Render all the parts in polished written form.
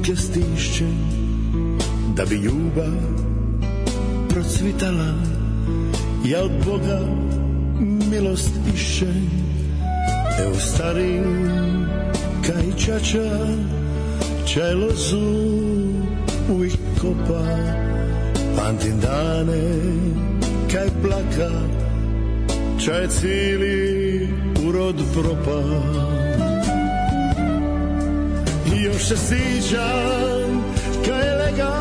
ruke stišćem, da bi ljubav procvitala. Ja od Boga milost išćem, evo starim kaj čača, čaj lozu uvijek kopa. Pamtim dane kaj plaka, čaj cijeli urod propa. I još se sjećam kaj lega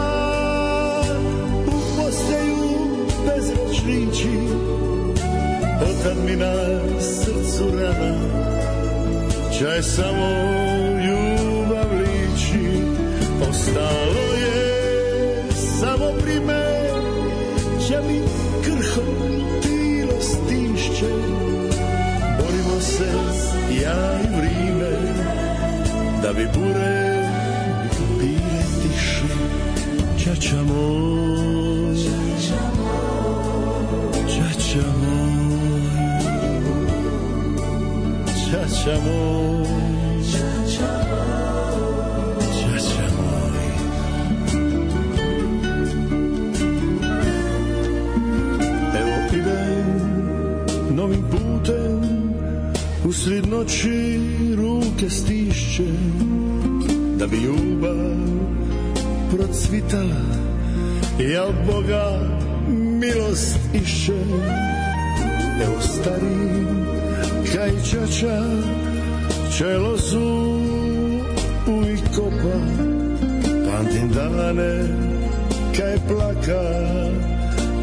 u postaju bez rečnići. Otad mi na srcu rana, čaj samo ljubav liči. Ostalo je samo prime, će mi krho tilo stišće. Borimo se ja i vrime, da bi bure bile tiše. Čača moj, čača moj, čača moj, čača moj. Evo idem novim putem, usred noći ruke stišće, da bi ljubav procvitala. Ja od Boga milost išćem, evo stari kaj čača, čaj lozu uvijek kopa. Pamtim dane kaj plaka,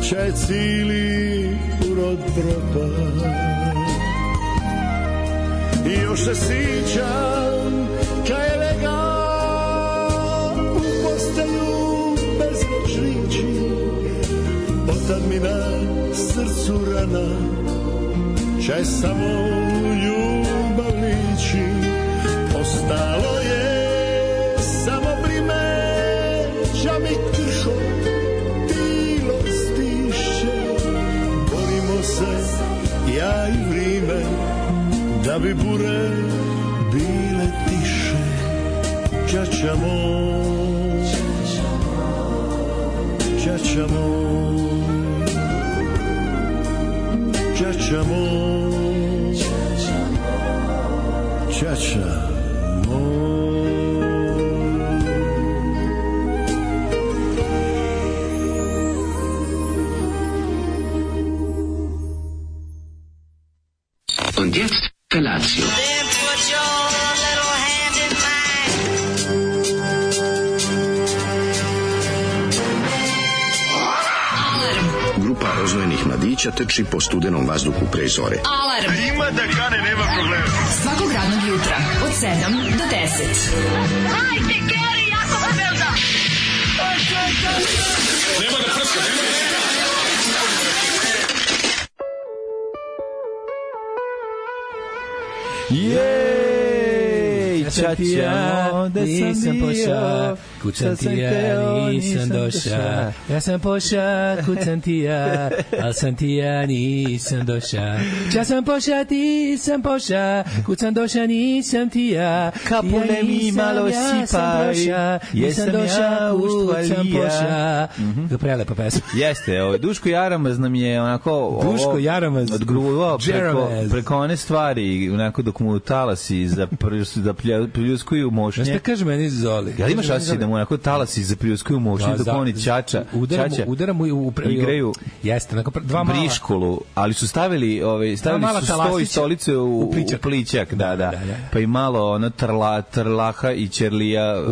čaj cijeli urod propa. I još se sjećam kaj lega u postaju bez rečnići. Otad mi na srcu rana, čaj samo ljubav liči. Ostalo je samo brime, ča mi krho tilo stiše. Borimo se ja i vrime, da bi bure bile tiše. Čača moj, čača moj, čača moj, čača moj. Und jetzt Felatio. Then put your little hand in mine. Grupa rozvojenih mladića trči po studenom vazduhu pre zore. Alarm. Ima da kane, nema problema. Svakog radnog jutra od 7 do 10. Hajde, Geri, jako se velda. Nema da prska, nema da prska. Jej, čača, nisam poša, kucam ti ja, nisam doša. Ja sam poša, kucam ti ja, al sam ti ja, nisam doša. Ja sam poša, ti sam poša, kucam doša, nisam ti ja. Kapune mi malo sipaj, jesam ja uštvalija. Prelepa pesma. Jeste, Duško Jaramaz nam je onako Duško Jaramaz odgruvao preko one stvari, onako dok mu talasi da pljuskuju mošnje. Šta kaže meni Zoli? Ja imaš osjećaj da mu onako talasi za pljuskuju mošnje dok oni čača udara mu igraju. Jeste, onako dva mala briškolu, ali su stavili su sto i stolice u plićak, da. Pa i malo ono trlaha i ćerlija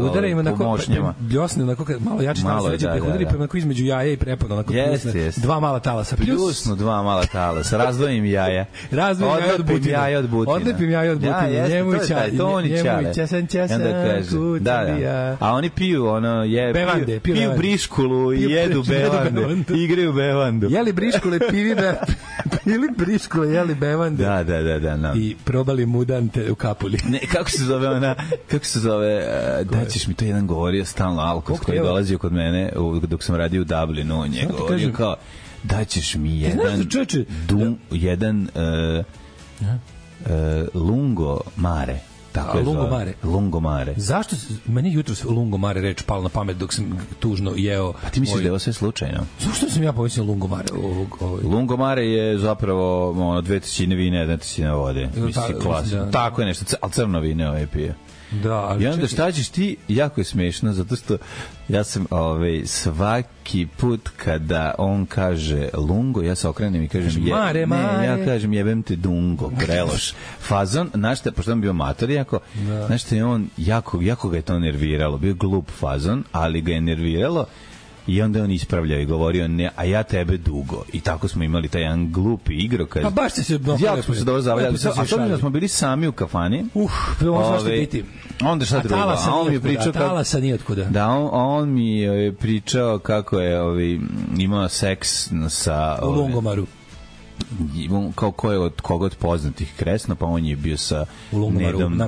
po mošnjama. Bljosne, onako malo jače talasa, udari pa onako između jaja i prepona, onako dva mala talasa. Pljusnu dva mala talasa, razdvojim jaja. Odlepim jaja od butina. Odlepim jaja od butina. Njemuća, časan, da. A oni piju piju briškulu i jedu bevandu. Igraju bevandu. Jeli briškule, pili briškule, jeli bevandu. Da. I probali mudante u kapuli. Ne, kako se zove, daćeš mi to jedan govorio stalno alkos koji je dolazio kod mene dok sam radio u Dublinu, on je govorio kao daćeš mi jedan lungo mare. Tako je Lungomare. Lungomare. Zašto meni jutros Lungomare reč pala na pamet dok sam tužno jeo? Pa ti misliš da je ovo sve slučajno? Zašto sam ja pomislio Lungomare? Lungomare je zapravo 2/3 vina, 1/3 vode. Mislim, klasično. Tako je nešto, ali crno vino pije. Da, ali i onda šta ćeš ti, jako je smešno, zato što ja sam svaki put kada on kaže Lungo, ja se okrenem i kažem Mare. Ja kažem jebem te Dungo, preloš. Fazon, znaš šta, pošto on bio mator, znaš šta je on, jako ga je to nerviralo, bio glup fazon, ali ga je nerviralo. I onda on ispravljao i govorio ne, a ja tebe dugo. I tako smo imali taj jedan glupi igrokaz. Pa baš ste se jako smo se dobro zavljali. A to da smo bili sami u kafani. Ovo što biti. Onda šta drugo? A on mi je pričao talasa nije otkuda. Da, on mi je pričao kako je imao seks sa u Lungomaru. Kao ko je od koga od poznatih kresno, pa on je bio sa Nedom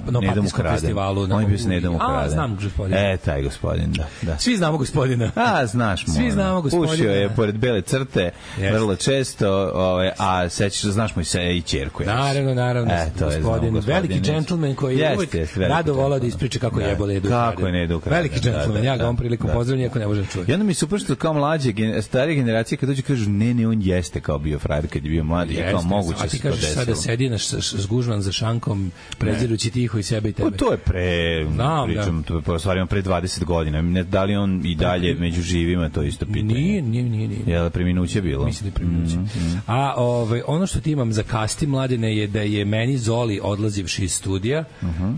Ukraden. On je bio sa Nedom Ukraden. Znam gospodina. Taj gospodin, da. Svi znamo gospodina. Znaš mu. Svi znamo gospodina. Pušio je pored bele crte, vrlo često, a sećaš, znaš mu i ćerku. Naravno. Gospodin, veliki džentlmen koji je uvijek rado volao da ispriča kako je jebole Nedom Ukraden. Kako je Nedom Ukraden. Veliki džentlmen, ja ga on prilikom pozdravljam, iako ne možem čuti. I onda mi super što kao mlađe, starije generacije, kad dođu kažu, ne, on jeste kao bio frajer kad je bio mladi, je kao moguće se to desilo. A ti kažeš sada sedi zgužvan za šankom, prezirući tiho i sebe i tebe. To je pričam, to je stvarno pre 20 godina. Da li on i dalje među živima, to isto pitanje. Nije. Je li preminuće bilo? Mislim da je preminuće. A ono što ti imam za kasti, Mladine, je da je meni Zoli, odlazivši iz studija,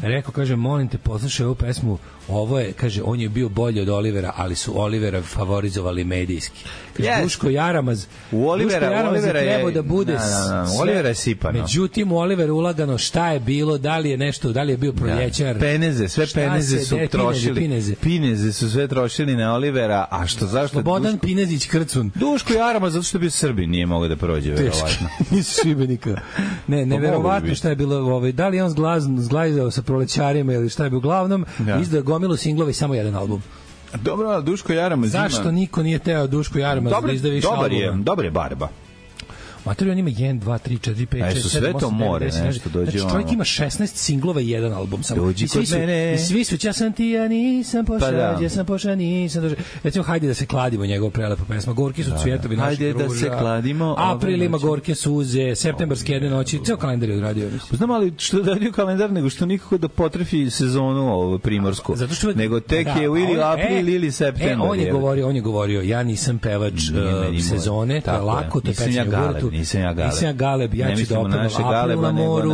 rekao, kaže, molim te, poslušaj ovu pesmu, ovo je, kaže, on je bio bolji od Olivera, ali su Olivera favorizovali medijski. Kaže, Duško Jaramaz je trebao da bude Olivera je sipano. Međutim, u Olivera ulagano šta je bilo, da li je nešto, da li je bio proljećar. Peneze, sve peneze su trošili. Pineze su sve trošili na Olivera, a zašto? Slobodan Pinezić Krcun. Duško Jaramaz, zato što je bio Srbin, nije mogao da prođe, verovatno. Nisu Šibenika. Neverovatno šta je bilo, da li je on zglajzao sa prolećarima ili šta je bio uglavnom, izdao gomilu singlova i samo jedan album. Dobro, ali Duško Jaramaz ima... Zašto niko nije teo Duško Jaramaz da izda više albuma? Dobar je barba. Mater, on ima 1, 2, 3, 4, 5, 6, 7, 8, 9, 10, nešto dođe. Znači, čovjek ima 16 singlova i jedan album samo. Dođi kod mene. I svi su, ja sam ti, ja nisam pošao, nisam došao. Recimo, hajde da se kladimo, njegov prelepa pesma. Gorki su cvjetovi naših ruža. Hajde da se kladimo. April ima gorke suze, septembarske jedne noći. Ceo kalendar je odradio. Znam, ali što je radio kalendar, nego što nikako da potrefi sezonu primorsku. Nego tek je ili april ili septembar. On je govorio, ja nisam pevač sezone, to je lako, to je pečenje u vrtu. Nisam ja Galeb, ja ću da opevam April na moru,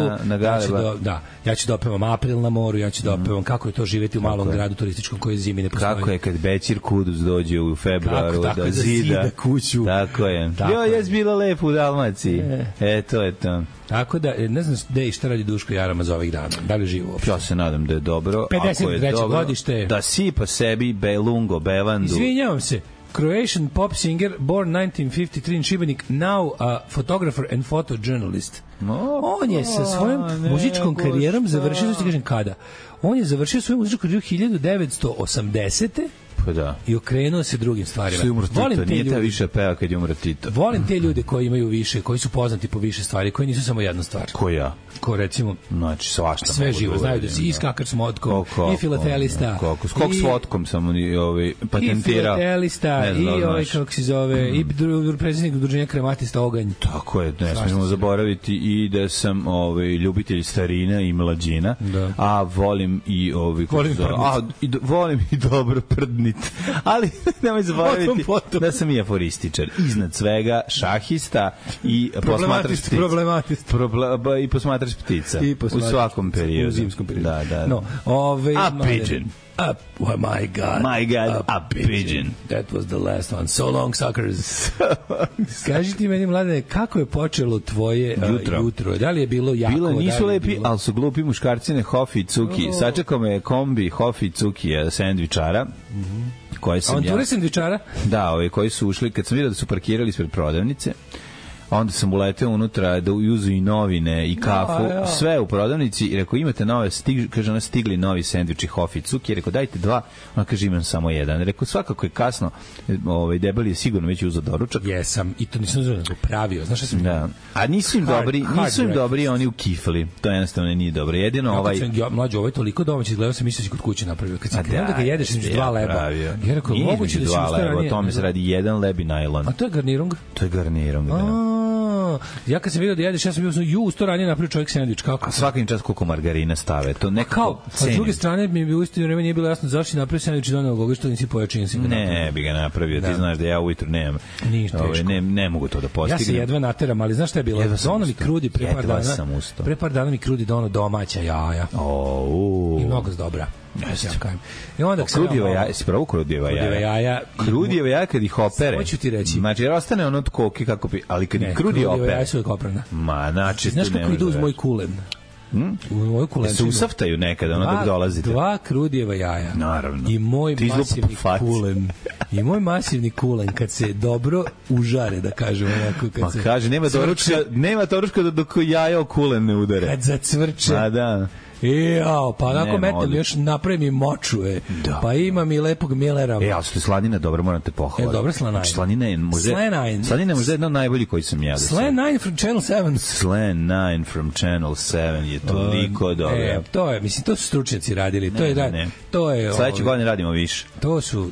ja ću da opevam April na moru, ja ću da opevam kako je to živjeti u malom gradu turističkom koji zimi ne postoji. Kako je kad Bećir Kudus dođe u februaru da zida kuću. Tako je. Jes bilo lepo u Dalmaciji. To je to. Tako da, ne znam gde i šta radi Duško Jaramaz ovih dana. Da li živo uopšte? Ja se nadam da je dobro. 53. godište. Da sipa sebi Belungo, Bevandu. Izvinjavam se. Croatian pop singer, born 1953 in Šibenik, now a photographer and photojournalist. On je sa svojom muzičkom karijerom završio, što kažem kada? On je završio svoju muzičku karijeru 1980. Pa da. I okrenuo se drugim stvarima. Volim te ljude, više peva kad je umro Tito. Volim te ljude koji imaju više, koji su poznati po više stvari, koji nisu samo jedna stvar. Ko ja? Ko recimo, znači svašta. Sve živo, znaju da si i skakar s motkom, i filatelista. Skok s vodkom sam patentirao. I filatelista, i kako se zove, i predsjednik udruženja Krematista Oganj. Tako je, ne smijemo zaboraviti i da sam ljubitelj starina i mlađina, a volim i volim i dobro prdni. Ali nemoj zaboraviti da sam i aforističar. Iznad svega šahista i posmatrač ptica. I posmatrač ptica. U svakom periodu. U zimskom periodu. Da. No, a pigeon. Oh my God, a pigeon. That was the last one. So long, suckers. Kaži ti meni, Mladene, kako je počelo tvoje jutro? Da li je bilo jako? Nisu lepi, ali su glupi muškarcine Hofi i Cuki. Sačekao me kombi Hofi i Cuki sendvičara. Avanture sendvičara? Da, koji su ušli, kad sam vidio da su parkirali ispred prodavnice, onda sam uleteo unutra da uzu i novine i kafu, sve u prodavnici i rekao imate nove, kaže ona stigli novi sendviči Hofi Cuki, rekao dajte 2, ona kaže imam samo 1. Rekao svakako je kasno, debeli je sigurno već uzeo doručak. Jesam, i to nisam uzeo, nego pravio, znaš šta sam... Da. A nisu im dobri oni u kifli, to jednostavno nije dobro. Jedino mlađe, ovo je toliko domaći, izgledao sam mislio si kod kuće napravio. Kad sam krenuo da ga jedeš između 2 leba. Ja rekao, moguće da si usto o tome se radi 1 leb i najlon. A to je garnirung? To je garnirung, da. Ja kad sam vidio da jedeš, ja sam bio usto ranije napravio čovjek sendvič. Kako? A svakim čas koliko margarina stave. To nekako cenim. A s druge strane, mi u istinu vreme nije bilo jasno zašto si napravio sendvič i doneo goga što nisi pojačin si ga napravio. Ne, bi ga napravio. Ti znaš da ja ujutru nemam. Ne mogu to da postignem. Ja se jedva nateram, ali znaš šta je bilo? Dono mi krudi pre par dana mi krudi dono domaća jaja. I mnogo dobra. I onda krudijeva jaja, si pravo krudijeva jaja. Krudijeva jaja kad ih opere. Hoću ti reći. Znači, jer ostane ono od koke kako bi, ali kad ih krudi opere. Krudijeva jaja su uvijek oprana. Ma, znači, znaš kako idu uz moj kulen? U moju kulenčinu. Se usaftaju nekada, ono dok dolazite. 2 krudijeva jaja. Naravno. I moj masivni kulen. I moj masivni kulen, kad se dobro užare, da kažem onako. Ma kaže, nema toručka dok jaja o kulen ne udare. Kad zacvrče. Ma da. Pa onako metam još napravim i moču, pa imam i lepog Millera. Ali što je slanina dobra, moram te pohvaliti. Dobra slanina. Slanina je možda jedna od najboljih koji sam jeo. Slan 9 from Channel 7. Slan 9 from Channel 7 je toliko dobro. To je, mislim, to su stručnjaci radili. To je sledeće godine radimo više. To su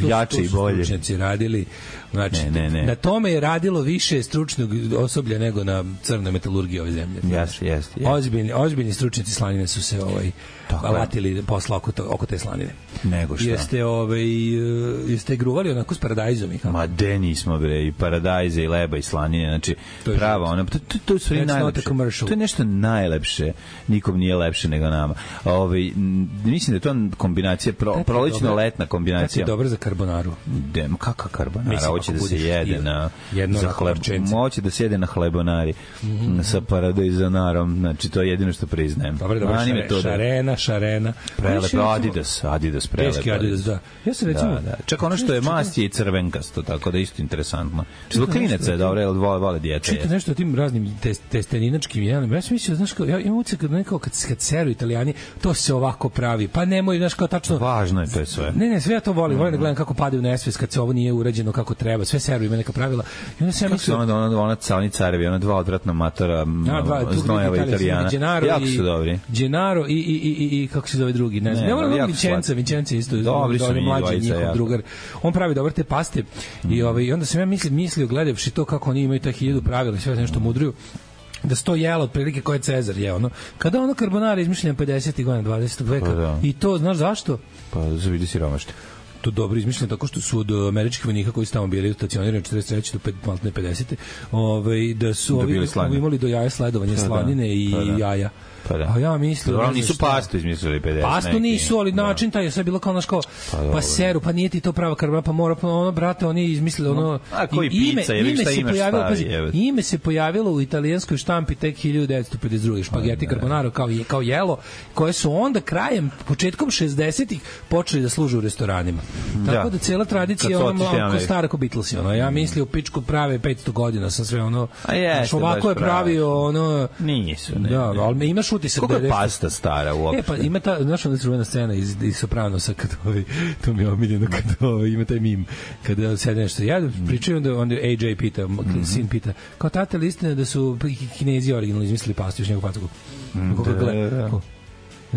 jače i bolje. Stručnjaci radili. Znači, na tome je radilo više stručnog osoblja nego na crnoj metalurgiji ove zemlje. Jeste. Ozbiljni stručnjaci slanine su se alatili posla oko te slanine. Nego šta? Jeste gruvali onako s paradajzom i kako? Ma de nismo bre, i paradajze i leba i slanine, znači prava ona, to je sve najlepše. To je nešto najlepše, nikom nije lepše nego nama. Mislim da je to kombinacija, prolećno-letna kombinacija. Kako je dobro za karbonaru? Kakva karbonara? Hoće da se jede na hoće da se jede na hlebonari sa paradajzonarom, znači to je jedino što priznajem. Dobro, šarena. Prelepo, Adidas prelepo. Teški Adidas, da. Ja se recimo... Čak ono što je mast je i crvenkasto, tako da je isto interesantno. Zbog klinaca je dobro, jer vole djece. Čite nešto o tim raznim testeninačkim jelima. Ja sam mislio, znaš, ja imam ucek kad seru Italijani, to se ovako pravi. Pa nemoj, znaš, kao tačno... Važno je to sve. Ne, sve ja to volim. Volim da gledam kako padaju nesvest kad se ovo nije urađeno kako treba. Sve seru ima neka pravila. I onda sam mislio... Oni carevi, ona 2 odvratna matora znojeva Italijana. Jako su dobri. Gennaro i kako se zove drugi, ne znam. Ne volim Vincenzo isto, dobri su mlađi njihov drugar. On pravi dobre te paste i onda sam ja mislio gledavši to kako oni imaju ta 1000 pravila i sve nešto mudruju, da sto jelo otprilike koje je Cezar jeo, ono. Kada ono carbonara izmišljen 50. godina 20. veka i to, znaš zašto? Pa za vidi siromašti. To dobro izmišljeno tako što su od američkih vojnika koji su tamo bili stacionirani 43. do 50. Da su imali do jaja sledovanje slanine i jaja. A ja mislim... Dobro, nisu pastu izmislili 50. Pastu nisu, ali način taj je sve bilo kao naš kao, pa seru, pa nije ti to prava karbonara, pa mora, ono, brate, oni izmislili ono... A koji pizza, jer šta imaš stavi? Ime se pojavilo u italijanskoj štampi tek 1952. Špageti carbonara kao jelo, koje su onda početkom 60-ih počeli da služe u restoranima. Tako da cijela tradicija ono stara ko Beatlesi, ono. Ja mislio pičku prave 500 godina sa sve ono... Ovako je pravio ono... Nisu, ne. Da, ali imaš utisak da je pasta stara uopšte. Pa ima ta, znaš ona čuvena scena iz Sopranosa kad to mi je omiljeno kad ima taj mim kada sede nešto. Ja pričaju onda AJ pita, sin pita, kao tata li istina da su Kinezi originalno izmislili pastu još njegov pacu.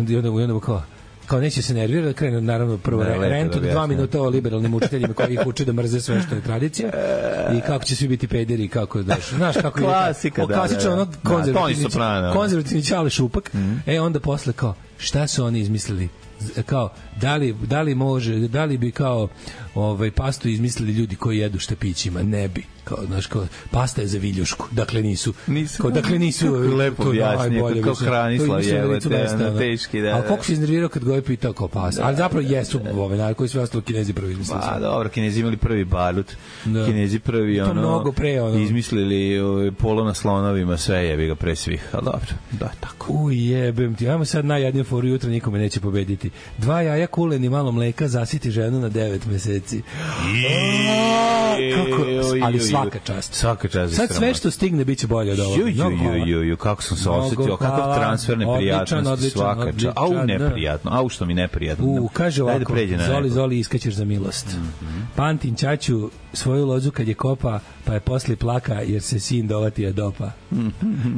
I onda kao neće se nervirati da krenu naravno prvo rent od 2 minuta o liberalnim učiteljima koji ih uče da mrze sve što je tradicija i kako će svi biti pederi i kako znaš kako je klasika, klasično ono konzervativni Ćale Šupak. Onda posle kao šta su oni izmislili, kao da li bi kao pastu izmislili ljudi koji jedu štapićima, ne bi, kao znaš, kao pasta je za viljušku, dakle nisu lepo objasnije kao Hranislav je teški, da. Ali koliko se iznervirao kad ga je pitao kao pasta, ali zapravo jesu narod koji sve ostalo Kinezi prvi izmislili. Pa dobro, Kinezi imali prvi barut, Kinezi prvi izmislili polo na slonovima, sve jebi ga pre svih, ali dobro, da, tako. Jebem ti, ajmo sad najjadniju foru, jutra nikome neće pobediti. 2 jaja kulen i malo mleka zasiti ženu na 9 meseci. Kako, ali svaka čast. Svaka čast. Sad sve što stigne biće bolje od ovoga. Kako sam se osetio, kakav transfer neprijatnosti, svaka čast. Au, neprijatno, au što mi neprijatno. Kaže ovako, Zoli, iskaćeš za milost. Pantin ćaću svoju lozu kad je kopa, pa je posle plaka jer se sin dovatija dopa.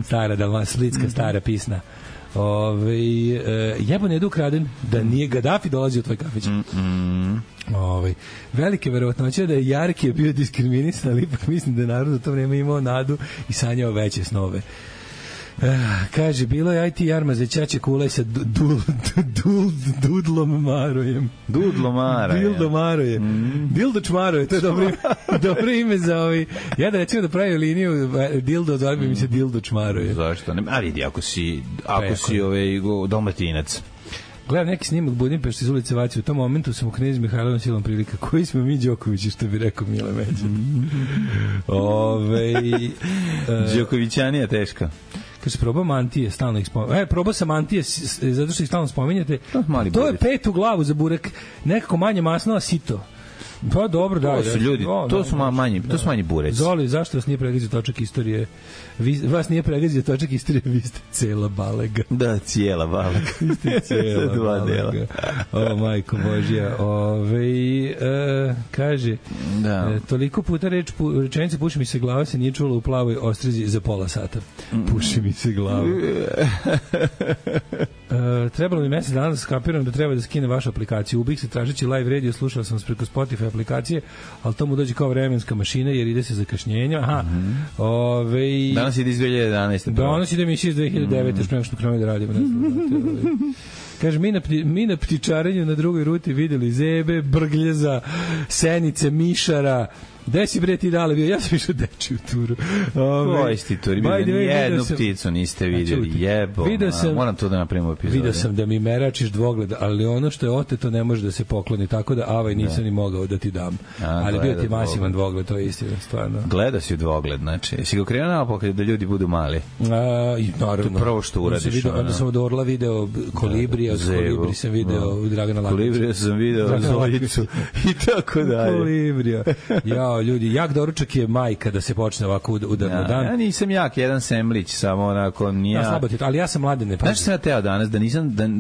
Stara splitska, stara pisna. Jebon je ukraden, da nije Gaddafi dolazio u tvoj kafić. Velike verovatnoće da je Jarki bio diskriminisan, ali ipak mislim da je narod u to vreme imao nadu i sanjao veće snove. Kaže, bilo je IT jarma za ćaće kulaj sa Dudlom Marojem. Dildo Maroje. Dildo Čmaroje, to je dobro ime za ovi. Ja da recimo da pravi liniju Dildo, zove bi mi se Dildo Čmaroje. Zašto? A vidi, ako si Dalmatinac. Gledam neki snimak Budimpešte iz ulice Vaci. U tom momentu sam u Knez Mihajlovom silom prilika. Koji smo mi Đokovići, što bi rekao Mile Međa. Đokovićanija teška. Kaže, probao mantije, stalno ih spominjate. Probao sam mantije, zato što ih stalno spominjate. To je 5 u glavu za burek. Nekako manje masno, a sito. Pa dobro, da. To su ljudi, to su manji bureci. Zoli, zašto vas nije pregazio točak istorije? Vas nije pregazio točak istorije, vi ste cela balega. Da, cijela balega. Vi ste cela balega. O, majko Božja. Kaže, toliko puta rečenice puši mi se glava se nije čulo u plavoj ostrezi za pola sata. Puši mi se glava. Trebalo mi mesec dana da skapiram da treba da skine vašu aplikaciju. Ubih se tražeći live radio, slušao sam preko Spotify aplikacije, ali to mu dođe kao vremenska mašina jer ide se zakašnjenja. Danas ide iz 2011. Danas ide emisija iz 2009. Još prema što krenemo da radimo. Kaže, mi na ptičarenju na drugoj ruti videli zebe, brgljeza, senice, mišara. Gde si bre ti dale bio? Ja sam išao dečiju turu. Koji si turi? Jednu pticu niste vidjeli. Jebo. Moram to da napravimo epizodu. Vidio sam da mi meračiš dvogled, ali ono što je oteto ne može da se pokloni, tako da nisam ni mogao da ti dam. Ali bio ti masivan dvogled, to je istina, stvarno. Gleda si u dvogled, znači. Jesi ga krenuo naopakad da ljudi budu mali? Naravno. To prvo što uradiš. Onda sam od Orla video Kolibrija, od Kolibri sam video Dragana Lakića. Kolibrija sam video Zoljicu i tako dalje. Kolibrija. Ljudi, jak doručak je majka da se počne ovako udarno dan. Ja nisam jak, jedan semlić, samo onako nije. Ja slabo ti, ali ja sam mladen, ne pazi. Znaš što sam ja teo danas,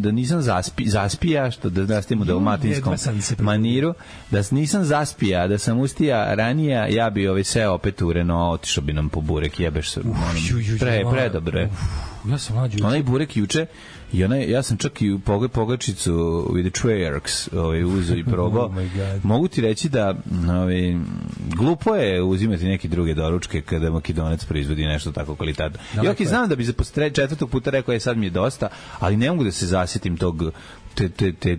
da nisam zaspija, što da nastavim u dalmatinskom maniru, da nisam zaspija, da sam ustija ranija, ja bi seo opet u Renault, otišao bi nam po burek, jebeš se. Predobre. Ja sam mlađi. Onaj burek juče, ja sam čak i pogačicu with the Treyarchs uzeo i probao. Mogu ti reći da glupo je uzimati neke druge doručke kada Makedonac proizvodi nešto tako kvalitetno. Ja znam da bi za 4. puta rekao sad mi je dosta, ali ne mogu da se zasjetim tog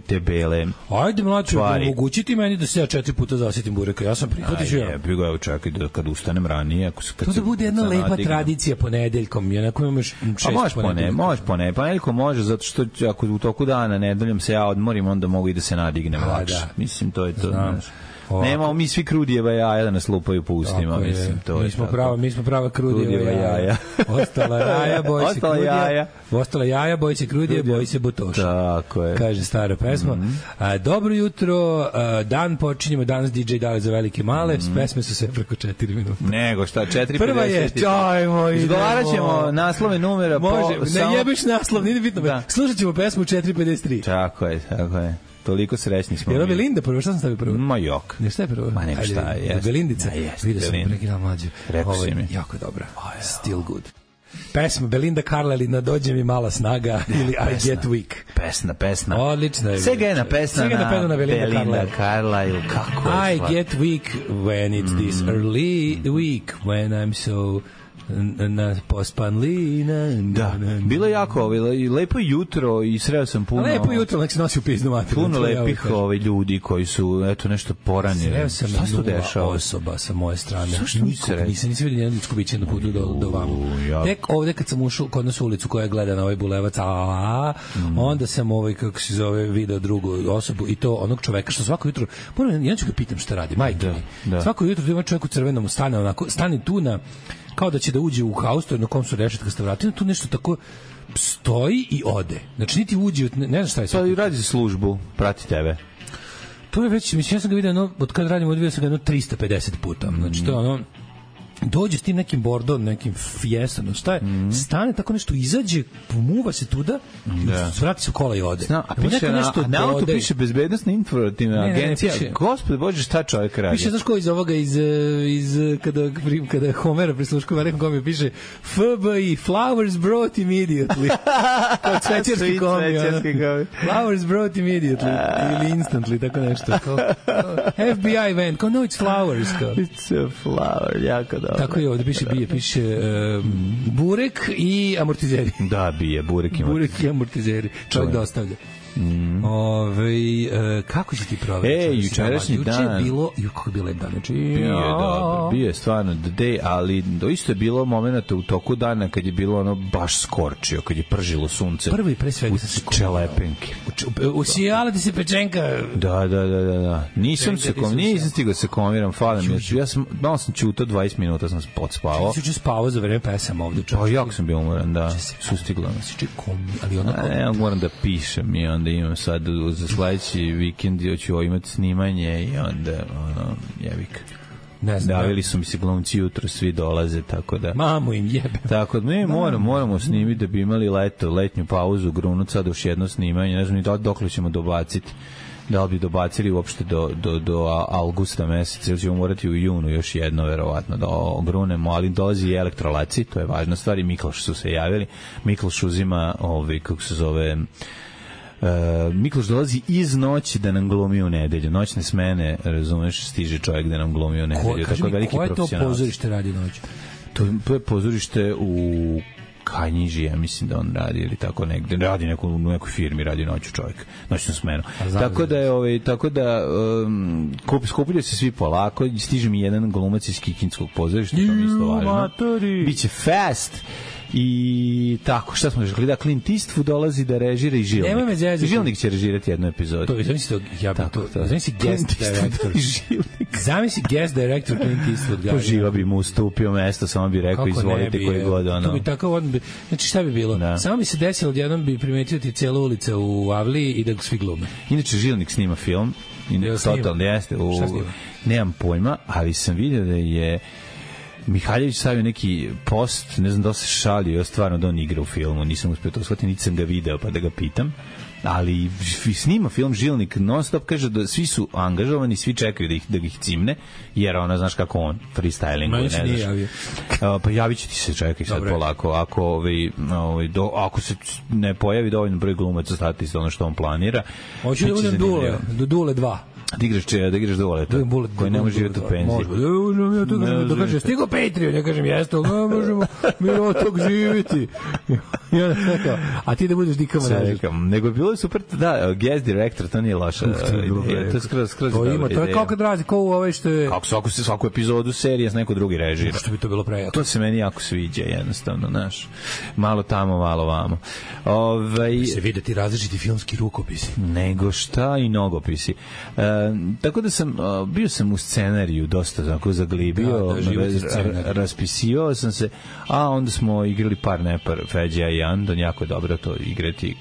te bele. Ajde, mlađe, omogućiti meni da se ja 4 puta zasjetim bureka. Ja sam prihvatiš ja. Evo, čekaj kad ustanem ranije. To da bude jedna lepa tradicija ponedeljkom. Jednako imaš 6 ponedeljkom. Može ponedeljkom, može, zato što ako u toku dana nedeljom se ja odmorim, onda mogu i da se nadignem lakše. Mislim, to je to. Nemamo mi svi krudijeva jaja da nas lupaju po ustima, mislim, to je tako. Mi smo prava krudijeva jaja. Ostala jaja, boj se krudija. Ostala jaja, boj se krudija, boj se butoša. Tako je. Kaže stara pesma. Dobro jutro, dan počinjemo, danas DJ Dale za velike male, pesme su sve preko 4 minuta. Nego šta, 4:50. Prva je, čajmo, izgovarat ćemo naslove numera. Može, ne jebeš naslov, nije bitno. Slušat ćemo pesmu 4:53. Tako je. Toliko srećni smo. Je li Belinda prvo? Šta sam stavio prvo? Ma jok. Ne, šta je prvo? Ma nema šta je. Belindica? Vidio sam prekinal mlađe. Rekao si mi. Jako dobra. Still good. Pesma Belinda Carla ili Nadođe mi mala snaga ili I Get Weak. Pesna. Odlična je. Segena pesna na Belinda Carla ili kako je. I get weak when it's this early week when I'm so na pospanlina. Da, bilo jako lepo jutro i sreo sam puno. Lepo jutro, nek se nosi u pizdu mater. Puno lepih ljudi koji su nešto poranili. Sreo sam nula osoba sa moje strane. Nisam vidio nijedno ljudsko biće na putu do vama. Tek ovde kad sam ušao kod nas ulicu koja gleda na ovaj bulevac, onda sam kako se zove, video drugu osobu i to onog čoveka što svako jutro, ja ću ga pitam šta radi, majke mi. Svako jutro ima čovjek u crvenom stane tu na kao da će da uđe u haustor na kom su rešetkasta vratina, tu nešto tako stoji i ode. Znači, niti uđe, ne znam šta je sve. Pa i radi za službu, prati tebe. To je već, mislim, ja sam ga vidio, od kada radim, odvijao sam ga 350 puta. Znači, to je ono, dođe s tim nekim bordom, nekim fijestom, šta je, stane tako nešto, izađe, pomuva se tuda, vrati se u kola i ode. A piše na auto piše bezbednostna informativna agencija. Gospode Bože, šta čovjek radi? Piše, znaš ko iz ovoga, iz kada Homera prisluškova, nekom kom je piše FBI, flowers brought immediately. Kao cvećarski komi. Flowers brought immediately. Ili instantly, tako nešto. FBI van, kao no, it's flowers. It's a flower, jako dobro. Tako je, ovde piše burek i amortizeri. Da, burek i amortizeri. Burek i amortizeri. Čovjek dostavlja. Kako si ti proveo? Jučerašnji dan. Juče je bilo, kako je bilo jedan dan? Bio je stvarno the day, ali isto je bilo momenta u toku dana kad je bilo ono baš skorčio, kad je pržilo sunce. Prvo i pre svega sam se čelepenke. Usijala ti se pečenka. Da. Nisam stigao se komiram, falim. Ja sam, malo sam čutao 20 minuta, sam podspavao. Ti si spavao za vreme pesama ovde. Pa jako sam bio umoran, da. Sustigla me. Ali onako... Ja moram da pišem i onda imam sad za sledeći vikend ću imati snimanje i onda jebik. Ne znam. Davili su mi se glumci jutro, svi dolaze, tako da... Mamu im jebe. Tako da mi moramo snimiti da bi imali letnju pauzu, grunut sad još jedno snimanje, ne znam ni dokle ćemo dobaciti. Da li bi dobacili uopšte do avgusta meseca, ili ćemo morati u junu još jedno, verovatno, da ogrunemo, ali dolazi i elektrolaci, to je važna stvar, i Mikloš su se javili. Mikloš uzima, kako se zove... Mikloš dolazi iz noći da nam glumi u nedelju. Noćne smene, razumeš, stiže čovjek da nam glumi u nedelju. Kaži mi, koje to pozorište radi noć? To je pozorište u Kanjiži, ja mislim da on radi ili tako negde. Radi u nekoj firmi, radi noću čovjek. Noćnu smenu. Tako da skupljaju se svi polako, stiže mi jedan glumac iz Kikinskog pozorišta, to mi isto važno. Biće fast. I tako, šta smo rekli, da Clint Eastwood dolazi da režira i Žilnik. Žilnik će režirati jednu epizodu. Zamisli guest director. Zamisli guest director Clint Eastwood. To živa bi mu ustupio mesto, samo bi rekao izvolite koji god ono. To bi tako, znači šta bi bilo? Samo bi se desilo, odjednom bi primetio ti cijela ulica u Avliji i da svi glume. Inače, Žilnik snima film. Totalno jeste. Nemam pojma, ali sam vidio da je Mihaljević stavio neki post, ne znam da se šalio, stvarno da on igra u filmu, nisam uspio to shvatiti, niti sam ga video pa da ga pitam, ali snima film Žilnik non stop, kaže da svi su angažovani, svi čekaju da ih cimne, jer ona, znaš kako on freestylinguje, ne znaš. Pa javit će ti se, čekaj sad polako, ako se ne pojavi dovoljno broj glumaca, stati se ono što on planira. Hoću da budem Dule 2. Da igraš Duleta, koji ne može živjeti u penziji. Da kaže, stigo Patreon, ja kažem, jeste, ne možemo mi od tog živjeti. A ti da budeš Dika Manažer. Nego je bilo super, da, guest director, to nije loša. To je skroz dobra ideja. To je kao kad razi, kao u ove što je... Kako svaku epizodu serije s neko drugi režira. Što bi to bilo prejako. To se meni jako sviđa, jednostavno, znaš. Malo tamo, malo vamo. Se videti različiti filmski rukopisi. Nego šta i nogopisi. Tako da bio sam u scenariju dosta tako zaglibio, raspisivao sam se, a onda smo igrali par nepar, Feđa i Andon, jako je dobro to igrati.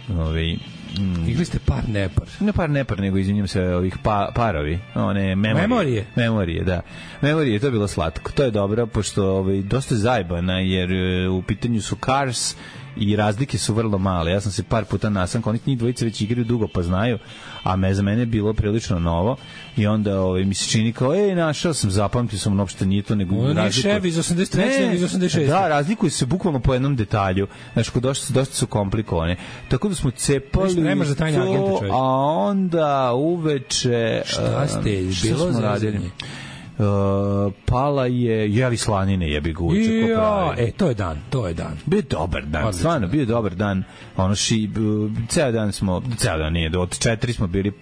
Igli ste par nepar? Ne par nepar, nego izvinjam se, ovih parovi, one memorije. Memorije, da. Memorije, to je bilo slatko. To je dobro, pošto dosta zajbana, jer u pitanju su Cars i razlike su vrlo male. Ja sam se par puta nasanko, oni njih dvojice već igraju dugo pa znaju, a za mene je bilo prilično novo i onda mi se čini kao, našao sam, zapamtio sam, uopšte nije to, nego nije Chevy iz 83. nego iz 86. Da, razlikuju se bukvalno po jednom detalju, znači, dosta su komplikovane. Tako da smo cepali nemaš za tajne agente, čovječ. A onda uveče šta ste, bilo zazanje? Pala je jeli slanine, jebi ga uče ko pravi. To je dan. Bio dobar dan, stvarno bio dobar dan. Ceo dan nije, od 4 smo bili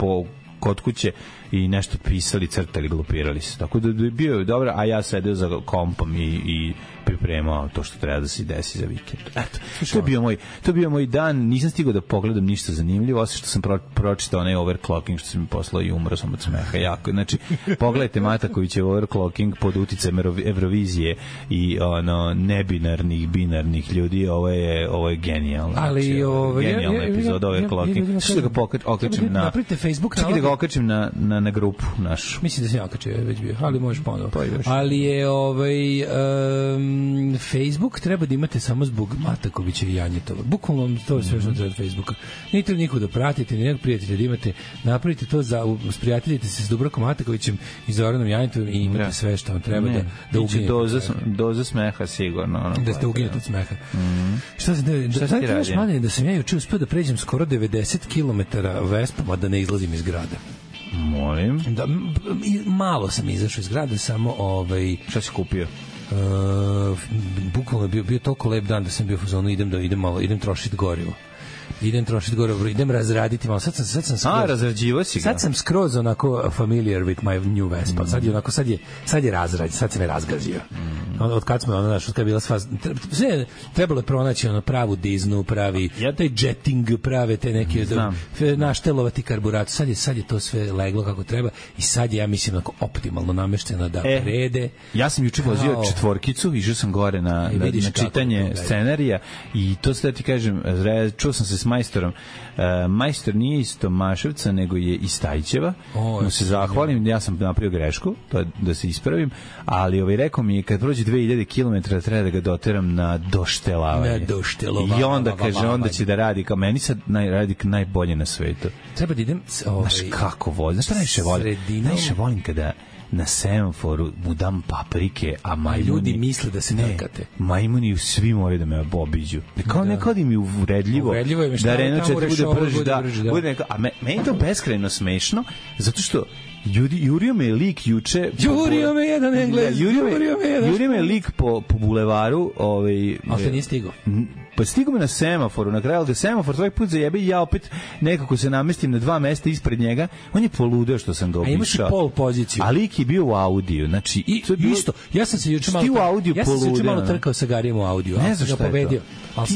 kod kuće i nešto pisali, crtali, glupirali se. Tako da je bio dobro, a ja sedeo za kompom i pripremao to što treba da se desi za vikend. Eto, to je bio moj dan, nisam stigao da pogledam ništa zanimljivo, osim što sam pročitao onaj overclocking što sam mi poslao i umro sam od smeha jako. Znači, pogledajte Matakovićev overclocking pod uticajem Evrovizije i nebinarnih, binarnih ljudi, ovo je genijalno. Ali genijalna epizoda overclocking. Što da ga okačim na... Napravite Facebook. Čekaj da ga okačim na grupu našu. Mislim da sam ja okačio, već bio, ali možeš ponovo. Ali je Facebook treba da imate samo zbog Matakovića i Janjetova. Bukvalno to je sve što treba od Facebooka. Nije treba nikog da pratite, ni nekog prijatelja da imate. Napravite to, sprijateljite se s Dubravkom Matakovićem i Zoranom Janjetovom i imate sve što vam treba da uginete. Doza smeha sigurno. Da ste uginete od smeha. Šta ti radi? Da sam ja juče uspio da pređem skoro 90 km Vespama da ne izlazim iz grada. Molim. Da, malo sam izašao iz grada, samo šta si kupio? Bukvalno bio toliko lep dan da sam bio u fazonu idem trošiti gorivo. Idem razraditi malo. Sad sam razrađivo si ga. Sad sam skroz onako familiar with my new Vespa. Sad je razrađen, sad se me razgazio. Od kad smo od kad je bila sva sve trebalo je pronaći pravu diznu, pravi taj jetting, prave te neke naštelovati karburator. Sad je to sve leglo kako treba i sad je, ja mislim, onako optimalno namešteno da rede. Ja sam juče vozio četvorkicu, išao sam gore na čitanje scenarija i to sve ti kažem, čuo sam se s majstorom. Majstor nije iz Tomaševca, nego je iz Stajčeva. No se zahvalim, ja sam napravio grešku, to da se ispravim, ali rekao mi je kad prođe 2000 km treba da ga doteram na doštelavanje. I onda kaže, onda će da radi kao meni sad radi najbolje na svetu. Treba da idem... Znaš kako volim? Znaš šta najviše volim? Najviše volim kada na semaforu mu dam paprike, a majmuni... Ljudi misle da se trkate. Majmuni svi moraju da me obiđu. Kao nekad im je uvredljivo da Renault 4 bude brži. A meni to beskrajno smešno, zato što jurio me lik juče... Jurio me jedan Englez! Jurio me lik po bulevaru... Ali te nije stigao? Pa stigu me na semaforu, na kraju, ali da semafor svaki put zajebe i ja opet nekako se namestim na 2 mesta ispred njega, on je poludeo što sam ga obišao. A imaš i pol poziciju. A lik je bio u Audiju, znači... Isto, ja sam se juče malo trkao sa Garijem u Audiju, ali sam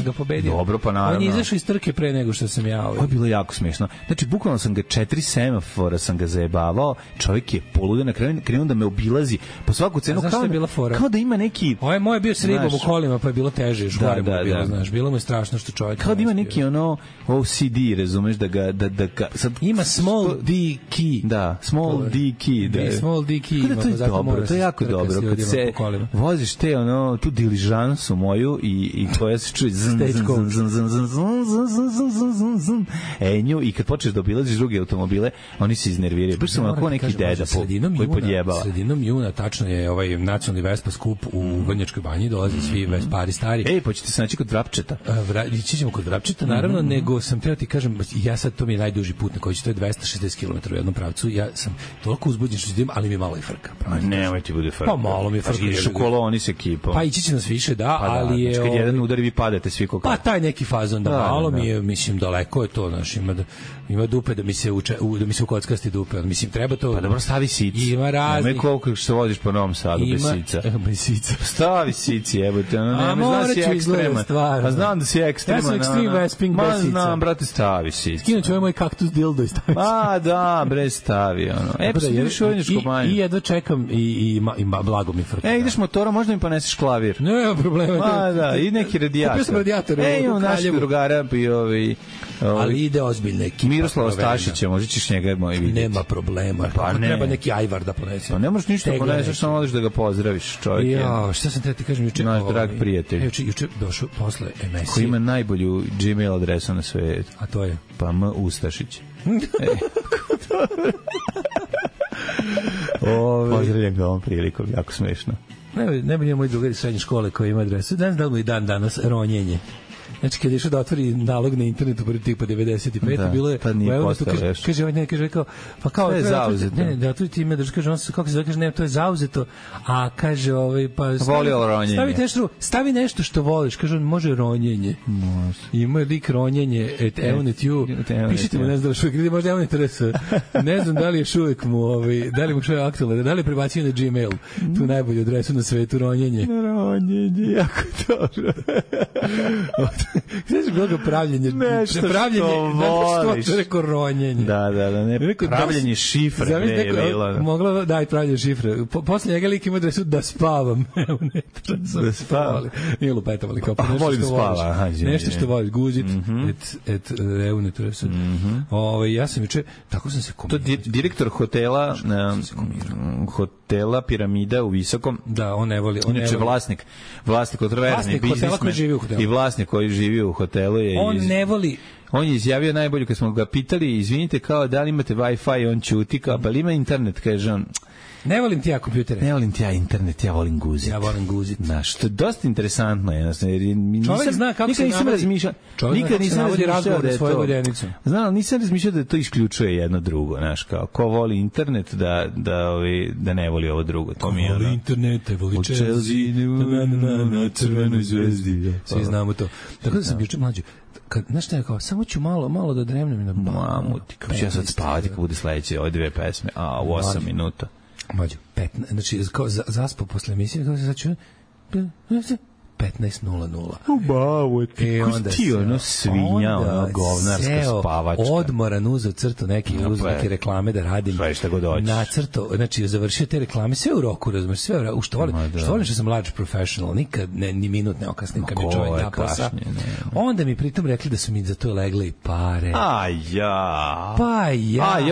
ga pobedio. Dobro, pa naravno. On je izašao iz trke pre nego što sam ja... Ovo je bilo jako smešno. Znači, bukvalno sam ga 4 semafora sam ga zajebavao, čovjek je poludeo, na kraju krenuo da me obilazi po svaku cenu, kao da ima neki... Ovo je moj bio s ribom u kolima, pa je bilo teže, još gore mu bilo, znaš. Bilo mu je strašno što čovjek... Kao da ima neki OCD, razumeš, da ga sad... Ima small D key. Da, small D key. Small D key ima. To je dobro, to je jako dobro. Kad se voziš te, tu diližansu moju i koja se čuje nju i kad počneš da obilaziš druge automobile, oni se iznerviraju. Baš sam onako neki deda koji podjebava. Sredinom juna, tačno je ovaj nacionalni Vespa skup u Vrnjačkoj banji, dolaze svi Vespari stari. Ej, pa ćete se naći kod Vrapčeta. Ići ćemo kod Vrapčeta, naravno, nego sam teo ti kažem, ja sad, to mi je najduži put na koji će, to je 260 km u jednom pravcu, ja sam toliko uzbuđen što idem, ali mi malo i frka. Nemoj ti bude frka. Pa malo mi je frka. Ideš u koloni s ekipom. Pa ići će nas više, da, ali je... Kad jedan udari, vi padate svi koliko. Pa taj neki fazon, da, malo mi je, mislim, daleko je to, znaš, ima dupe da mi se ukockasti dupe, mislim, treba to... Pa dobro, stavi sici. Ima raznih... Nemoj koliko što voziš po Novom Sadu bez sica. Bez sica. Stavi sici, jebote, a morat ću izgledati stvar. Pa znam da si ekstreman. Ja sam ekstrem Vesping bez sica. Znam, brate, stavi sici. Skinut ću ovaj moj kaktus dildo i stavi. Pa da, bre, stavi, pa se ideš u Vrnjačku banju. I jedva čekam i blago mi frka. Ideš motorom, možda mi poneseš klavir. Nema problema. Pa da, i neki radijator. Kupio sam radijator. Imam našeg drugara i ali ide ozbiljna ekipa. Miroslava Stašića, možda ćeš njega moj vidjeti. Nema problema. Pa ne. Treba neki ajvar da ponese. Pa ne možeš ništa poneseš, samo odeš da ga pozdraviš, čovjek. Ja, šta sam ti kažem juče? Naš drag prijatelj. Juče došao posle emisije. Koji ima najbolju Gmail adresu na svetu. A to je? Pa M. Ustašić. Pozdravljam ga ovom prilikom, jako smešno. Ne bi moj drugar iz srednje škole koji ima adresu. Danas da li mu i dan danas ronjenje. Znači, kad je išao da otvori nalog na internetu prvi tipa 95, bilo je, kaže, ovaj kaže, kao, pa kao, je zauzeto. Ne, da otvori time, da kaže, on se, kako se zove, kaže, ne, to je zauzeto, a kaže, pa stavi nešto što voliš, kaže, on može ronjenje. Može. Ima lik ronjenje, Eonet you, pišite mu, ne znam da li šuvek, ili možda Eonet RS, ne znam da li je šuvek mu, da li mu šuvek aktualno, da li je prebacio na Gmail, tu najbolju adresu na svetu, ronjenje. Ronjenje, jako dobro. Znaš bilo ga pravljenje? Nešto što voliš. Što rekao ronjenje. Da, ne, pravljenje šifre je bilo. Mogla da i pravljenje šifre. Posle njega lik ima adresu da spavam. Da spavam. Nije lupetam, ali kao volim da spava. Nešto što voliš. Guzit et reunet. Ja sam juče, tako sam se komirao. To direktor hotela Piramida u Visokom. Da, on ne voli. Inače vlasnik otroverni biznismen i vlasnik koji živi u hotelu je on ne voli. On je izjavio najbolje kad smo ga pitali, izvinite, kao da li imate Wi-Fi, on ćuti, kao pa li ima internet, kaže on. Ne volim ti ja kompjutere. Ne volim ti ja internet, ja volim guzit. Ja volim guzit. Znaš, što je dosta interesantno. Čovjek zna kako se razmišljao. Nikad nisam razmišljao da je to. Znam, nisam razmišljao da to isključuje jedno drugo. Znaš, kao, ko voli internet, da ne voli ovo drugo. To mi je voli internet, voli Chelsea, na crvenoj zvezdi. Svi znamo to. Tako da sam juče mlađi. Znaš šta je kao, samo ću malo da dremnem na mamuti. Kako ću ja sad spavati kad bude sledeće ove 2 pesme, u 8 minuta. Mađo, 15, znači, zaspao posle emisije, kao se sad ću 15:00. Ubavo, ti ono svinja, ono govnarska spavačka. Odmoran uzeo crtu neke reklame da radim. Šta god hoćeš. Nacrto, znači završio te reklame, sve u roku, razumeš, sve u roku. Što volim što sam large professional, nikad ni minut ne okasnim kad mi čovjek da posla. Onda mi pritom rekli da su mi za to legle i pare.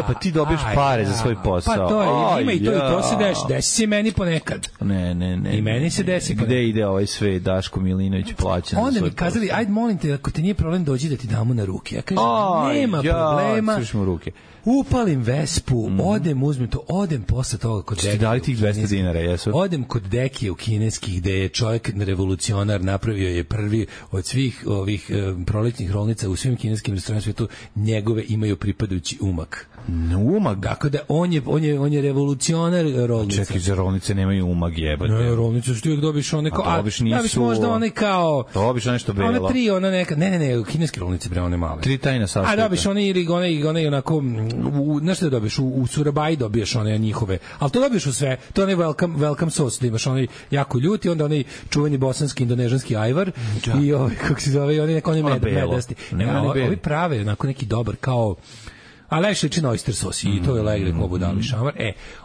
Pa ti dobiješ pare za svoj posao. Pa to je, ima i to se desi se meni ponekad. Ne. I meni se desi. Gde ide ovaj sve? Daško Milinović plaća. Onda mi kazali, ajde molim te, ako ti nije problem dođi da ti damo na ruke. Ja kažem, nema problema. Upalim Vespu, odem posle toga kod Dekije. Dali tih 200 dinara, jesu? Odem kod Dekije u kineskih, gde je čovjek revolucionar, napravio je prvi od svih ovih proletnjih rolnica u svim kineskim restoranima svetu, njegove imaju pripadajući umak. Umag? Dakle, da on je revolucionar rolnica. Čekaj, za rolnice nemaju umag, jebate. Ne, rolnice što uvijek dobiš one kao... A dobiš možda one kao... Dobiš nešto belo. One 3, ona neka... Ne, kineske rolnice, bre, one male. 3 tajna sastojka. A dobiš one ili onako... Znaš što da dobiš? U Surabaji dobiješ one njihove. Ali to dobiješ u sve. To je onaj welcome sauce, da imaš onaj jako ljuti, onda onaj čuveni bosanski, indonežanski ajvar i ovaj, kako se zove, oni medasti. Ovi prave, onako neki dobar, kao... A lepše liči na oyster sos i to je legre ko budali šamar.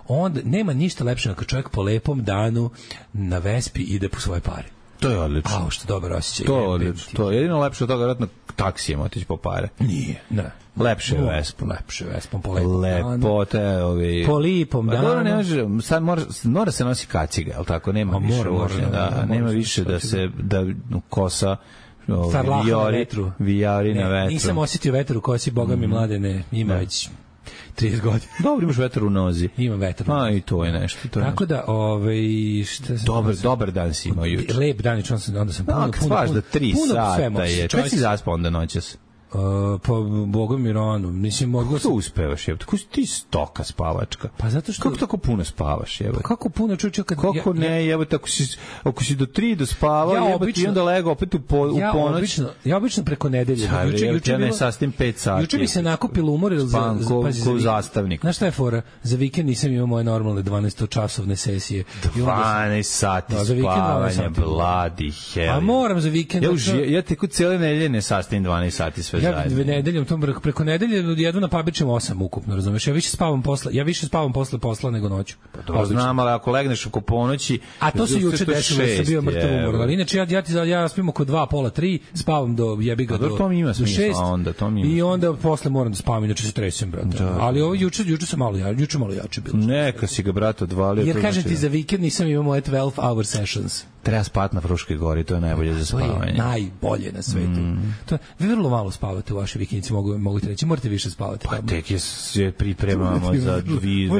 Onda nema ništa lepše nego čovjek po lepom danu na Vespi ide po svoje pare. To je odlično. Što dobar osjećaj. To je odlično. To je jedino lepše od toga vjerojatno taksijem otići po pare. Nije, ne. Lepše je Vespom. Lepše je Vespom po lepom danu. Lepote, po lipom danu. Dobro, ne može, sad mora se nosi kaciga, je li tako? Nema više da se kosa vijari na vetru. Nisam osjetio vetar u kosi, boga mi mladene, ima već 30 godina. Dobro, imaš vetar u nozi. Ima vetar u nozi. I to je nešto. Tako da, dobar dan si imao juče. Lep dan, onda sam puno da 3 sata je. Kad si zaspao onda noćas? Pa Bogom i rano, mislim mogao kako uspevaš, jebote? Kako si ti stoka spavačka? Pa zato što kako tako puno spavaš, jebote? Pa kako puno čuče kad kako ne, jebote, ako si do 3 dospavao, jebote, i onda legao opet u ponoć. Ja obično preko nedelje. Juče ne sastim 5 sati. Juče mi se nakupilo umor za zastavnik. Znaš šta je fora? Za vikend nisam imao moje normalne 12-časovne sesije. 12 sati spavanja, bloody hell. A moram za vikend. Ja teku cijele nedelje ne sastim 12 sati sve. Ja nedeljom preko nedelje jedu na Pabičem 8 ukupno, razumeš? Ja više spavam posle posla nego noću. Pa znam, ali ako legneš oko ponoći, a to se juče desilo, da sam bio mrtav umoran. Ali inače ja spim oko 2, pola 3, spavam do jebiga do 6. Onda to mi ima. I onda posle moram da spavam, inače se tresem, brate. Ali ovo juče sam malo jače bilo. Neka si ga, brate, odvalio. Jer kažem ti, za vikend nisam imao moje 12-hour sessions. Treba spati na Fruškoj gori, to je najbolje za spavanje. To je najbolje na svetu. To je, vi vrlo malo spavate u vašoj vikendici, mogu ti reći, morate više spavati. Pa tek se pripremamo za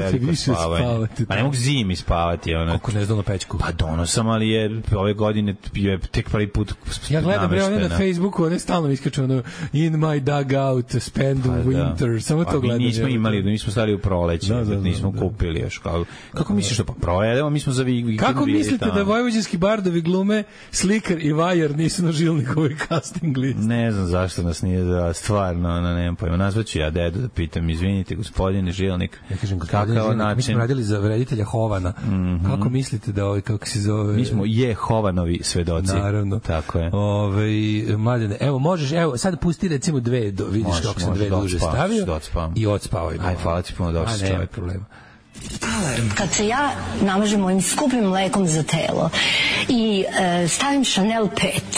veliko spavanje. Pa ne mogu zimi spavati. Kako ne znam na pećku? Pa donosam, ali je ove godine je tek prvi put ja gledam one na Facebooku, one stalno iskaču in my dugout, spend winter, samo to gledam. Nismo imali, nismo stali u proleće, nismo kupili još. Kako misliš da pa projedemo, mi smo za vikend. Kako mislite da vojvođanski bardovi glume Slikar i Vajar nisu na Žilnikovoj casting listi? Ne znam zašto nas nije stvarno, nemam pojma. Nazvaću ja dedu da pitam, izvinite gospodine Žilnik. Ja kažem, gospodine Žilnik, mi smo radili za reditelja Hovana. Kako mislite da kako se zove? Mi smo Hovanovi svedoci. Naravno. Tako je. Mladene, evo možeš, vidiš kako sam dve duže stavio i odspavaj. Aj, hvala ti puno, došli čovjek. Nema problema. Alarm. Kad se ja namažem mojim skupim mlekom za telo i stavim Chanel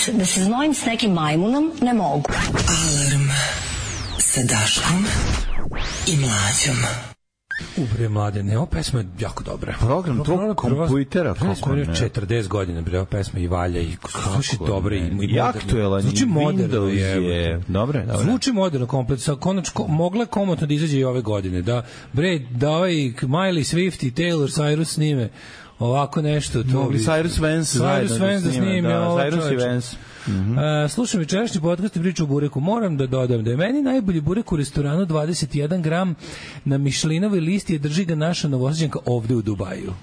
5 da se znojim s nekim majmunom, ne mogu. Alarm sa Daškom i Mlađom. Bre, Mladene, ova pesma je jako dobra. Program tvog kompujtera, kako ne? 40 godina, bre, ova pesma i valja i sluši dobro i aktuelan. Zvuči moderno je. Dobre. Zvuči moderno komplet, konačno mogla komotno da izađe i ove godine. Da ovaj Miley Swift i Taylor Cyrus snime ovako nešto. Mogli Cyrus Vance da snime. Cyrus i Vance. Slušam večerašnji podcast i priču o bureku. Moram da dodam da je meni najbolji burek u restoranu 21 gram na Mišlinovoj listi, je drži ga naša Novosađanka ovde u Dubaju.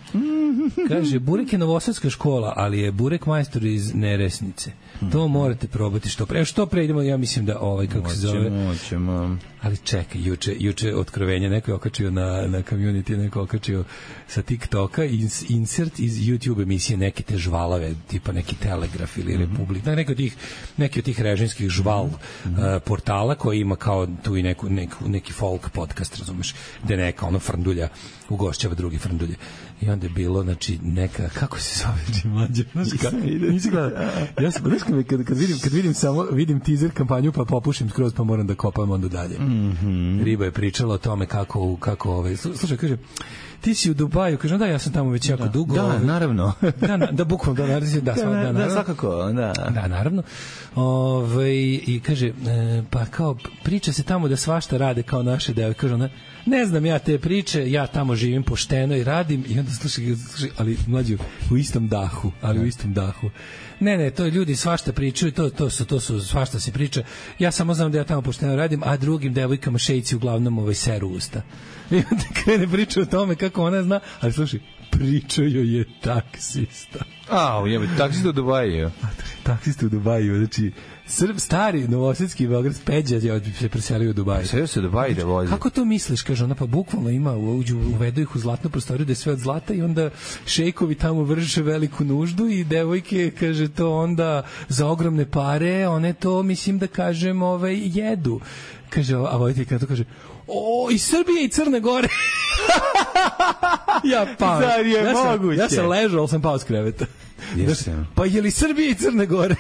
Kaže, burek je novosadska škola, ali je burek majstor iz Neresnice. To morate probati što pre. Što pre idemo, ja mislim da kako se zove. Moćemo. Ali čekaj, juče otkrovenje, neko je okačio na community, neko je okačio sa TikToka insert iz YouTube emisije neke te žvalave, tipa neki Telegraf ili Republik, neki od tih režimskih žval portala koji ima kao tu i neki folk podcast, razumeš, gde neka frndulja ugošćava drugi frndulje. I onda je bilo, znači, neka, kako se zove, mlađe, nisi gleda. Ja sam, kad vidim teaser kampanju, pa popušim skroz, pa moram da kopam onda dalje. Riba je pričala o tome kako slušaj, kaže, ti si u Dubaju, kaže, da, ja sam tamo već jako dugo. Da, naravno. Da, bukvalno, da, svakako, da. Da, naravno. I kaže, pa kao, priča se tamo da svašta rade kao naše devojke, kaže ona, ne znam ja te priče, ja tamo živim pošteno i radim, i onda slušaj, ali mlađu, u istom dahu. Ne, to ljudi svašta pričaju, to su svašta se priča. Ja samo znam da ja tamo pošteno radim, a drugim devojkama šejci uglavnom seru usta. I onda krene priča o tome kako ona zna, ali slušaj, pričaju je taksista. Taksista u Dubaju. Taksista u Dubaju, znači stari novosadski Beograd Peđa se preselio u Dubaj. Preselio se u Dubaj da vozi. Kako to misliš, kaže ona, pa bukvalno ima, uvedu ih u zlatnu prostoriju da je sve od zlata i onda šejkovi tamo vrše veliku nuždu i devojke, kaže, to onda za ogromne pare, one to, mislim da kažem, jedu. Kaže, a vojiteljka to kaže, iz Srbije i Crne Gore. Ja pao. Zar je moguće? Ja sam ležao, ali sam pao s kreveta. Pa je li Srbije i Crne Gore?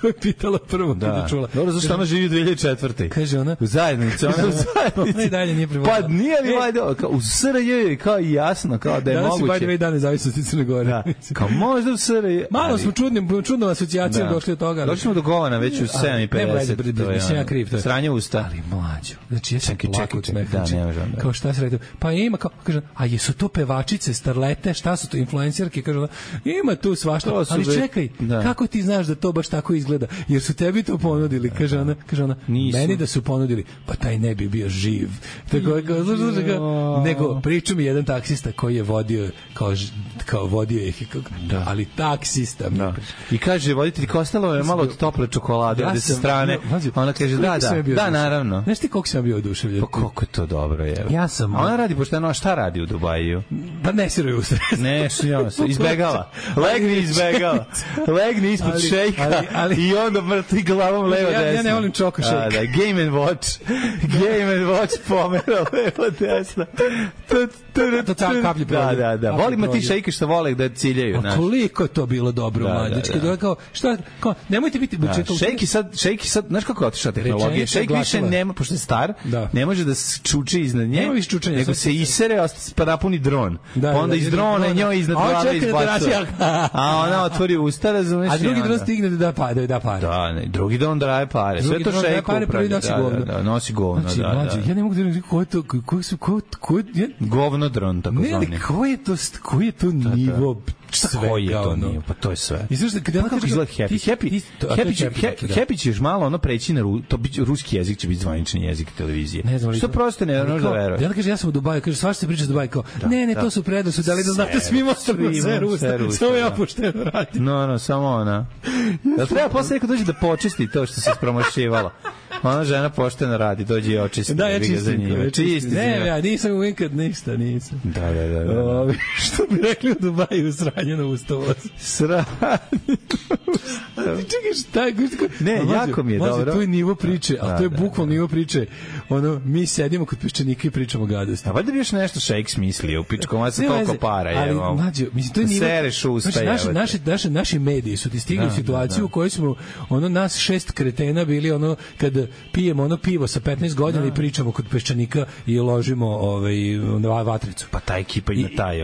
To je pitala prvo kada je čula. Dobro, zašto ona živi u 2004. Kaže ona. U zajednici. Ona i dalje nije prevojila. Pa nije li valjda, u SRJ je kao jasno, kao da je moguće. Danas je by dan nezavisnosti Crne Gore. Da, kao možda u SRJ. Malo smo čudnom asocijacijom došli od toga. Došli smo do Govana već u 7:50. Ja kriv, to je. Sranje usta. Ali mlađo. Znači, ja sam plakao od smeha. Da, nema žanda. Kao šta se radi? Pa ima, kao, kaže, a jesu to pevačice, starlete, šta su to, influencerke? Kaže ona, ima tu svašta. Ali čekaj, kako ti znaš da to baš tako izgleda? Jer su tebi to ponudili, kaže ona, meni da su ponudili, pa taj ne bi bio živ. Tako, nego priča mi jedan taksista koji je vodio, kao vodio ih, ali taksista. Da. I kaže, voditelj, ostalo je malo od tople čokolade od sa strane. Ona kaže, da, naravno. Znaš ti koliko sam bio oduševljen? Pa koliko je to dobro, je. Ja sam. Ona radi pošteno, a šta radi u Dubaju? Da ne siruje usred. Ne, izbegava. Legni ispod šejka. i onda mrtvi glavom levo desno. Ja ne volim Choco Shake. Da, Game and Watch. Game and Watch pomera levo desno. To cal kaplji prolje. Da. Volimo ti šejke što vole da ciljaju. Koliko je to bilo dobro, mlađički. Kao, nemojte biti... Šejki sad, znaš kako je otišla tehnologija? Šejk više nema, pošto je star, ne može da čuči iznad nje, nego se isere, pa napuni dron. Onda iz drona njoj iznad glave izbacuje. A ona otvori usta, razumeš? A drugi dron stigne da da pare. Da, ne, drugi dron daje pare. Sve to šejku upravlja. Da, nosi govno. Ja ne mogu da reći ko je to... Govno dron, tako zvani. Ne, koji je to nivo svega? Koji je to nivo? Pa to je sve. I znaš, kako izgleda Happy ćeš malo ono preći na ruski jezik, će biti zvanični jezik televizije. Što prosto ne možeš da veruješ. Ja kaže, ja sam u Dubaju, kaže, svašta se priča s Dubaju, kao, ne, to su predosu, da li da znate svima ostavljamo sve Rusa, samo ja pošteno radim. No, samo ona. Da treba posle neko dođe da počesti to što se ispromošivalo. Ona žena pošteno radi, dođe i očisti. Da, ja čistim. Ne, ja nisam uvijek ništa, nisam. Da. Što bi rekli u Dubaju, sranje na ustavoz. Sranje. Čekaj, šta je? Ne, jako mi je dobro. To je nivo priče, ali to je bukvalno nivo priče. Ono, mi sedimo kod peščanika i pričamo gadosti. A valjda bi još nešto šejk smislio u pičkom, a se toliko para. Ali, mlađo, mislim, to je nivo... Sereš usta, naši mediji su ti stigli u situaciju u kojoj smo, nas 6 kretena bili, kad pijemo pivo sa 15 godina i pričamo kod peščanika i ložimo na vatricu. Pa ta ekipa ima taj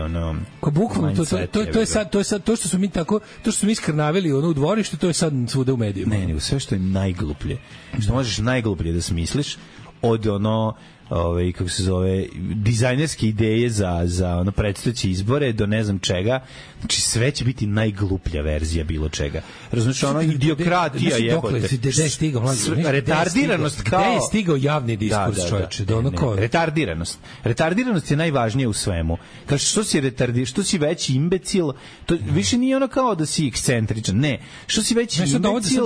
bukvalno to je sad to što smo mi tako, to što smo mi skrnavili u dvorištu, to je sad svuda u medijima. Ne, sve što je najgluplje. Što možeš najgluplje da smisliš od kako se zove, dizajnerske ideje za predstojeće izbore do ne znam čega. Znači sve će biti najgluplja verzija bilo čega. Razumiješ, idiokratija jebote. Retardiranost kao... Gde je stigao javni diskurs, čovječe? Retardiranost je najvažnije u svemu. Kaže, što si veći imbecil, to više nije ono kao da si ekscentričan. Ne, što si veći imbecil,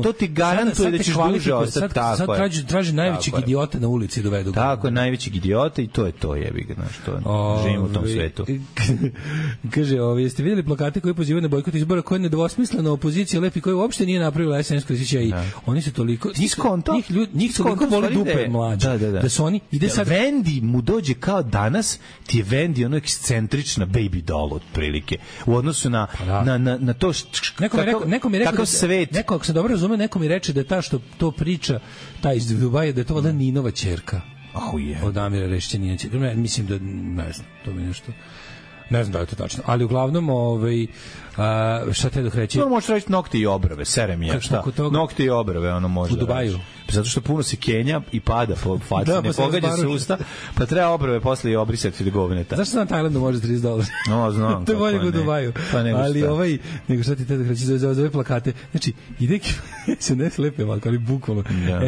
to ti garantuje da ćeš duže ostati. Sad traži najvećeg idiota na ulici dovedu. Tako je, najvećeg idiota i to je to, jebi ga, znaš, to živimo u tom svetu. Kaže, jeste vidjeli plakate koji pozivaju na bojkot izbora, koje je nedvosmislena opozicija lepi, koja uopšte nije napravila SNS Krasića i oni su toliko... Njih toliko boli dupe mlađe. Da su oni... Vendi mu dođe kao danas, ti je Vendi ono ekscentrična baby doll otprilike. U odnosu na to kakav svet. Neko, ako sam dobro razumio, neko mi reče da je ta što to priča, ta iz Dubaja, da je to valjda Ninova ćerka. Od Amira Rešćanina. Mislim da, ne znam, to mi nešto... Ne znam da je to tačno, ali uglavnom šta te dok reći? Možeš reći nokte i obrve, serem je, šta? Nokte i obrve, ono može. U Dubaju. Zato što puno se kenja i pada po faci, ne pogađa se usta, pa treba obrve posle i obrisati do govneta. Zašto na Tajlandu može $30? No, znam. To je bolje u Dubaju. Ali nego šta ti te dok reći za ove plakate. Znači, ide SNS lepe malko, ali bukvalno.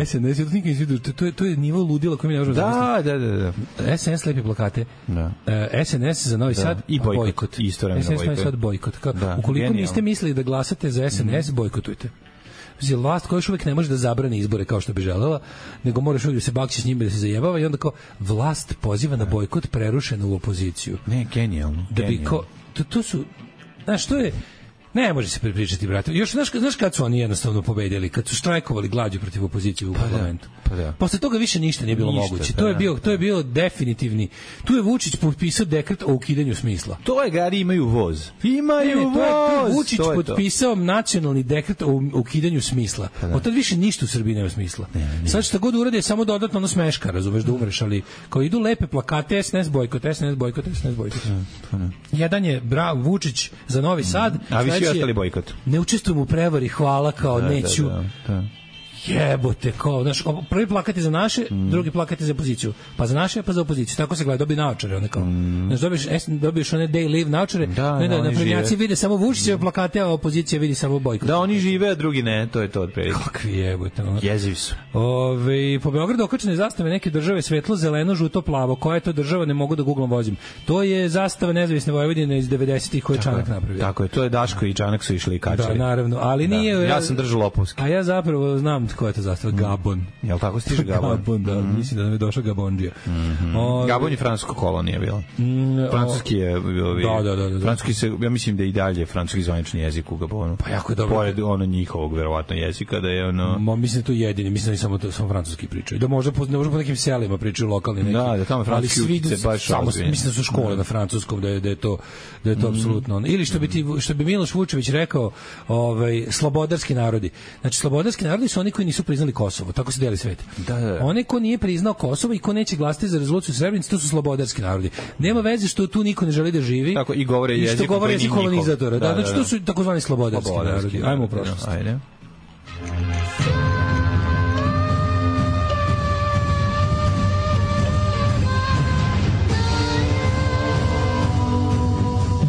SNS, to nikad nisi vidio, to je nivo ludila koji mi ne možemo zamisliti. Da. SNS lepe plakate. SNS za Novi Sad i bojkot. SNS Sad bojkot. Ukoliko niste mislili da glasate za SNS, bojkotujte. Vlast koja još uvijek ne može da zabrani izbore kao što bi želela, nego moraš uvijek da se bakći s njima, da se zajebava i onda kao vlast poziva na bojkot prerušena u opoziciju. Ne, genijalno. To su, znaš, to je, ne može se pripričati, brate. Još, znaš kad su oni jednostavno pobedili? Kad su štrajkovali glađu protiv opozicije u parlamentu. Posle toga više ništa nije bilo moguće. To je bilo definitivni. Tu je Vučić potpisao dekret o ukidanju smisla. To je gari imaju voz. To je Vučić potpisao nacionalni dekret o ukidanju smisla. Od tad više ništa u Srbiji nema smisla. Sad šta god uradi je samo dodatno ono smeška, razumeš, da umreš, ali kao idu lepe plakate SNS bojkot. Jedan je Vučić za Novi Sad, a vi svi ostali bojkot. Ne učestvujem u prevari, hvala, kao neću. Jebote, kao, znaš, prvi plakat je za naše, drugi plakat je za opoziciju. Pa za naše, pa za opoziciju. Tako se gleda, dobije naočare, one kao. Znaš, dobiješ one day live naočare, na prednjaci vide samo Vučićeve plakate, a opozicija vidi samo bojkot. Da, oni žive, a drugi ne, to je to otprilike. Kakvi jebote. Jezivi su. Po Beogradu okačene zastave neke države svetlo, zeleno, žuto, plavo. Koja je to država, ne mogu da googlom vozim. To je zastava Nezavisne Vojvodine iz 90-ih koje Čanak napravio. Tako je, to je Daško i Čanak su išli i kačali. Da, naravno, ali nije. Ja sam držao lopovski. A ja zapravo znam koja je to zastava? Gabon. Jel tako stiže Gabon? Gabon, da, mislim da nam je došao Gabondžija. Gabon je francuska kolonija bila. Francuski je... Da. Francuski se, ja mislim da i dalje francuski zvanični jezik u Gabonu. Pa jako je dobro. Pored njihovog, verovatno, jezika, da je ono... Mislim da to jedini, mislim da samo francuski pričaju. Da možda po nekim selima pričaju lokalni neki. Da, tamo francuski utice baš razvijen. Mislim da su škole na francuskom, da je to apsolutno ono. Ili što bi Miloš Vučević rekao, slobodarski narodi. Znači, slobodarski narodi su oni koji nisu priznali Kosovo. Tako se deli svet. Da. Oni ko nije priznao Kosovo i ko neće glasati za rezoluciju Srebrenice, to su slobodarski narodi. Nema veze što tu niko ne želi da živi. Tako i govore jezik kolonizatora. Da, znači to su takozvani slobodarski narodi. Ajmo u prošlost. Ajde.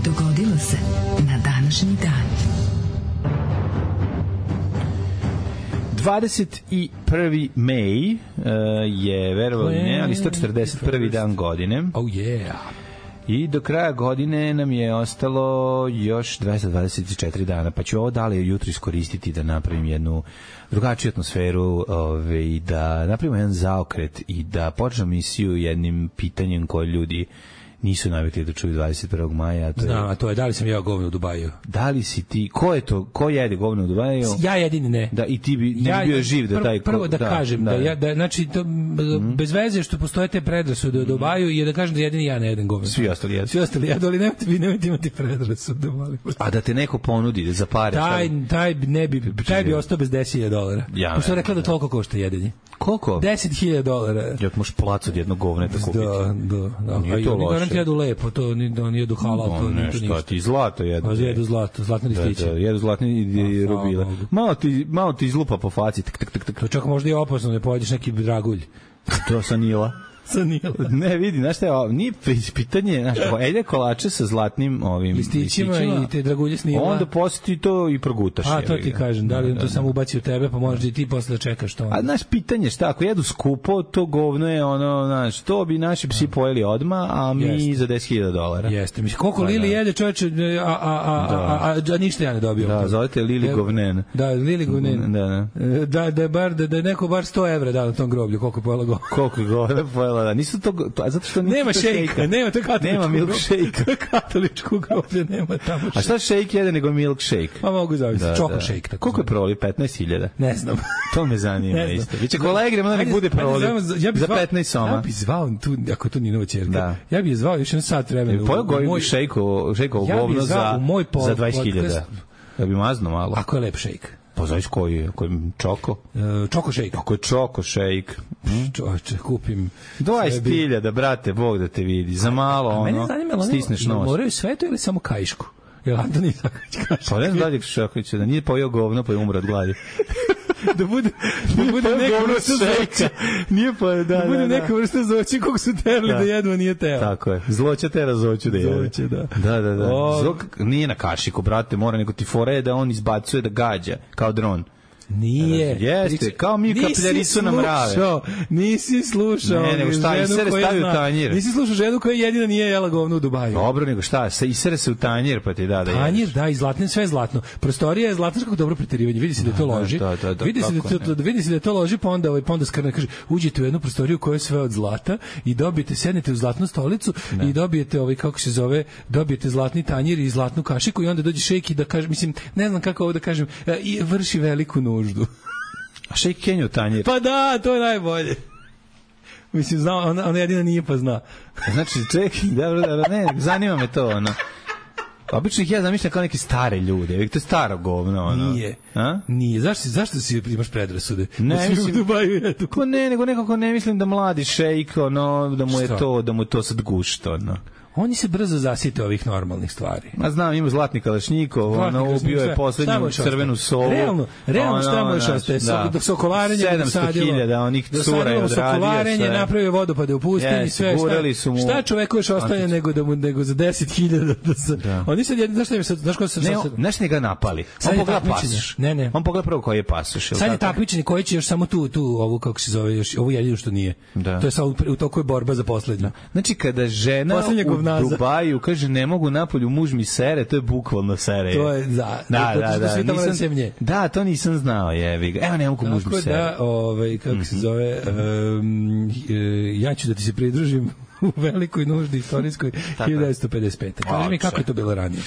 Dogodilo se na današnji dan. 21. maj je, verovali ne, ali 141. dan godine. Oh yeah. I do kraja godine nam je ostalo još 224 dana, pa ću ovo dalje jutro iskoristiti da napravim jednu drugačiju atmosferu, da napravimo jedan zaokret i da počnem misiju jednim pitanjem koje ljudi nisu navikli da čuju 21. maja. Znam, a to je da li sam jeo govno u Dubaju. Da li si ti, ko je to, ko jede govno u Dubaju? Ja jedini ne. Da, i ti bi ne bio živ da taj... Prvo da kažem, znači, to, bez veze što postoje te predrasude u Dubaju i da kažem da jedini ja ne jedem govno. Svi ostali jedu. Svi ostali jedu, ali nemojte imati predrasude. A da te neko ponudi za pare? Taj bi ostao bez $10.000. Ja, pošto je rekla da toliko košta jedenje. Koliko? $10.000. Ja možeš plac od jednog govneta kupiti. Da. Nije to loše. Jedu lepo, to nije jedu halal, to nije to ništa. Ti zlato jedu. Jedu zlatne listiće. Da, jedu zlatne rubile. Malo ti izlupa po faci. To čak možda i opasno, ne pojedeš neki dragulj. To sa Nila. Ne, vidi, znaš šta je, nije pitanje, znaš, ejde kolače sa zlatnim listićima i te dragulje s Nila. Onda posle to i progutaš. A, to ti kažem, da li on to samo ubaci u tebe, pa možeš i ti posle da čekaš to. A, znaš, pitanje šta, ako jedu skupo, to govno je ono, znaš, to bi naši psi pojeli odmah, a mi za $10.000. Jeste, mislim, koliko Lili jede čoveče, a ništa ja ne dobio. Da, zovete Lili Govnen. Da, Lili Govnen. Da je neko bar $100 dao na tom groblju, koliko je pojela govno. Koliko je govno pojela. Da, nisu to, zato što nema šejka, nema to katoličko. Nema milkshake. Katoličko groblje nema tamo. A šta shake jede nego milkshake? Pa mogu zavisiti, čoko shake. Koliko je proli? 15.000? Ne znam. To me zanima isto. Biće kolegre, da nek bude proli. Za 15 soma. Ja bih zvao tu, ako to nije nova ćerka. Ja bih je zvao još jedan sat vremena. Pojel goji shake-ovo govno za 20.000. Ja bih mazno malo. Ako je lep shake. Pa znaš koji je čoko? Čoko shake. Ako je čoko shake. Čovječe, kupim 20.000, brate, Bog da te vidi. Za malo, ono, stisneš nos. Moraju sve to ili samo kaišku? Jel Antoni Isaković kaže? Pa ne znam dalje Šakovića, da nije pojeo govno pa je umro od gladi. da bude neka vrsta zloća. Nije pa, da bude neka vrsta zloća kog su terali da jedu, a nije teo. Tako je. Zloća tera zloću da jede. Zloće, da. Da. Zlok nije na kašiku, brate, mora nego ti fore da on izbacuje da gađa, kao dron. Nije. Jeste, kao mi kapljaricu na mrave. Nisi slušao. Ne, nego šta, isere stavi u tanjir. Nisi slušao ženu koja jedina nije jela govno u Dubaju. Dobro, nego šta, isere se u tanjir pa ti da jedeš. Tanjir, da, i zlatno, sve je zlatno. Prostorija je zlatno, kako dobro preterivanje. Vidi se da je to loži. Vidi se da je to loži, pa onda skrna kaže, uđete u jednu prostoriju u kojoj je sve od zlata i dobijete, sednete u zlatnu stolicu i dobijete, kako se zove, dobijete zlatni tanjir i zlatnu kašiku i onda dođe šejk i da kaže, mislim, ne znam kako ovo da kažem, i vrši veliku nuždu. A šejk Kenju tanjir. Pa da, to je najbolje. Mislim, zna, ona jedina nije pa zna. Znači, čekaj, dobro, ne, zanima me to, ono. Obično ih ja zamišljam kao neke stare ljude, to je staro govno, ono. Nije. Zašto si imaš predrasude? Ne, mislim, u Dubaju jedu. Ne, nego nekako ne mislim da mladi šejk, ono, da mu je to sad gušt, ono. Oni se brzo zasite ovih normalnih stvari. Ma znam, ima zlatni kalašnikov, ono, ubio je poslednju crvenu sovu. Realno šta mu još ostaje? Sokolarenje 700.000 onih cura je odradio. Sokolarenje, napravio vodopade u pustinji, sve šta čoveku još ostaje nego za 10.000 Oni sad jedni, znaš ko se... Znaš ne ga napali. On pogleda pasoš. On pogleda prvo koji je pasoš. Sad je takmičenje koji će još samo tu, ovu, kako se zove, ovu jedinu što nije. To je sad u toku je borba za poslednju. Znači, kada žena nazad. Dubaju, kaže, ne mogu napolju, muž mi sere, to je bukvalno sere. To je, da, to nisam znao, jevi ga. Evo, ne mogu muž mi sere. Kako se zove, ja ću da ti se pridružim u velikoj nuždi istorijskoj 1955. Kaži mi kako je to bilo ranije.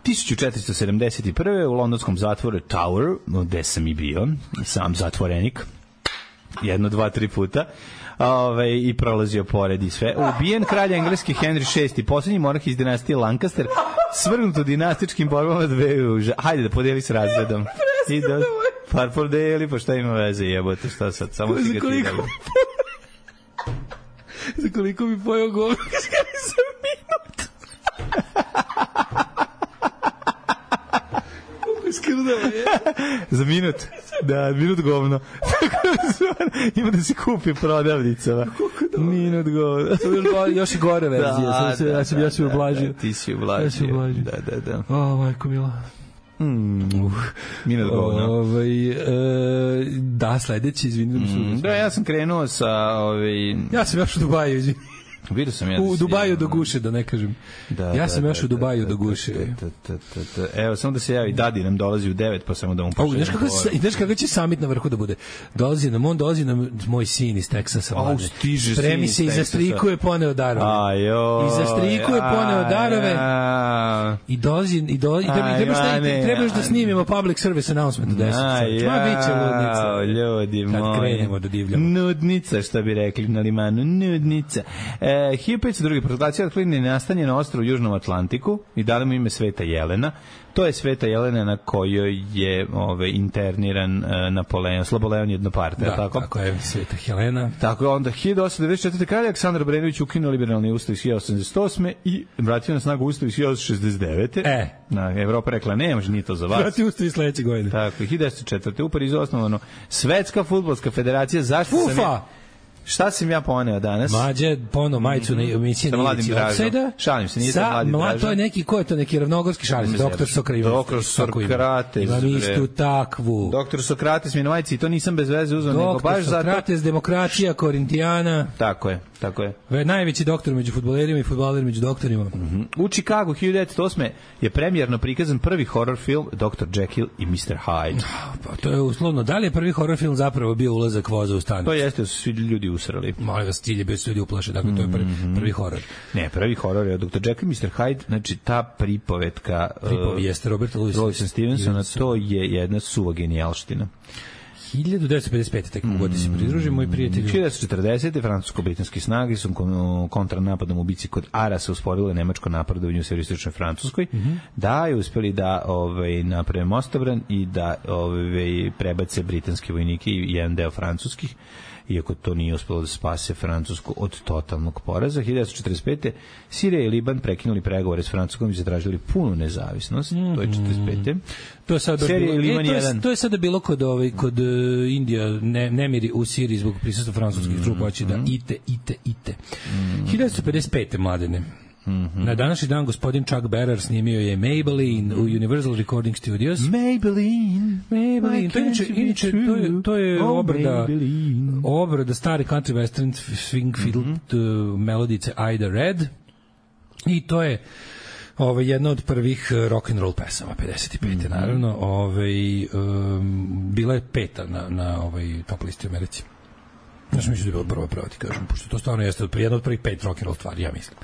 1471. u londonskom zatvoru Tower, gde sam i bio, sam zatvorenik, 1, 2, 3 puta, i prolazio pored i sve. Ubijen kralj engleski Henry VI, poslednji monarh iz dinastije Lancaster, svrgnut u dinastičkim borbama dveju. Hajde da podeli s razredom. Par podeli, pa šta ima veze, jebote, šta sad, samo ti ga ti dali. Za koliko mi pojao govor, kada sam minut. Za minut. Da, minut govno. Ima da se kupi prodavnicama. Minut govno. Još i gore verzija. Ja sam ublažio. Ti si ublažio. Da. O, majko mila. Minut govno. Da, sledeći, izvini. Da, ja sam krenuo sa... Ja sam još u Dubaju, izvini. Vidio sam ja u Dubaju do guše, da ne kažem. Ja sam još u Dubaju do guše. Evo, samo da se javi, Dadi nam dolazi u 9, pa samo da mu pošaljem. Znaš kako će summit na vrhu da bude? Dolazi nam moj sin iz Teksasa. Spremi se i za striku je poneo darove. I za striku je poneo darove. I dolazi, trebaš da snimimo public service announcement u 10. Ma biće ludnica. Ljudi moji. Kad krenemo da divljamo. Nudnica, što bi rekli na limanu. Nudnica. 1502. proklacija otkrivene nastanje na ostrvu u Južnom Atlantiku i dali mu ime Sveta Jelena. To je Sveta Jelena na kojoj je interniran Napoleon, Sloboleon Jednoparta. Da, tako je Sveta Helena. Tako je onda 1894. kralj Aleksandar Obrenović ukinuo liberalni ustav iz 1888. i vratio na snagu ustav iz 1869. Evropa rekla, ne može, nije to za vas. Vrati ustav iz sledeće godine. Tako, 1904. u Parizu osnovano Svetska fudbalska federacija. Zašto šta sam ja poneo danas? Mlađe, poneo majicu na emisiji sa Mladim Dražom. Šalim se, nije sa Mladim Dražom. To je neki, ko je to, neki ravnogorski šalim se, doktor Sokrates. Doktor Sokrates. Imam istu takvu. Doktor Sokrates mi na majici, to nisam bez veze uzao, nego baš zato. Doktor Sokrates, demokratija, Korintijana. Tako je. Najveći doktor među fudbalerima i fudbaler među doktorima. U Chicagu 1908. je premijerno prikazan prvi horror film Dr. Jekyll i Mr. Hyde. Pa to je uslovno. Da li je prvi horror film zapravo bio ulazak voza u stanicu? To jeste, su svi ljudi usrali. Molim vas, cilj je bio ljudi uplaše, dakle to je prvi horor. Ne, prvi horor je Dr. Jekyll i Mr. Hyde, znači ta pripovetka jeste Roberta Louisa Stevensona, to je jedna suva genijalština. 1955. tek mogu da se pridružimo, moji prijatelji. 1940. francusko-britanski snage su kontranapadom u bici kod Arasa usporile nemačko napredovanje u severističnoj Francuskoj. Da je uspeli da naprave mostobran i da prebace britanske vojnike i jedan deo francuskih, iako to nije uspelo da spase Francusku od totalnog poraza. 1945. Sirija i Liban prekinuli pregovore s Francuskom i zatražili punu nezavisnost. To je 45. To je sada bilo kod Indija nemiri u Siriji zbog prisustva francuskih trupa, hoće da ite. 1955. mladene. Na današnji dan gospodin Chuck Berrer snimio je Maybelline u Universal Recording Studios. Maybelline. To je obrada stari country western swing fiddle melodice Ida Red. I to je jedna od prvih rock and roll pesama 55. naravno. Bila je peta na top listi u Americi. Znaš, mislim da je bilo prvo ti kažem, pošto to stvarno jeste jedna od prvih 5 rock and roll stvari, ja mislim.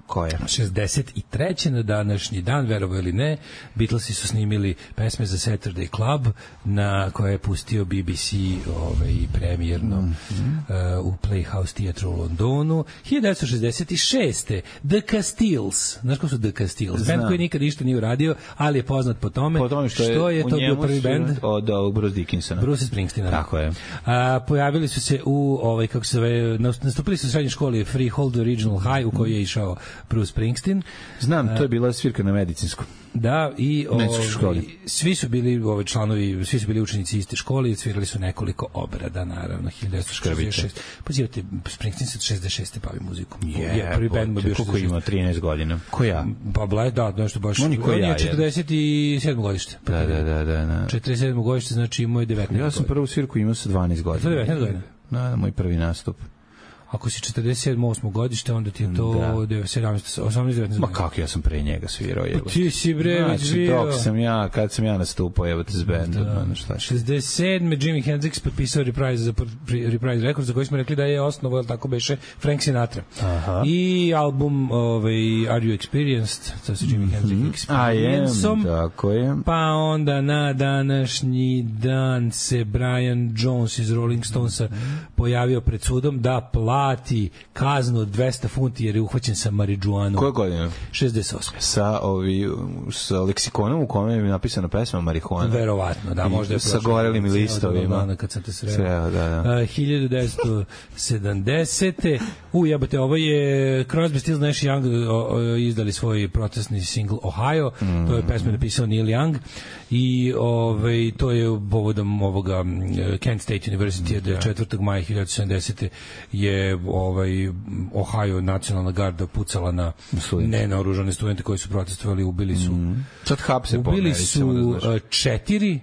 1963. na današnji dan, verovo ili ne, Beatlesi su snimili pesme za Saturday Club, na koje je pustio BBC premijerno u Playhouse Theatre u Londonu. 1966. The Castiles. Znaš ko su The Castiles? Band koji nikad ništa nije uradio, ali je poznat po tome što je to bio prvi band od Bruce Dickinsona. Bruce Springsteena. Tako je. Pojavili su se u, kako se zove, nastupili su u srednjoj školi Freehold Original High, u kojoj je išao Bruce Springsteen. Znam, to je bila svirka na medicinskom. Da, i svi su bili članovi, svi su bili učenici iste škole i svirali su nekoliko obrada, naravno, 1966. Pozivate, Springsteen se 66. bavi muzikom. Prvi band bio koliko ima, 13 godina. Ko ja? Pa nešto baš. On je 47. godište. Da. 47. godište, znači imao je 19 godina. Ja sam prvu svirku imao sa 12 godina. To je 19 godina. Da, moj prvi nastup. ako si 47-8 godište, onda ti je to 18-19. Ma kako, ja sam pre njega svirao. Pa ti si bre već bio. Kad sam ja nastupao, evo te s bandom. 67. Jimi Hendrix potpisao Reprise Records, za koji smo rekli da je osnovo, tako beše, Frank Sinatra. Aha. I album Are You Experienced, to se Jimi Hendrix Experience-om. Tako je. Pa onda na današnji dan se Brian Jones iz Rolling Stonesa pojavio pred sudom da plati kaznu od 200 funti jer je uhvaćen sa marijuanom. Koje godine? 68. Sa leksikonom u kome je napisana pesma marihuana. Verovatno, da, možda je sa gorelim listovima. Kad sam te sreo. 1970. Jebote, ovo je Crosby, Stills, Nash i Young izdali svoj protestni single Ohio. To je pesma napisao Neil Young i to je povodom ovoga Kent State University od 4. maja 1970. je Ohio nacionalna garda pucala na nenaoružane studente koji su protestovali, ubili su sad hapse ubili su 4,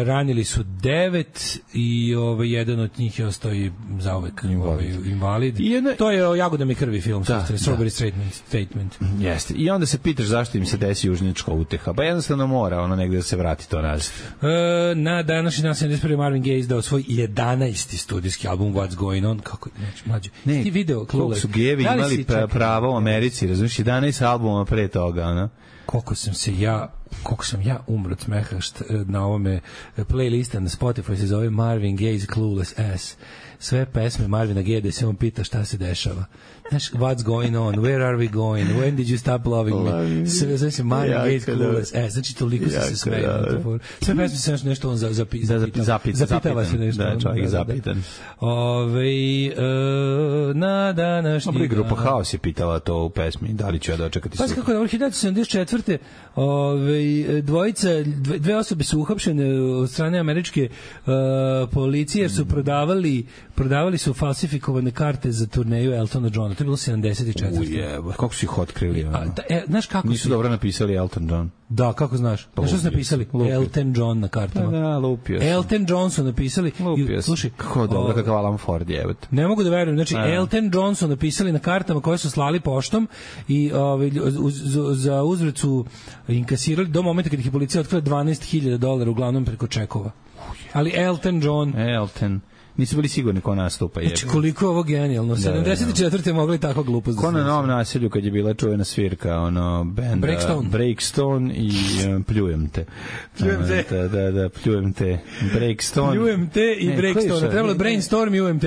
ranili su 9 i jedan od njih je ostao i zauvek invalid. To je o Jagodama i krvi film, Strawberry Statement. Jeste. I onda se pitaš zašto im se desi južnička uteha. Pa jednostavno mora negde da se vrati to nazad. Na današnji dan 71. Marvin Gaye izdao svoj 11. studijski album What's Going On. Kako, mlađe, ti video koliko su gevi imali pravo u Americi, razumiješ, 11 albuma pre toga, koliko sam ja umro od smeha na ovome playlista na Spotify se zove Marvin Gaye's Clueless Ass. Sve pesme Marvina Gaye da se on pita šta se dešava. Znaš, what's going on, where are we going, when did you stop loving me? Sve se Marvin Gaye's Clueless Ass. Znači, toliko se smeju. Sve pesme se nešto on zapitava se nešto. Da, čovjek zapitan. Na današnji... Dobro, grupa Haos je pitala to u pesmi, da li ću ja dočekati sutra. Pa kako je, 1974. Dve osobe su uhapšene od strane američke policije jer su prodavali su falsifikovane karte za turneju Eltona Johna. To je bilo 74. Kako su ih otkrili? Znaš kako nisu dobro napisali Elton John. Da, kako znaš? Znaš što su napisali? Elton John na kartama. Da, lupio sam. Elton John su napisali. Slušaj, kako dobro, kakav Alan Ford je. Ne mogu da verujem. Znači, Elton John su napisali na kartama koje su slali poštom i za uzvrat su inkasirali do momenta kad ih je policija otkrila $12,000 uglavnom preko čekova. Ali Elton John... Nisu bili sigurni ko nastupa. Znači, koliko je ovo genijalno. 74. mogli tako glupost. Ko na Novom naselju kad je bila čuvena svirka, band Breakstone i Pljujem te. Pljujem te. Breakstone. Pljujem te i Breakstone. Trebalo Brainstorm i UMT.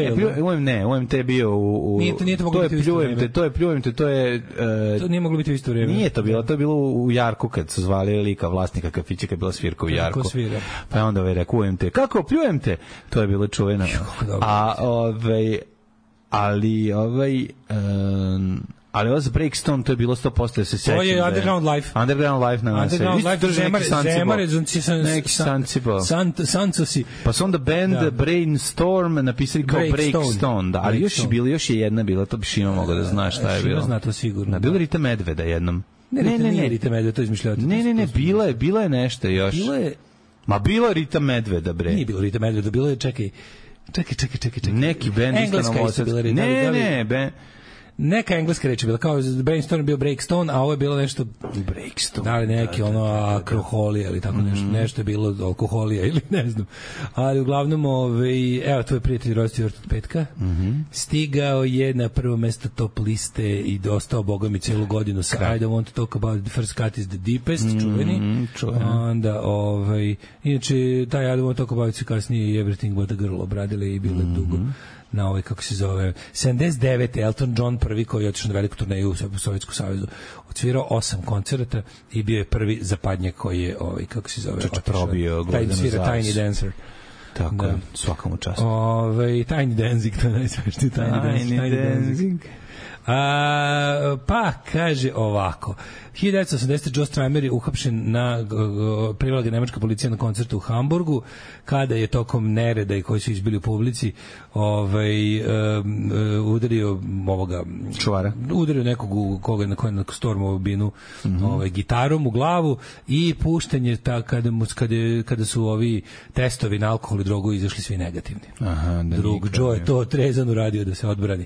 UMT je bio u... Nije to moglo biti u isto vreme. To je Pljujem te, to je... To nije moglo biti u isto vreme. Nije to bilo, to je bilo u Jarku kad su zvali lika vlasnika kafića kad je bila svirka u Jarku. Pa je onda rekao UMT. Kako? Pljujem te? To je bilo čuvena. Ali ovo za Breakstone to je bilo 100% da se sećam. To je Underground Life. Underground Life na nas. Neki Sancibo. Sancosi. Pa su onda band Brainstorm napisali kao Breakstone. Da, ali još je jedna bila, to bi Šino mogao da znaš šta je bilo. Šino zna to sigurno. Bilo Rita Medveda jednom. Ne, Rita Medveda, to izmišljati. Ne, bila je nešto još. Bilo je Rita Medveda, bre. Nije bilo Rita Medveda, bilo je, čekaj. Neki band engleska isto bila Rita. Neka engleska reč je bila, kao Brainstorm bio Breakstone, a ovo je bilo nešto Breakstone. Da li neki akroholija ili tako nešto je bilo alkoholija ili ne znam. Ali uglavnom, evo, tvoj prijatelj rosti od petka. Stigao je na prvo mesto top liste i dostao bogom i celu godinu sa I don't want to talk about the first cut is the deepest, čuveni. Onda, inače, taj I don't want to talk about se kasnije i Everything but a girl obradile i bilo dugo na kako se zove 79. Elton John prvi koji je otišao na veliku turneju u Sovjetsku savezu, odsvirao 8 koncerata i bio je prvi zapadnjak koji je kako se zove probio Tiny Dancer. Tako je, svakom času. Tiny Dancing, to je najsmešniji Tiny Dancing. Pa, kaže ovako. 1980. Joe Strummer je uhapšen privela ga nemačka policija na koncertu u Hamburgu, kada je tokom nereda i koji su izbili u publici udario ovoga čuvara. Udario nekog koga na stormovu binu gitarom u glavu i pušten je kada su ovi testovi na alkohol i drogu izašli svi negativni. Aha, drug Joe je to trezan uradio da se odbrani.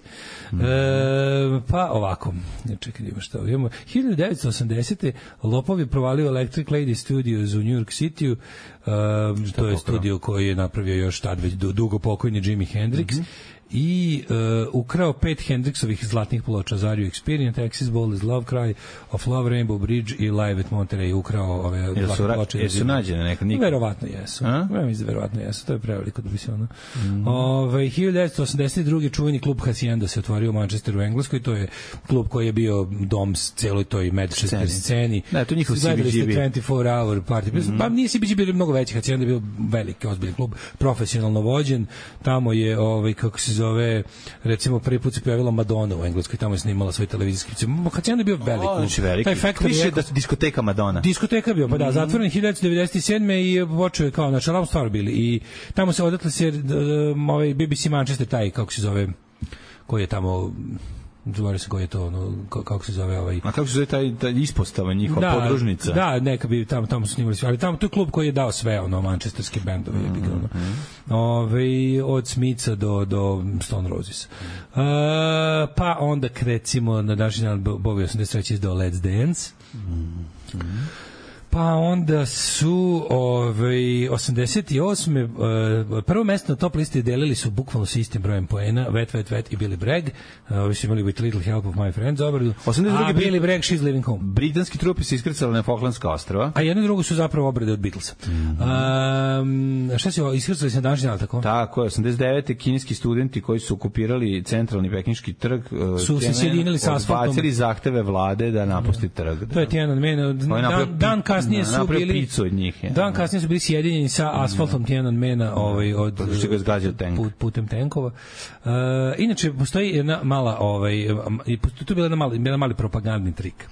Pa ovako, čekaj, ima šta imamo. 1980. Lopov je provalio Electric Lady Studios u New York City-u. To je studio koji je napravio još tad već dugo pokojni Jimi Hendrix. I ukrao 5 Hendrixovih zlatnih ploča, Zario Experience, Texas Ball is Love Cry, Of Love, Rainbow Bridge i Live at Monterey. Ukrao ove zlatne ploče. Jesu nađene nekad nikad? Verovatno jesu. Verovatno jesu, to je preveliko da bi se ono. 1982. čuveni klub Hacienda se otvorio u Manchesteru u Engleskoj, to je klub koji je bio dom celoj toj Manchester sceni. Da, to njihov CBGB. 24 hour party. Pa nije CBGB bio mnogo veći, Hacienda je bio veliki, ozbiljan klub, profesionalno vođen. Tamo je, kako se zove, recimo prvi put se pojavila Madonna u Engleskoj, tamo je snimala svoj televizijski film. Hacienda je bio velik klub. Taj Factory više da diskoteka Madonna. Diskoteka bio, pa da, zatvoren 1997. i počeo je kao na čelavu stvar bili i tamo se odatle se BBC Manchester, taj, kako se zove, koji je tamo, zove se koji je to, kako se zove ovaj. A kako se zove taj ispostava njihova, podružnica? Da, neka bi tamo su snimali sve, ali tamo to je klub koji je dao sve, manchesterski bendove, od Smitha do Stone Roses. Pa onda recimo na današnji dan Bowie 83 izdao Let's Dance. Pa onda su 88. Prvo mesto na top listi delili su bukvalno s istim brojem poena, Wet i Billy Bragg. Ovi su imali With a Little Help of My Friends obradu. A Billy Bragg, She's Living Home. Britanski trupi se iskrcali na Falklandska ostrva. A jedno i drugo su zapravo obrade od Beatlesa. Šta se iskrcali se na današnji dan, tako? Tako je, 89. kineski studenti koji su okupirali centralni pekinški trg su se sjedinili sa asfaltom. Odbacili zahteve vlade da napusti trg. To je Tiananmen. Dan kasnije su bili kasnije su bili sjedinjeni sa asfaltom Tiananmena putem tenkova. Inače postoji jedna mala tu je bila jedan mali propagandni trik.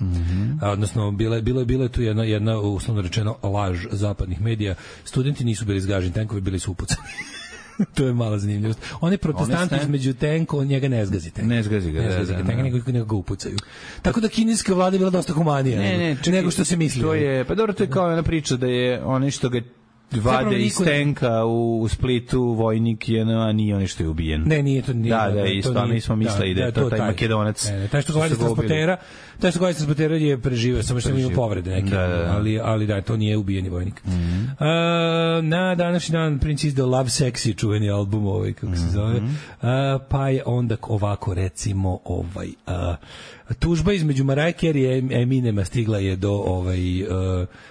Odnosno bilo je tu jedna uslovno rečeno laž zapadnih medija. Studenti nisu bili zgaženi tenkovi, bili su upucani. To je mala zanimljivost. Oni protestanti između tenko, njega ne zgazite. Ne zgazi ga, nego ga upucaju. Tako da kineska vlada je bila dosta humanija nego što se misli. To je, pa dobro, to je kao jedna priča da je oni što ga vade iz tenka u Splitu vojnik je, a nije on što je ubijen. Ne, nije to. Mi smo mislili da je to taj Makedonac. Taj što govori transportera je preživio, samo što ima povrede neke, ali da, to nije ubijeni vojnik. Na današnji dan Prince izdao Love Sexy, čuveni album kako se zove, pa je onda ovako recimo tužba između Mariah Carey i Eminema stigla je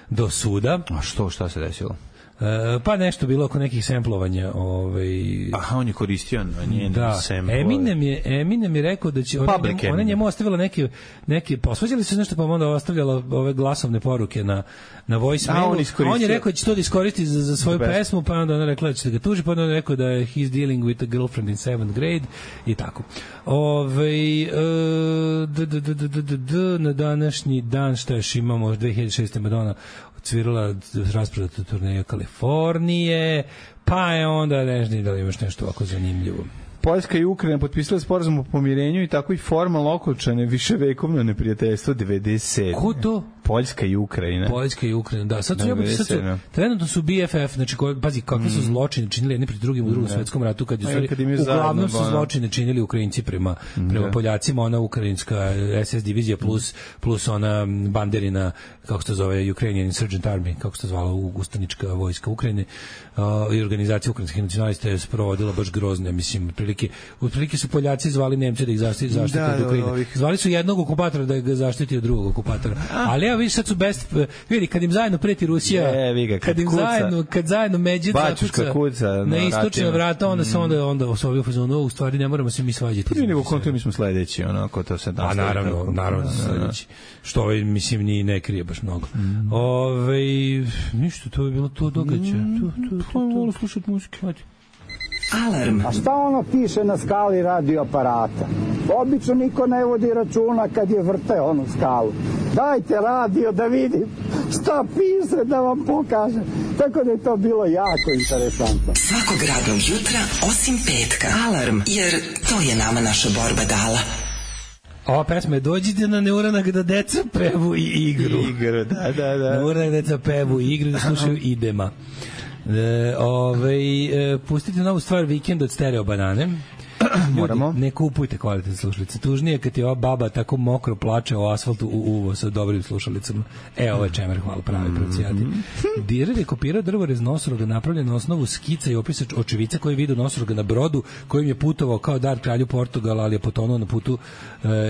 do suda. A šta se desilo? Pa nešto bilo oko nekih semplovanja. Aha, on je koristio na njen semplove. Eminem je rekao da će ona njemu ostavila neke posvađali se nešto, pa onda ostavljala ove glasovne poruke na voicemailu. On je rekao da će to da iskoristi za svoju pesmu, pa onda ona rekla da će da ga tuži, pa onda on je rekao da je he's dealing with a girlfriend in 7th grade i tako. Na današnji dan šta još imamo, 2006. Madonna cvirala rasprodatu turneju Kalifornije, pa je onda nežni da li imaš nešto ovako zanimljivo. Poljska i Ukrajina potpisale sporazum o pomirenju i tako i formalno okončane viševekovno neprijateljstvo 97. Ko to? Poljska i Ukrajina. Da. Sad trenutno su BFF, znači pazi kakve su zločine činili jedni protiv drugim u Drugom svetskom ratu, uglavnom su zločine činili Ukrajinci prema Poljacima, ona ukrajinska SS divizija plus ona banderina, kako se to zove, Ukrainian Insurgent Army, kako se to zvala ustanička vojska Ukrajine, i organizacija ukrajinskih nacionalista je sprovodila baš grozne, mislim, otprilike su Poljaci zvali Nemce da ih zaštite od Ukrajine. Zvali su jednog okupatora da ga zaštiti od drugog okupatora. Ali evo vidiš, sad su vidi, kad im zajedno preti Rusija, kad zajedno Međid zakuca na istočna vrata, onda se onda su ovi u fazonu, u stvari ne moramo se mi svađati. Mi smo sledeći, onako to se nastavi. Naravno sledeći. Što mislim ni ne krije baš mnogo. Ništa, to je bilo to događaj. To slušati muziku. Alarm. A šta ono piše na skali radioaparata? Obično niko ne vodi računa kad je vrte onu skalu. Dajte radio da vidim šta piše, da vam pokažem. Tako da je to bilo jako interesantno. Svakog radnog jutra, osim petka. Alarm, jer to je nama naša borba dala. Ova pesma je Dođite na neuranak da deca pevu i igru. Da. Na uranak da deca pevu i igru, da slušaju idema. Pustite novu stvar Vikend od Stereo Banane. Moramo. Ljudi, ne kupujte kvalitetne slušalice. Tužnije kad je ova baba tako mokro plače o asfaltu u uvo sa dobrim slušalicama. Ovo je čemer, hvala, pravi procijati. Direr je kopirao drvorez nosoroga napravljen na osnovu skica i opisa očevica koji vidu nosoroga na brodu kojim je putovao kao dar kralju Portugala, ali je potonuo na putu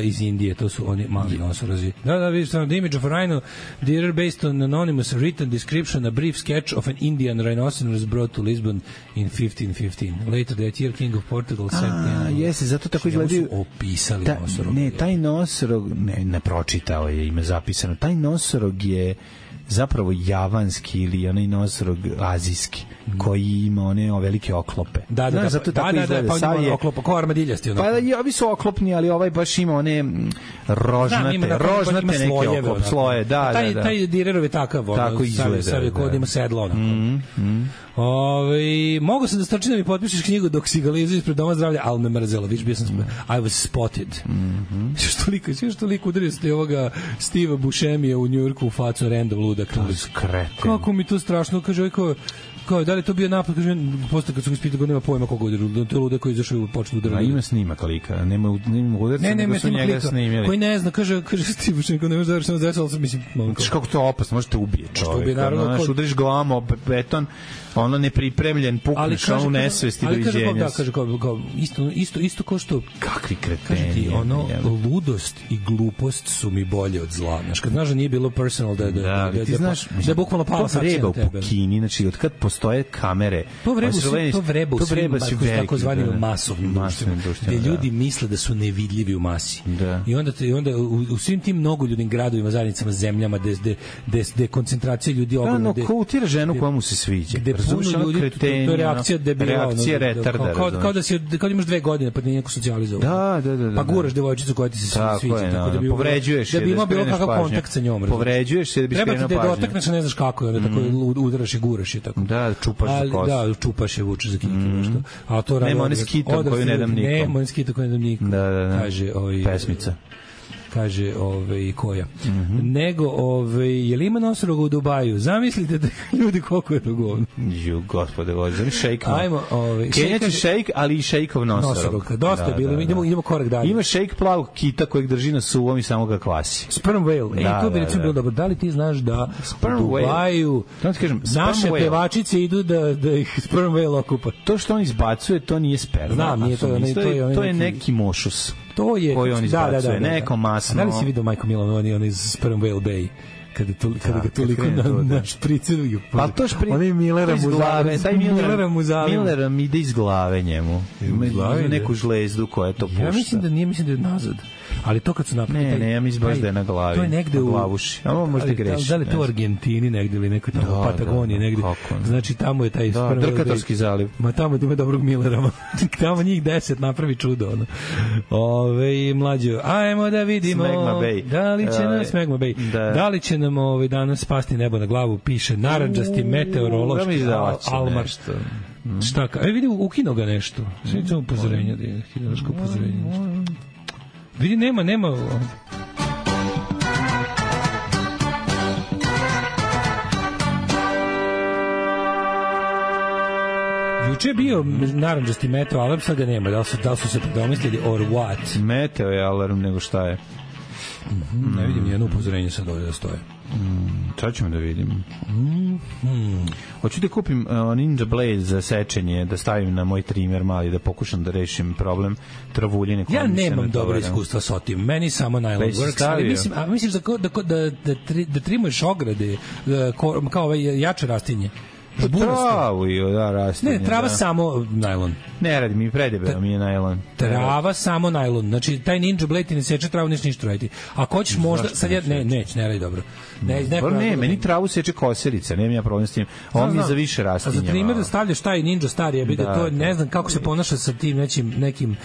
iz Indije. To su oni mali nosorozi. Da, vidiš tamo, the image of a rhino, Direr based on anonymous written description, a brief sketch of an Indian rhinoceros brought to Lisbon in 1515. Later that year, King of Portugal sent jeste, zato tako izgledaju. Opisali nosorog. Ne, taj nosorog, ne pročitao je, ima zapisano. Taj nosorog je zapravo javanski ili onaj nosorog azijski, koji ima one velike oklope. Da, zato tako izgleda. Pa on ima oklopa, kao armadiljasti. Pa ovi su oklopni, ali ovaj baš ima one rožnate neke sloje. Da. Taj Direrov je takav. Tako izgleda. Sav je kod ima sedlo. Mogu sam da strčim da mi potpišeš knjigu dok si ga lizu ispred doma zdravlja, ali me mrzelo, viš, bio sam I was spotted. Što toliko udario ste ovoga Steva Buscemija u Njujorku u facu random ludak. Kako mi to strašno, kaže kao, da li to bio napad, kaže, posle kad su ga ispitali, nema pojma koga udario, to je ludak koji izašao u počnu udarati. Ima snimak lika, nema udarca, nego su njega snimili. Koji ne zna, kaže Steve Buscemi, ne može da samo zdesalo sam, mislim, kako to je opasno, možete ubije čovjek, udariš glavom o beton, ono nepripremljen, pukneš ono nesvesti doviđenja. Ali kaže kao isto kao što kakvi kreteni. Kaže ti, ludost i glupost su mi bolje od zla. Znaš, kad znaš da nije bilo personal, da je bukvalno pala sakcija na tebe. Znači, od kad postoje kamere, to vreba u svim takozvanim masovnim društvima, gde ljudi misle da su nevidljivi u masi. I onda u svim tim mnogoljudnim gradovima, zajednicama, zemljama, gde koncentracija ljudi ogromna. Ko utira ženu koja mu se sviđa. Puno ljudi, to je reakcija debila. Reakcija retarda. Kao da imaš 2 godine, pa ti neko socijalizovao. Da. Pa guraš devojčicu koja ti se sviđa. Tako da bi povređuješ je, da bi imao bilo kakav kontakt sa njom. Povređuješ je da bi skrenuo pažnju. Treba ti da dotakneš, ne znaš kako je, onda tako udaraš i guraš je tako. Da, čupaš za kosu. Da, čupaš je, vučeš za kitu. Nema one skitom koju ne dam nikom. Nema one skitom koju ne dam nikom. Kaže pesmica. Kaže koja. Nego je li ima nosoroga u Dubaju? Zamislite da ljudi koliko je to govno. Gospode Bože, šejk. Ajmo, Kenjači šejk, ali i šejkov nosorog. Dosta je bilo, idemo korak dalje. Ima šejk plavog kita kojeg drži na suvom i samo ga kvasi. Sperm whale. To bi recimo bilo dobro. Da li ti znaš da u Dubaju naše pevačice idu da ih sperm whale okupa? To što on izbacuje, to nije sperma. Znam, nije to je neki mošus. To je koji on izbacuje, neko masno. Da li si vidio Majko Milan, on iz Sperm Whale Bay? Kada ga toliko na špriceru. Pa to on je Millera Muzavim. Millera mi ide iz glave njemu. Ima neku žlezdu koja to pušta. Ja mislim da je nazad. Ali to kad su napravili... Ne, ja mislim baš da je na glavi. To je negde u... glavuši. Ono možda greši. Da li to u Argentini negde ili nekoj tamo u Patagoniji negde. Znači tamo je taj... Drkatorski zaliv. Ma tamo ima dobrog Millera. Tamo njih 10 napravi čudo. Mlađo, ajmo da vidimo... Smegma Bay. Da li će nam... Smegma Bay. Da li će nam danas spasti nebo na glavu? Piše naranđasti meteorološki almar. Šta ka... vidi, ukino ga nešto. Sve ćemo upozorenja. Hidrološko upozorenje. Vidi, nema... Juče je bio naranđasti meteo alarm, sad ga nema. Da li su se predomislili or what? Meteo je alarm, nego šta je? Ne vidim nijedno upozorenje sad ovdje da stoje. Sad ćemo da vidim. Hoću da kupim Ninja Blade za sečenje, da stavim na moj trimer mali, da pokušam da rešim problem travuljine. Ja nemam dobro iskustva s otim, meni samo nylon works, ali misliš da trimuješ ograde kao jače rastinje? Travu i da rastinje. Ne, trava samo najlon. Ne radi mi, predebeo mi je najlon. Trava samo najlon. Znači, taj Ninja Blade ti ne seče travu, neš ništa raditi. Ako hoćeš možda, sad ja, ne radi dobro. Ne, meni travu seče kosilica, nemam ja problem s tim. On mi je za više rastinja. A za primjer da stavljaš taj Ninja Star, to ne znam kako se ponaša sa tim nekim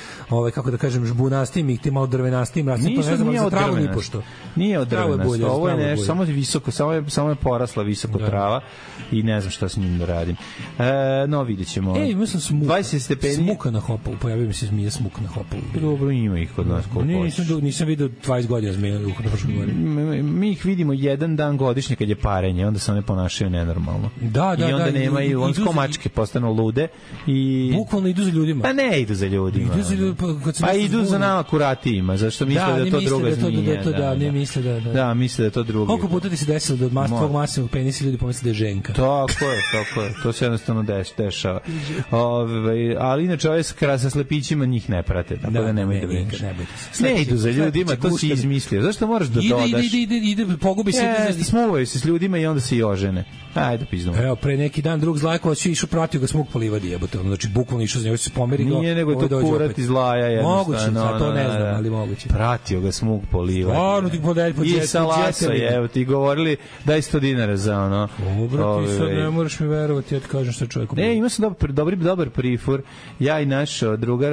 kako da kažem, žbunastim i tim malo drvenastim rastinjem, to ne znam, za travu ni pošto. Nije od drvenasto, ovo je nešto, samo visoko, samo je porasla visoko trava i ne znam šta s njim da radim. No, vidjet ćemo. Mislim smuka na hopovu, pojavio mi se zmija smuk na hopovu. Dobro, ima ih kod nas koliko hoćeš. Nisam vidio 20 godina zmija u Fruškoj Gori. Mi ih vidimo jedan dan godišnje kad je parenje, onda se one ponašaju nenormalno. Da. I onda nemaju, on skomačke postanu lude i... Bukvalno idu za ljudima. Pa ne idu za ljudima. Pa idu za nama kuratijima, zašto misle da je to druga zmija. Ne misle da. Da, misle da je to druga. Koliko puta ti se desilo da od tvog masivnog penisa ljudi pomisle da je ženka? Tako je. To se jednostavno dešava. Ali inače ove sa slepićima njih ne prate, tako da nemoj da brineš. Ne idu za ljudima, to si izmislio. Zašto moraš da dodaš? Ide, pogubi se. Smuvaju se s ljudima i onda se i ožene. Ajde, pizdom. Evo, pre neki dan drug Zlajkovac je išao pratio ga smuk po livadi, jebote. Znači, bukvalno išao za njega, se pomeri ga. Nije nego to kurat iz Zlaja jednostavno. Moguće, to ne znam, ali moguće. Pratio ga smuk po livadi. Stvarno ti podelj po djetu. I sa lasa, evo, ti govorili daj 100 dinara za ono. Dobro, ti sad ne moraš mi verovati, ja ti kažem što čovjeku. Ima sam dobar prifor. Ja i naš drugar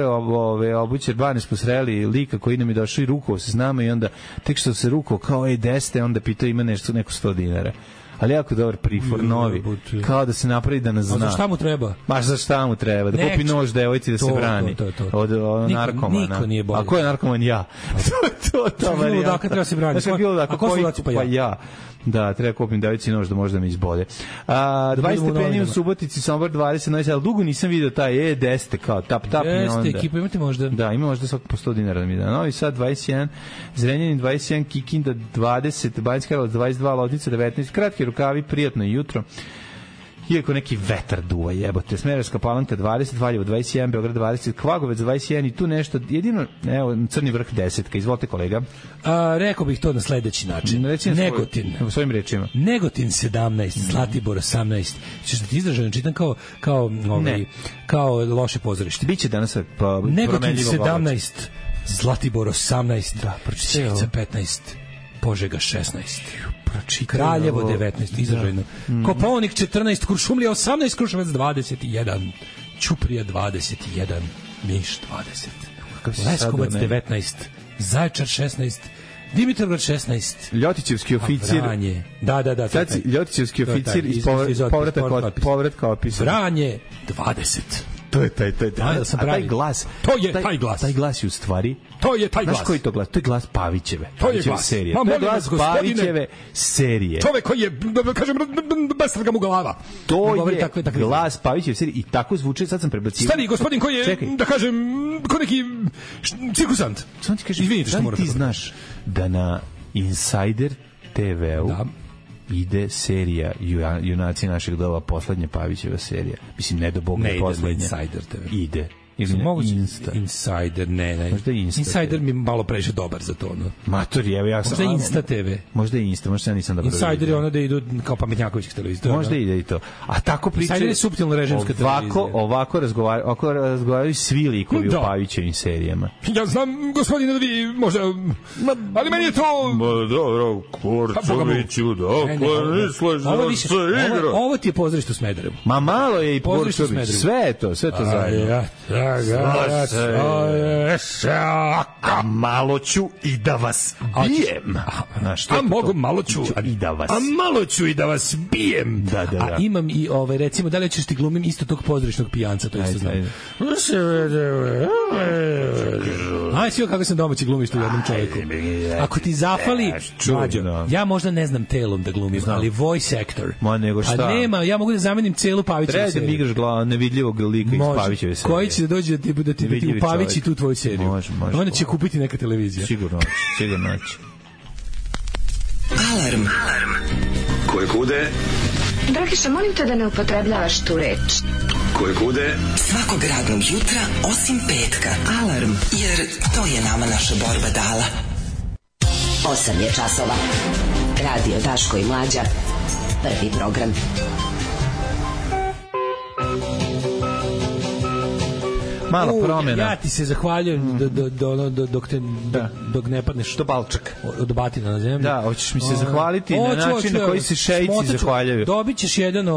obućer Banes posreli lika koji nam je došao i rukao se s nama i onda tek što se rukao kao deste, onda pitao ima neko 100 dinara. Ali jako dobar prifor, novi. Kao da se napravi da nas zna. A za šta mu treba? Baš za šta mu treba? Da kupi nož devojci da se brani. Od narkomana. Niko nije bolje. A ko je narkoman? Ja. To varijanta. Dakle, treba se braniti. A ko su daci pa ja? Da, treba kupim devojci nož da možda me izbode. 20 stepeni u Subotici, Sombor 20, ali dugo nisam vidio taj 10 kao tap i onda. Ekipa imate možda? Da, ima možda svako po 100 dinara da mi da. Novi Sad 21, Zrenjanin 21, Kikinda 20, Banjska Karlovac 22, Loznica 19, kratki rukavi, prijatno jutro. Iako neki vetar duva, jebote. Smederevska Palanka 20, Valjevo 21, Beograd 20, Kvagovec 21 i tu nešto, jedino, evo, Crni vrh 10. Izvolite, kolega. Rekao bih to na sledeći način. Negotin. Svojim rečima. Negotin 17, Zlatibor 18. Češ da ti izraženo čitam kao loše pozorište. Biće danas Negotin 17, Zlatibor 18, Sjenica 15, Požega 16. Kraljevo 19, izražajno. Kopaonik 14, Kuršumlija 18, Kruševac 21, Ćuprija 21, Niš 20, Leskovac 19, Zaječar 16, Dimitrovgrad 16, Ljotićevski oficir. Vranje. Da. Sad Ljotićevski oficir iz povratka opisa. Vranje 20. To je taj. A taj glas. Taj glas je u stvari. To je taj glas. Znaš koji to glas? To je glas Pavićeve. To je glas serije. To je glas Pavićeve serije. Čovek koji je, da kažem, besrga mu glava. To je glas Pavićeve serije i tako zvuči, sad sam prebacio. Stari gospodin koji je, da kažem, ko neki cirkusant. Izvinite što moram. Ti znaš da na Insider TV-u ide serija Junaci našeg doba, poslednja Pavićeva serija. Mislim, ne do Boga je poslednja. Insider TV. Ide. Insider, ne. Možda Insider mi malo previše dobar za to, no. Matori, evo ja sam. Možda Insta TV. Možda Insta, možda ja nisam dobro. Insider je ono da idu kao pametnjakovićih televizija. Možda ide i to. A tako pričaju. Insider je suptilna režimska televizija. Ovako razgovaraju svi likovi u Pavićevim serijama. Ja znam, gospodine, da vi možda... Ali meni je to... Dobro, Kurčoviću, dokle misliš da se igra? Ovo ti je pozorište u Smederevu. Ma malo je i Kurčović. Sve to zajedno. A malo ću i da vas bijem. A mogu malo ću i da vas. A malo ću i da vas bijem. Da. A imam i recimo da li ćeš ti glumim isto tog pozorišnog pijanca, to isto znam. Aj sve kako sam domaći glumiš u jednom čovjeku. Ako ti zafali, ja možda ne znam telom da glumim, ali voice actor. Ma nego šta? A nema, ja mogu da zamenim celu Pavićevu seriju. Treba da mi igraš glavu nevidljivog lika iz Pavićeve serije. Koji će da dođe da ti upavići tu tvoju seriju. Može. Onda će kupiti neka televizija. Sigurno će. Alarm. Koje kude? Dragiša, molim te da ne upotrebljavaš tu reč. Koje kude? Svakog radnog jutra, osim petka. Alarm, jer to je nama naša borba dala. 8 je časova. Radio Daško i Mlađa. Prvi program. Mala promjena. Ja ti se zahvaljujem dok ne padneš do balčaka, od batina na zemlju. Da, hoćeš mi se zahvaliti na način na koji se šeici zahvaljuju. Dobit ćeš jedan,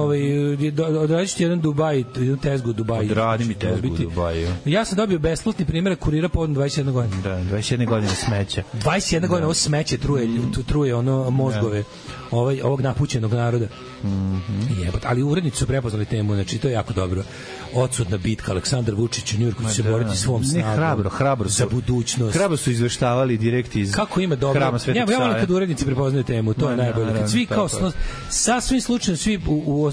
odradit ćeš jedan Dubaj, jednu tezgu u Dubaju. Odradi mi tezgu u Dubaju. Ja sam dobio besplatni primjerak kurira povodom 21 godine. Da, 21 godine smeća. 21 godina ovo smeće truje ono mozgove ovog napućenog naroda. Jebot, ali urednici su prepoznali temu, znači to je jako dobro. Odsutna bitka, Aleksandar Vučić u Njujorku će se boriti svom snagom. Hrabro za budućnost. Hrabro su izveštavali direkt iz kako ima dobro. Hrama Svetog Save. Ja volim kad urednici prepoznaju temu, to je najbolje. Kad svi kao sasvim slučajno svi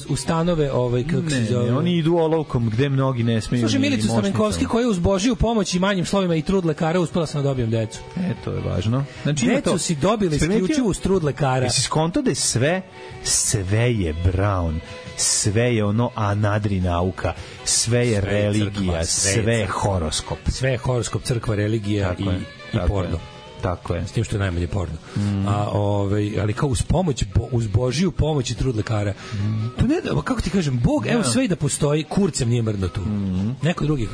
u stanove kako se zove. Oni idu olovkom gde mnogi ne smeju. Slušaj, Milicu Stamenkovski koji je uz Božiju pomoć i manjim slovima i trud lekara uspela sam da dobijem decu. To je važno. Znači decu si dobili isključivo uz trud lekara. Jesi skonto da je sve je Brown, sve je ono anadri nauka, sve je religija, sve je horoskop. Sve je horoskop, crkva, religija i porno. Tako je. S tim što je najmanje porno. Ali kao uz Božiju pomoć i trud lekara. To ne, kako ti kažem, Bog, evo sve i da postoji, kurcem nije mrdno tu. Neko drugi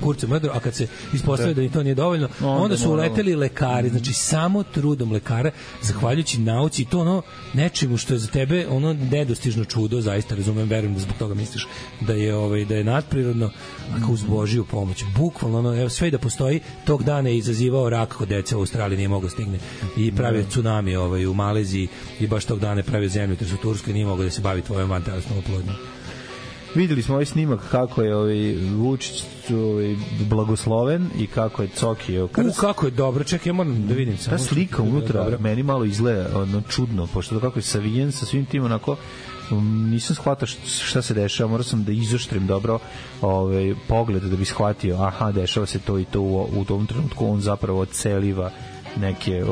kurcem mrdno, a kad se ispostavi da ni to nije dovoljno, onda su uleteli lekari, znači samo trudom lekara, zahvaljujući nauci i to ono nečemu što je za tebe ono nedostižno čudo, zaista razumem, verujem da zbog toga misliš da je nadprirodno, a kao uz Božiju pomoć. Bukvalno ono, evo sve i da postoji, tog dana je izazivao rak kod dece u Australiji, nije mogao stigne i pravio tsunami u Maleziji i baš tog dana je pravio zemljotres u Turskoj, nije mogao da se bavi tvojom vantelesnom oplodnjom. Videli smo ovaj snimak kako je Vučić blagosloven i kako je Cokio. Kako je dobro, čekaj, ja moram da vidim. Ta slika unutra meni malo izgleda čudno, pošto kako je savijen sa svim tim onako, nisam shvatao šta se dešava, morao sam da izoštrim dobro pogled da bi shvatio, aha, dešava se to i to u tom trenutku, on zapravo odseliva neke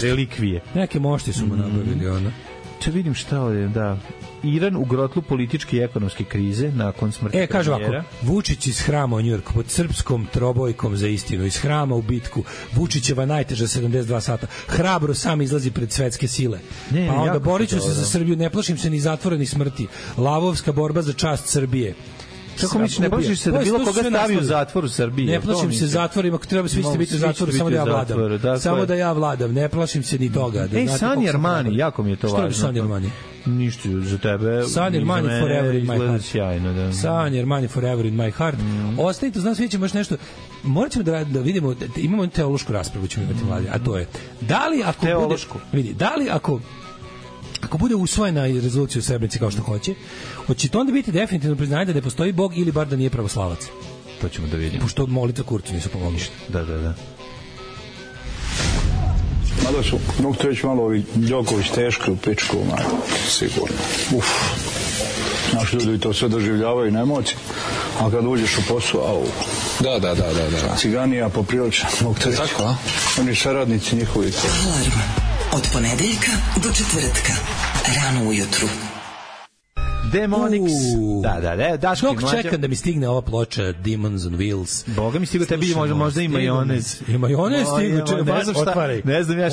relikvije. Neke mošti su mu nabavili, ono. Če vidim šta ovdje, da. Iran u grotlu političke i ekonomske krize nakon smrti kaže ovako, Vučić iz hrama u Njujorku pod srpskom trobojkom za istinu, iz hrama u bitku, Vučićeva najteža 72 sata, hrabro sam izlazi pred svetske sile. Pa onda borit ću se za Srbiju, ne plašim se ni zatvora ni smrti. Lavovska borba za čast Srbije. Kako misliš, ne plašiš se da bilo koga stavi u zatvor u Srbiji? Ne plašim se zatvorima, ako treba svi ćete biti u zatvoru, samo da ja vladam. Samo da ja vladam, ne plašim se ni toga. Sani Armani, jako mi je to važno. Što je Sani Armani? Ništa za tebe. Sani Armani forever in my heart. Sjajno, da. Sani Armani forever in my heart. Ostanite, znam, svi ćemo još nešto. Morat ćemo da vidimo, imamo teološku raspravu ćemo imati mladi, a to je, da li ako bude, da li ako bude usvojena rezolucija u Srebrenici kao što hoće to onda biti definitivno priznanje da ne postoji Bog ili bar da nije pravoslavac. To ćemo da vidimo. Pošto molitva Kurcu nisu pomogli. Da. Mada su, mogu to reći malo ovi Đoković teški u pičku, sigurno. Znaš, ljudi to sve doživljavaju na emociji, a kad uđeš u posao, Da. Ciganija poprilično, mogu to reći. Tako, a? Oni saradnici njihovi. Alarm od ponedeljka do četvrtka, rano ujutru. Demonics. Da. Dok čekam da mi stigne ova ploča Demons on Wheels. Boga mi stigo tebi možda i majonez. I majonez stigo, otvaraj. Ne znam ja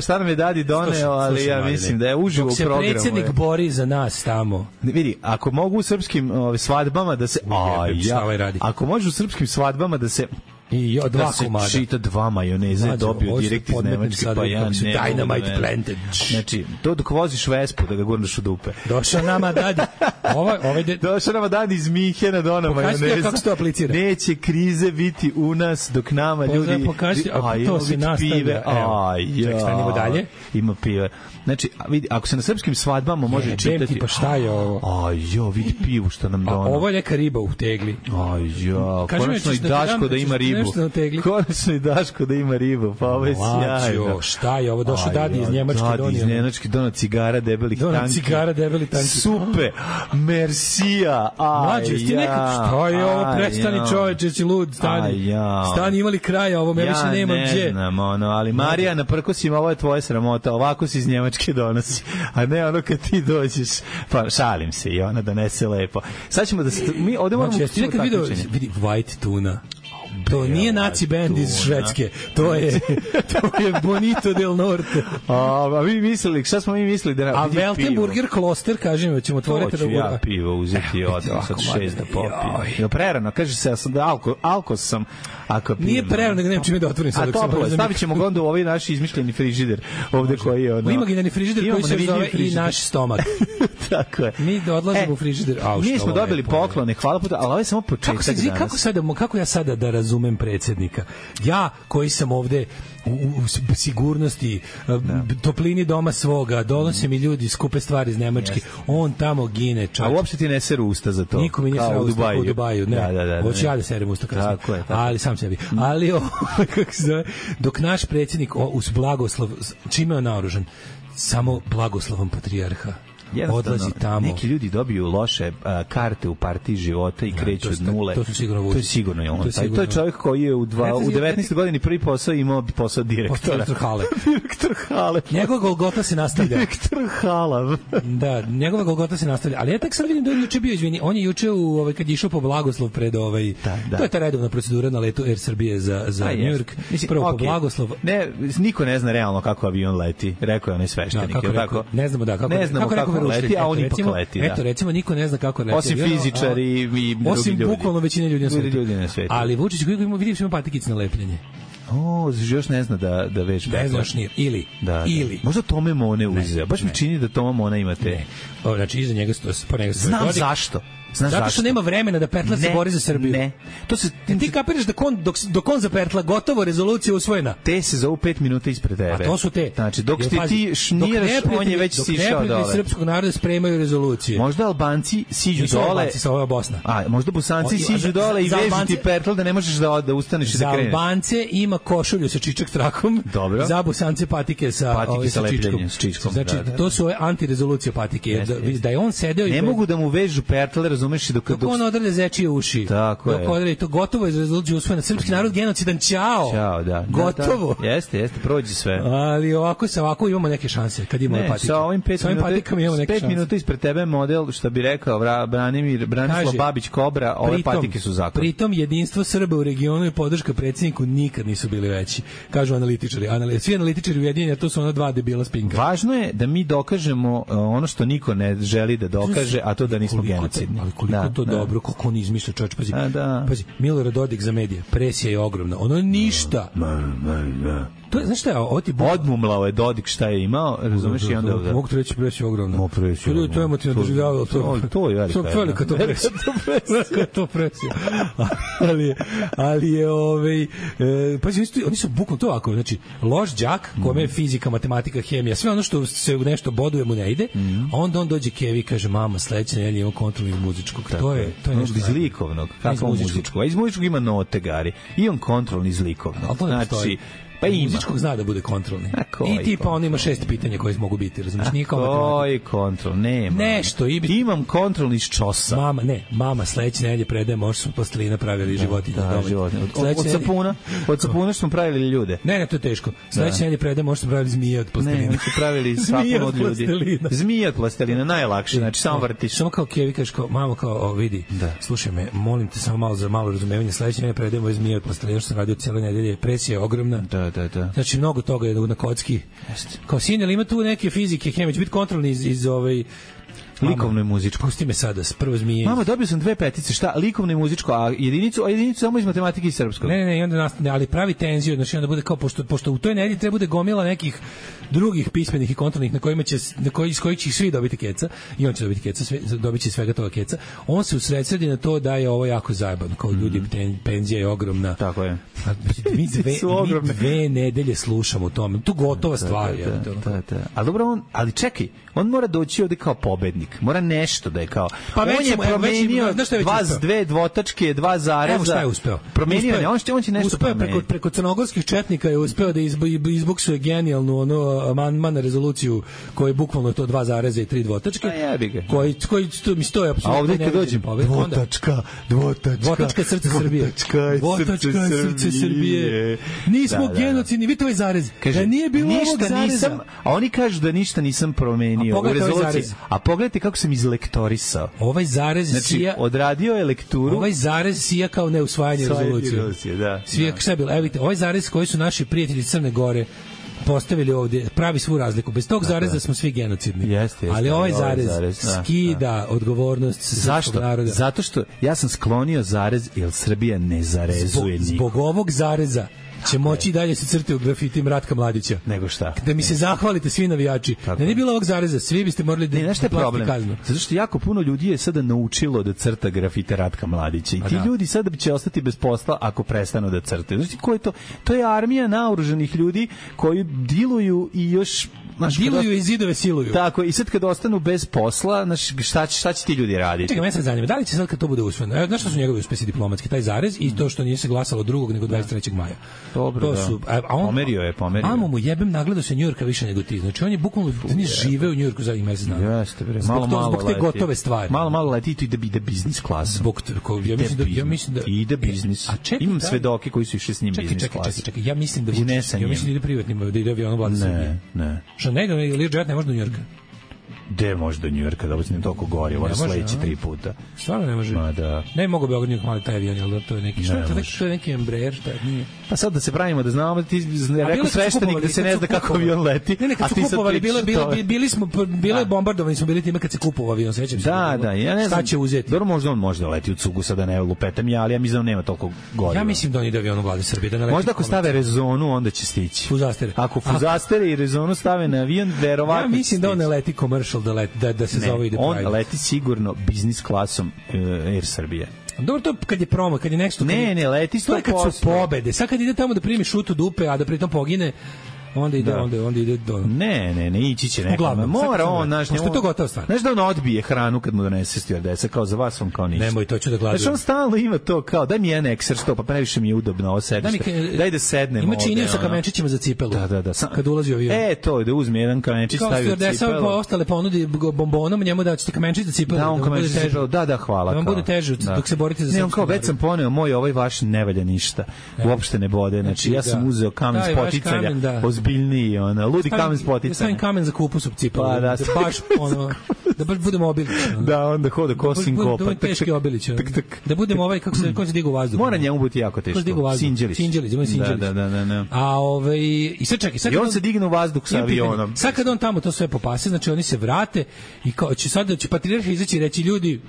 šta nam je Dadi doneo, ali ja mislim da je uživo u programu. Dok se predsjednik bori za nas tamo. Vidi, ako mogu u srpskim svadbama da se... Ako može u srpskim svadbama da se... I dva komada. Čita dva majoneze dobio direkt iz Nemačke, pa ja ne. Dynamite planted. Znači, to dok voziš Vespu da ga gurneš u dupe. Došao nama Dadi iz Minhena do ona majoneza. Pokaži kako se to aplicira. Neće krize biti u nas dok nama ljudi... Pokaži, to se nastavlja. Ček, stanimo dalje. Ima pive. Znači, vidi, ako se na srpskim svadbama može čitati... Pa šta je ovo? Vidi pivu što nam dono. Ovo je neka riba u tegli. Konačno i Daško da ima ribu. Konačno i Daško da ima ribu, pa ovo je sjajno. Šta je ovo? Došao Dadi iz Njemačke donio. Dadi iz Njemačke donio cigara debelih tanki. Super, mersija. Mlađe, ti nekako, šta je ovo? Prestani čoveče, si lud, stani, imali kraja, ovo me više nemam gdje. Ja ne znam, ali Marija, na prkosima, ovo je tvoja sramota, ovako si iz Njemačke donosi, a ne ono kad ti dođeš, pa šalim se i ona donese lepo. Sad ćemo da se, mi ovdje moramo vidi white tuna. To nije naci band iz Švedske. To je Bonito del Norte. A vi mislili, šta smo mi mislili da a Weltenburger Kloster, kažem, ćemo otvoriti da ja pivo uzeti od sad 6 da popim. Jo prerano, kaže se ja sam da alko sam ako pijem. Nije prerano, nego nemam čime da otvorim sad. A toplo, stavićemo ga onda u ovaj naš izmišljeni frižider ovde koji je ono. Imaginarni frižider koji se zove i naš stomak. Tako je. Mi odlazimo u frižider. Mi smo dobili poklone, hvala puta, ali ovo je samo početak danas. Kako ja sada da razumem predsjednika? Ja koji sam ovde u sigurnosti, toplini doma svoga, donose mi ljudi skupe stvari iz Nemačke, on tamo gine čak. A uopšte ti ne seru usta za to? Niko mi nije srao usta u Dubaju. Ne, hoću ja da serem usta kasno. Ali sam sebi. Ali kako se zove, dok naš predsjednik uz blagoslov, čime je on naoružan? Samo blagoslovom patrijarha. Odlazi tamo. Neki ljudi dobiju loše karte u partiji života i kreću od nule. To su sigurno Vučić. To je sigurno je on. To je čovjek koji je u 19. godini prvi posao imao posao direktora. Direktor hale. Direktor hale. Njegova Golgota se nastavlja. Direktor halav. Da, njegova Golgota se nastavlja. Ali ja tak sad vidim da je juče bio, izvini, on je juče kad je išao po blagoslov pred to je ta redovna procedura na letu Air Srbije za New York. Prvo po blagoslov. Ne, niko ne zna realno kako avion leti. Rekao je onaj sveštenik, je tako? Ne znamo kako leti, a on ipak leti. Eto, recimo, niko ne zna kako leti. Osim fizičari i drugi ljudi. Osim bukvalno većine ljudi na svijetu. Ali Vučić, koji vidim, ima patikice na lepljenje. Još ne zna da već... Ne znaš nije. Ili. Možda Tome Mone uzeo. Baš mi čini da Toma Mona ima te... Znači, iza njega stoje. Znam zašto. Zato što nema vremena da Pertla se bori za Srbiju. Ne. To se ti kapiraš da dok on za Pertla gotovo rezolucija usvojena. Te se zovu 5 minuta ispred tebe. A to su te. Znači dok ti šniraš, on je već sišao dole. Dok srpskog naroda spremaju rezolucije. Možda Albanci siđu dole. Albanci sa ova Bosna. A možda Bosanci siđu dole i vežu ti Pertla da ne možeš da ustaneš i da kreneš. Za Albance ima košulju sa čičak trakom. Dobro. Za Bosance patike sa čičkom. Znači to su antirezolucije patike. Da je on sedeo i ne mogu da mu vežu Pertla, razumeš, dok odrlja zečije uši. Tako je. Odrlja, to gotovo je rezolucija usvojena. Srpski narod genocidan, ćao. Da. Gotovo. Jeste, prođe sve. Ali ovako imamo neke šanse kad imamo patike. Sa ovim 5 minuta ispred tebe model, što bi rekao Branislav Babić Kobra, ove patike su zakon. Pritom jedinstvo Srba u regionu i podrška predsjedniku nikad nisu bili veći. Kažu analitičari. Svi analitičari ujedinjeni, to su ona dva debila spinka. Važno je da mi dokažemo ono što niko ne želi da dokaže, a to da nismo genocidni. Ali koliko to dobro, kako on izmišlja, čovječ, pazi, Milorad Dodik za medije, presija je ogromna, ono ništa. To je, znaš šta je, ovo ti... Odmumlao je Dodik šta je imao, razumeš, i onda... Mogu ti reći presija je ogromna. To je emotivno doživljavalo. To je velika to presija. Velika to presija. Ali je, pazi, oni su bukvalno to ovako, znači, loš đak, kome je fizika, matematika, hemija, sve ono što se u nešto boduje mu ne ide, a onda on dođe Kevi i kaže, mama, sledeće nedelje imamo kontrol iz muzičkog. To je nešto iz likovnog. Kako muzičkog? A iz muzičkog ima note, Gari. I on kontrol iz likovnog. Znači, pa ima. Muzičkog zna da bude kontrolni. I tipa on ima 6 pitanja koje mogu biti, razumiješ? Koji kontrol? Nema. Nešto. Imam kontrol iz čosa. Mama, sledeće nedelje predaje, možda smo plastelina pravili životinje. Da, životinje. Od sapuna smo pravili ljude. Ne, to je teško. Sledeće nedelje predaje, možda smo pravili zmije od plastelina. Ne, smo pravili sapun od ljudi. Zmije od plastelina, najlakše. Znači, samo vrtiš. Samo kao Kevi kažeš, mamo, kao, vidi, slušaj me, molim te samo malo za malo razumevanje. Sledeće nedelje predajemo zmije od plastelina, što sam radio cijele nedelje. Presija je ogromna. Da. Znači, mnogo toga je na kocki. Kao sin, ali ima tu neke fizike, hemije, će biti kontrolni iz likovno i muzičko. Pusti me sada, prvo zmije. Mama, dobio sam 2 petice, šta? Likovno i muzičko, a jedinicu samo iz matematike i srpskog. Ne, i onda nastane, ali pravi tenziju, znači onda bude kao, pošto u toj nedelji treba bude gomila nekih drugih pismenih i kontrolnih iz kojih će svi dobiti keca, i on će dobiti keca, dobit će svega toga keca. On se usredsredi na to da je ovo jako zajebano, kao ljudi, penzija je ogromna. Tako je. Mi 2 nedelje slušamo o tome. Tu gotova stvar. Ali dobro, ali čekaj, on mora doći ovde kao pobednik. Mora nešto da je kao... Pa on je promenio 2 dvotačke, 2 zareza. Evo šta je uspeo. Promenio je, on će nešto promeniti. Preko crnogorskih četnika je uspeo da izbuksuje genijalnu amandman na rezoluciju koji je bukvalno to 2 zareza i 3 dvotačke. A jebi ga. Koji mi stoje apsolutno. A ovde kad dođem, dvotačka srce Srbije. Dvotačka srce Srbije. Nismo genocidni, vidite ovaj zarez. Da nije bilo ovog zareza. A oni kažu da ništa nisam promenio u rezoluciji. A pogledajte kako sam izlektorisao. Ovaj zarez znači, sija... odradio je lekturu. Ovaj zarez sija kao neusvajanje rezolucije. Da. Šta je bilo? Evo vidite, ovaj zarez koji su naši prijatelji Crne Gore postavili ovdje, pravi svu razliku. Bez tog zareza smo svi genocidni. Jeste, ali ovaj zarez skida odgovornost srpskog naroda. Zato što ja sam sklonio zarez, jer Srbija ne zarezuje niko. Zbog ovog zareza će moći dalje se crte u grafitima Ratka Mladića. Nego šta? Da mi se zahvalite svi navijači. Da nije bilo ovog zareza, svi biste morali da platite kaznu. Zato što jako puno ljudi je sada naučilo da crta grafite Ratka Mladića. I ti ljudi sada će ostati bez posla ako prestanu da crtaju. Znači, ko je to? To je armija naoružanih ljudi koji diluju i još... diluju i zidove siluju. Tako, i sad kad ostanu bez posla, šta će ti ljudi raditi? Čekaj, me sad zanima, da li će sad kad to bude usvojeno? Znaš što su njegovi uspesi diplomatski? Taj zarez i to što nije se glasalo 2. nego 23. maja. Dobro, pomerio je. Amo mu jebem, nagledao se Njujorka više nego ti. Znači on je bukvalno žive u Njujorku zadnjih mesec dana. Jeste, bre. Zbog te gotove stvari. Malo leti i to ide biznis klasom. Ja mislim da ide biznis. Imam svedoke koji su išli s njim biznis klasom. Čekaj, ja mislim da ide privatnim, da ide avionom Vlade Srbije. Ne. Što Learjet ne može do Njujorka? Gde može do Njujorka, da ne toliko gori, ovo sledeći 3 puta. Stvarno ne može? Ma da. Ne mogu Beograd Njujork mali taj avion, ali to je neki, što je neki Embraer, šta nije? Pa sad da se pravimo da znamo, ti rekao sveštenik da se ne zna kako avion leti. Ne, kad su kupovali, bilo je bombardovani smo bili time kad se kupovao avion, sećam se. Da, ja ne znam. Šta će uzeti? Dobro, možda on može da leti u cugu, sada ne lupetam ja, ali ja mislim da nema toliko goriva. Ja mislim da on ide avionom Vlade Srbije, da ne leti. Možda ako stave rezonu, onda će stići. Fuzastere. Ako fuzastere i rezonu stave na avion, verovatno. Ja mislim da on ne leti commercial, da se zove ide on leti sigurno biznis klasom Air Srbije. Dobro, to kad je promo, kad je nešto... Ne, leti 100%. To je kad su pobede. Sad kad ide tamo da primi šutu dupe, a da pritom pogine, onda ide do... Ne, ići će neko. Mora on, znaš... Što je to gotovo stvar? Znaš da on odbije hranu kad mu donese stewardesa, kao za vas on kao ništa. Nemoj, to ću da gladujem. Znaš, on stalno ima to kao, daj mi jedan ekser sto, pa previše mi je udobno ovo sedište. Daj da sednemo ovde. Ima činio sa kamenčićima za cipelu. Da. Kad ulazi u avion. To, da uzme jedan kamenčić, stavi u cipelu. Kao stewardesa ostale ponudi bombonom, njemu da ćete kamenčić za cipelu. Da, on kamenčić za cipelu, da, hvala. Da vam bude teže dok se borite za srpsku. Ne, on kao, već sam poneo, moj ovaj vaš ne valja ništa. Uopšte ne bode. Znači, ja sam uzeo kamen spoticanja, ozbiljniji, ludi kamen spoticanja. Ja stavim kamen za kupus u cipelu. Pa da baš budemo obilić. Da, onda hoda kosim kopa. Da budemo teški obilić. Da budemo ovaj, kako se digu u vazduh. Mora njemu biti jako teško. Sinđelić. Da. A i sad čekaj. I on se digne u vazduh sa avionom. Sad kad on tamo to sve popase, znači oni se vrate i kao će patrijarh izaći i reći ljudi,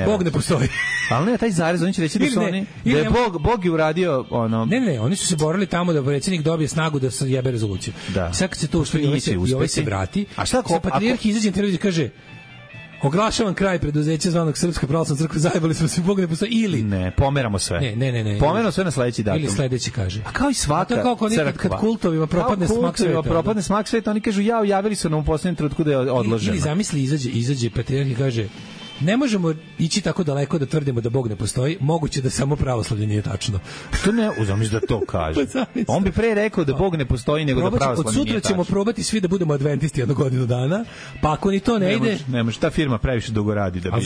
Bog ne postoji. Ali ne, taj zarez, oni će reći da su oni, da je Bog je uradio ono... Ne, oni su se borili tamo da predsjednik dobije snagu da se jebe rezoluciju. Sad kad se to uspije i ovaj se vrati, a šta ako patrijarh izađe i kaže oglašavam kraj preduzeća zvanog Srpska pravoslavna crkva, zajebali smo se, Bog ne postoji, ili... Ne, pomeramo sve. Ne. Pomeramo sve na sledeći datum. Ili sledeći kaže. A kao i svaka crkva. Kad kultovima propadne smak sveta, oni kažu, javili su nam u posljednjem trenutku da je odloženo. Ili zamisli, izađe patrijarh i kaže, ne možemo ići tako daleko da tvrdimo da Bog ne postoji, moguće da samo pravoslavlje nije tačno. To ne, uzamiš da to kaže. On bi pre rekao da Bog ne postoji nego da pravoslavlje nije tačno. Od sutra ćemo probati svi da budemo adventisti jednu godinu dana, pa ako ni to ne ide... Ne može, ta firma previše dugo radi da bi... A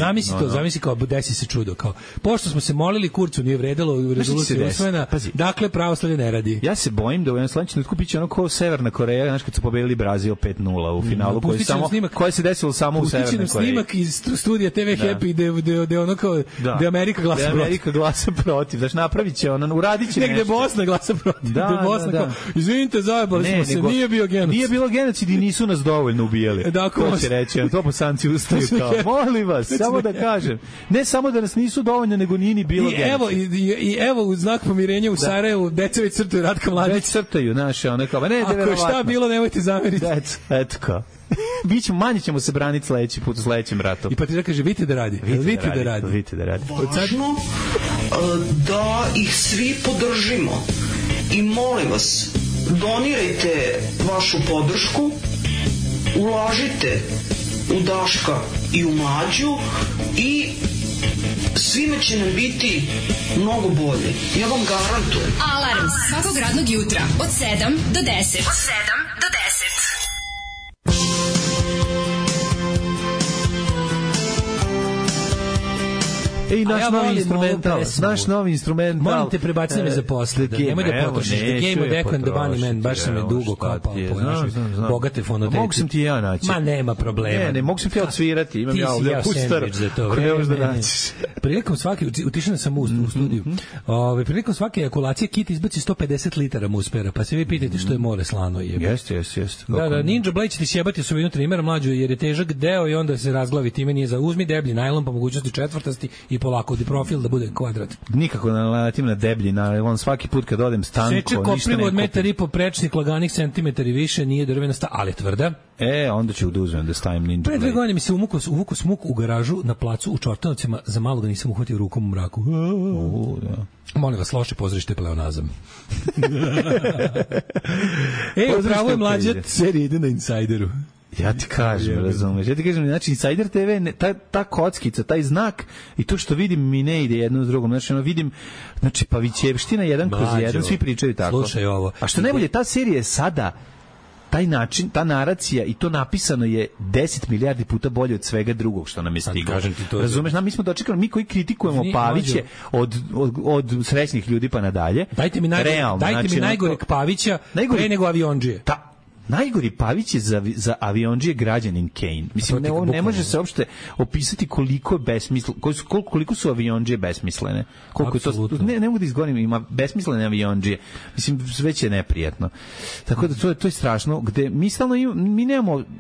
zamisli kao, desi se čudo, kao, pošto smo se molili, Kurcu nije vredelo, rezolucija usvojena, dakle pravoslavlje ne radi. Ja se bojim da u jednom sledećem trenutku biće ono kao Severna Koreja, znaš kad su pobedili Brazil 5:0 u finalu, koje se desilo samo u Severnoj Koreji. Snimak iz studija TV Happy, gde ono kao, gde Amerika glasa protiv. Amerika glasa protiv, znaš, napravit će ono, uradit će nešto. Negde Bosna glasa protiv. Da. Izvinite, zajebali smo se, nije bio genocid. Nije bilo genocid i nisu nas dovoljno ubijali. To će reći, to bosanci ustaju kao, molim vas, samo da kažem. Ne samo da nas nisu dovoljno, nego nije ni bilo genocid. I evo, u znak pomirenja u Sarajevu, deca već crtaju Ratka Mladića. Već crtaju, naše, ono kao, ne, ako je šta bilo, nemojte zameriti. Eto kao. Manje ćemo se braniti sledeći put u sledećem ratu. I patrijarh kaže, vidite da radi. Vidite da radi. Važno da ih svi podržimo. I molim vas, donirajte vašu podršku, ulažite u Daška i u Mlađu i svime će nam biti mnogo bolje. Ja vam garantujem. Alarm svakog radnog jutra od 7 do 10. Ej, naš novi instrumental. Molim te, prebaci me za posle. Nemoj da potrošiš. The Game of Echo and the Bunny Man, baš sam me dugo kapao po našoj bogate fonoteci. Mogu sam ti ja naći. Ma nema problema. Ne, mogu sam ti ja odsvirati. Imam ja ovdje kustar. Ako ne možeš da naćiš. Prilikom svake, utišena sam u studiju, prilikom svake ejakulacije kit izbaci 150 litara muspera, pa se vi pitajte što je more slano. Jeste. Da, Ninja Blade će ti sjebati osovinu trimera mlađu, jer je težak deo i onda se razglavi, time nije za uzmi deblji najlon po mogućnosti četvrtasti i polako di profil da bude kvadrat. Nikako naletim na deblji najlon, svaki put kad odem stanko, seče koprivo od 1,5 m, prečnik laganih centimetar i više, nije drvena ali je tvrda. Onda ću da uzmem da stavim Ninja Blade. Pre 2 godine mi se uvuko smuk u garažu na placu u Čortanovcima, za malo ga nisam uhvatio rukom u mraku. Da. Molim vas, loše pozorište pleonazam. Upravo je mlađa serija ide na Insideru. Ja ti kažem, razumeš. Ja ti kažem, znači Insider TV, ta kockica, taj znak i to što vidim mi ne ide jedno s drugom. Znači, vidim, Pavićevština 1/1, svi pričaju tako. Slušaj ovo. A što najbolje, ta serija je sada taj način, ta naracija i to napisano je 10 milijardi puta bolje od svega drugog što nam je stiglo. Razumeš, mi smo dočekali, mi koji kritikujemo Paviće od srećnih ljudi pa nadalje. Dajte mi najgoreg Pavića pre nego Aviondžije. Najgori Pavić je za Aviondžije građanin Kane. Mislim, ne može se uopšte opisati koliko je koliko su Aviondžije besmislene. Koliko je to, ne mogu da izgovorim, ima besmislene Aviondžije. Mislim, već je neprijatno. Tako da to je strašno, gde mi stalno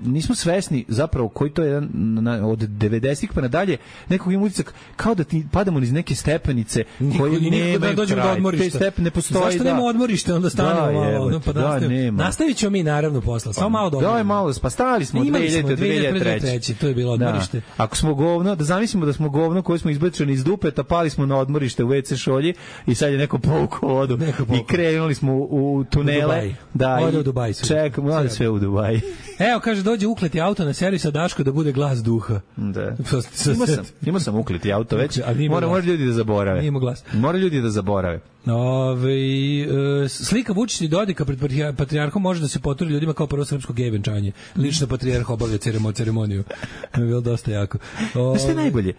nismo svesni zapravo koji to je od 90-ih pa nadalje, nekog ima utisak kao da ti padamo niz neke stepenice koje nemaju kraj. Te stepene postoji. Zašto nema odmorište? Onda stanemo malo. Nastavit ćemo mi naravno posla. Samo malo dobro. Daj malo, pa stali smo 2003. To je bilo odmorište. Da. Ako smo govno, da zamislimo da smo govno koji smo izbačeni iz dupeta, pali smo na odmorište u WC šolji i sad je neko povukao vodu i krenuli smo u tunele. Ode u Dubaj. Čekamo, sve u Dubaj. Evo, kaže, dođe ukleti auto na servis, a Daško da bude glas duha. Da. Imao sam ukleti auto već. Mora ljudi da zaborave. Mora ljudi da zaborave. Slika Vučića i Dodika pred patrijarhom može da se poturi ljudima kao prvo srpsko gej venčanje. Lično patrijarh obavlja ceremoniju. To je bilo dosta jako. Znaš što je najbolje?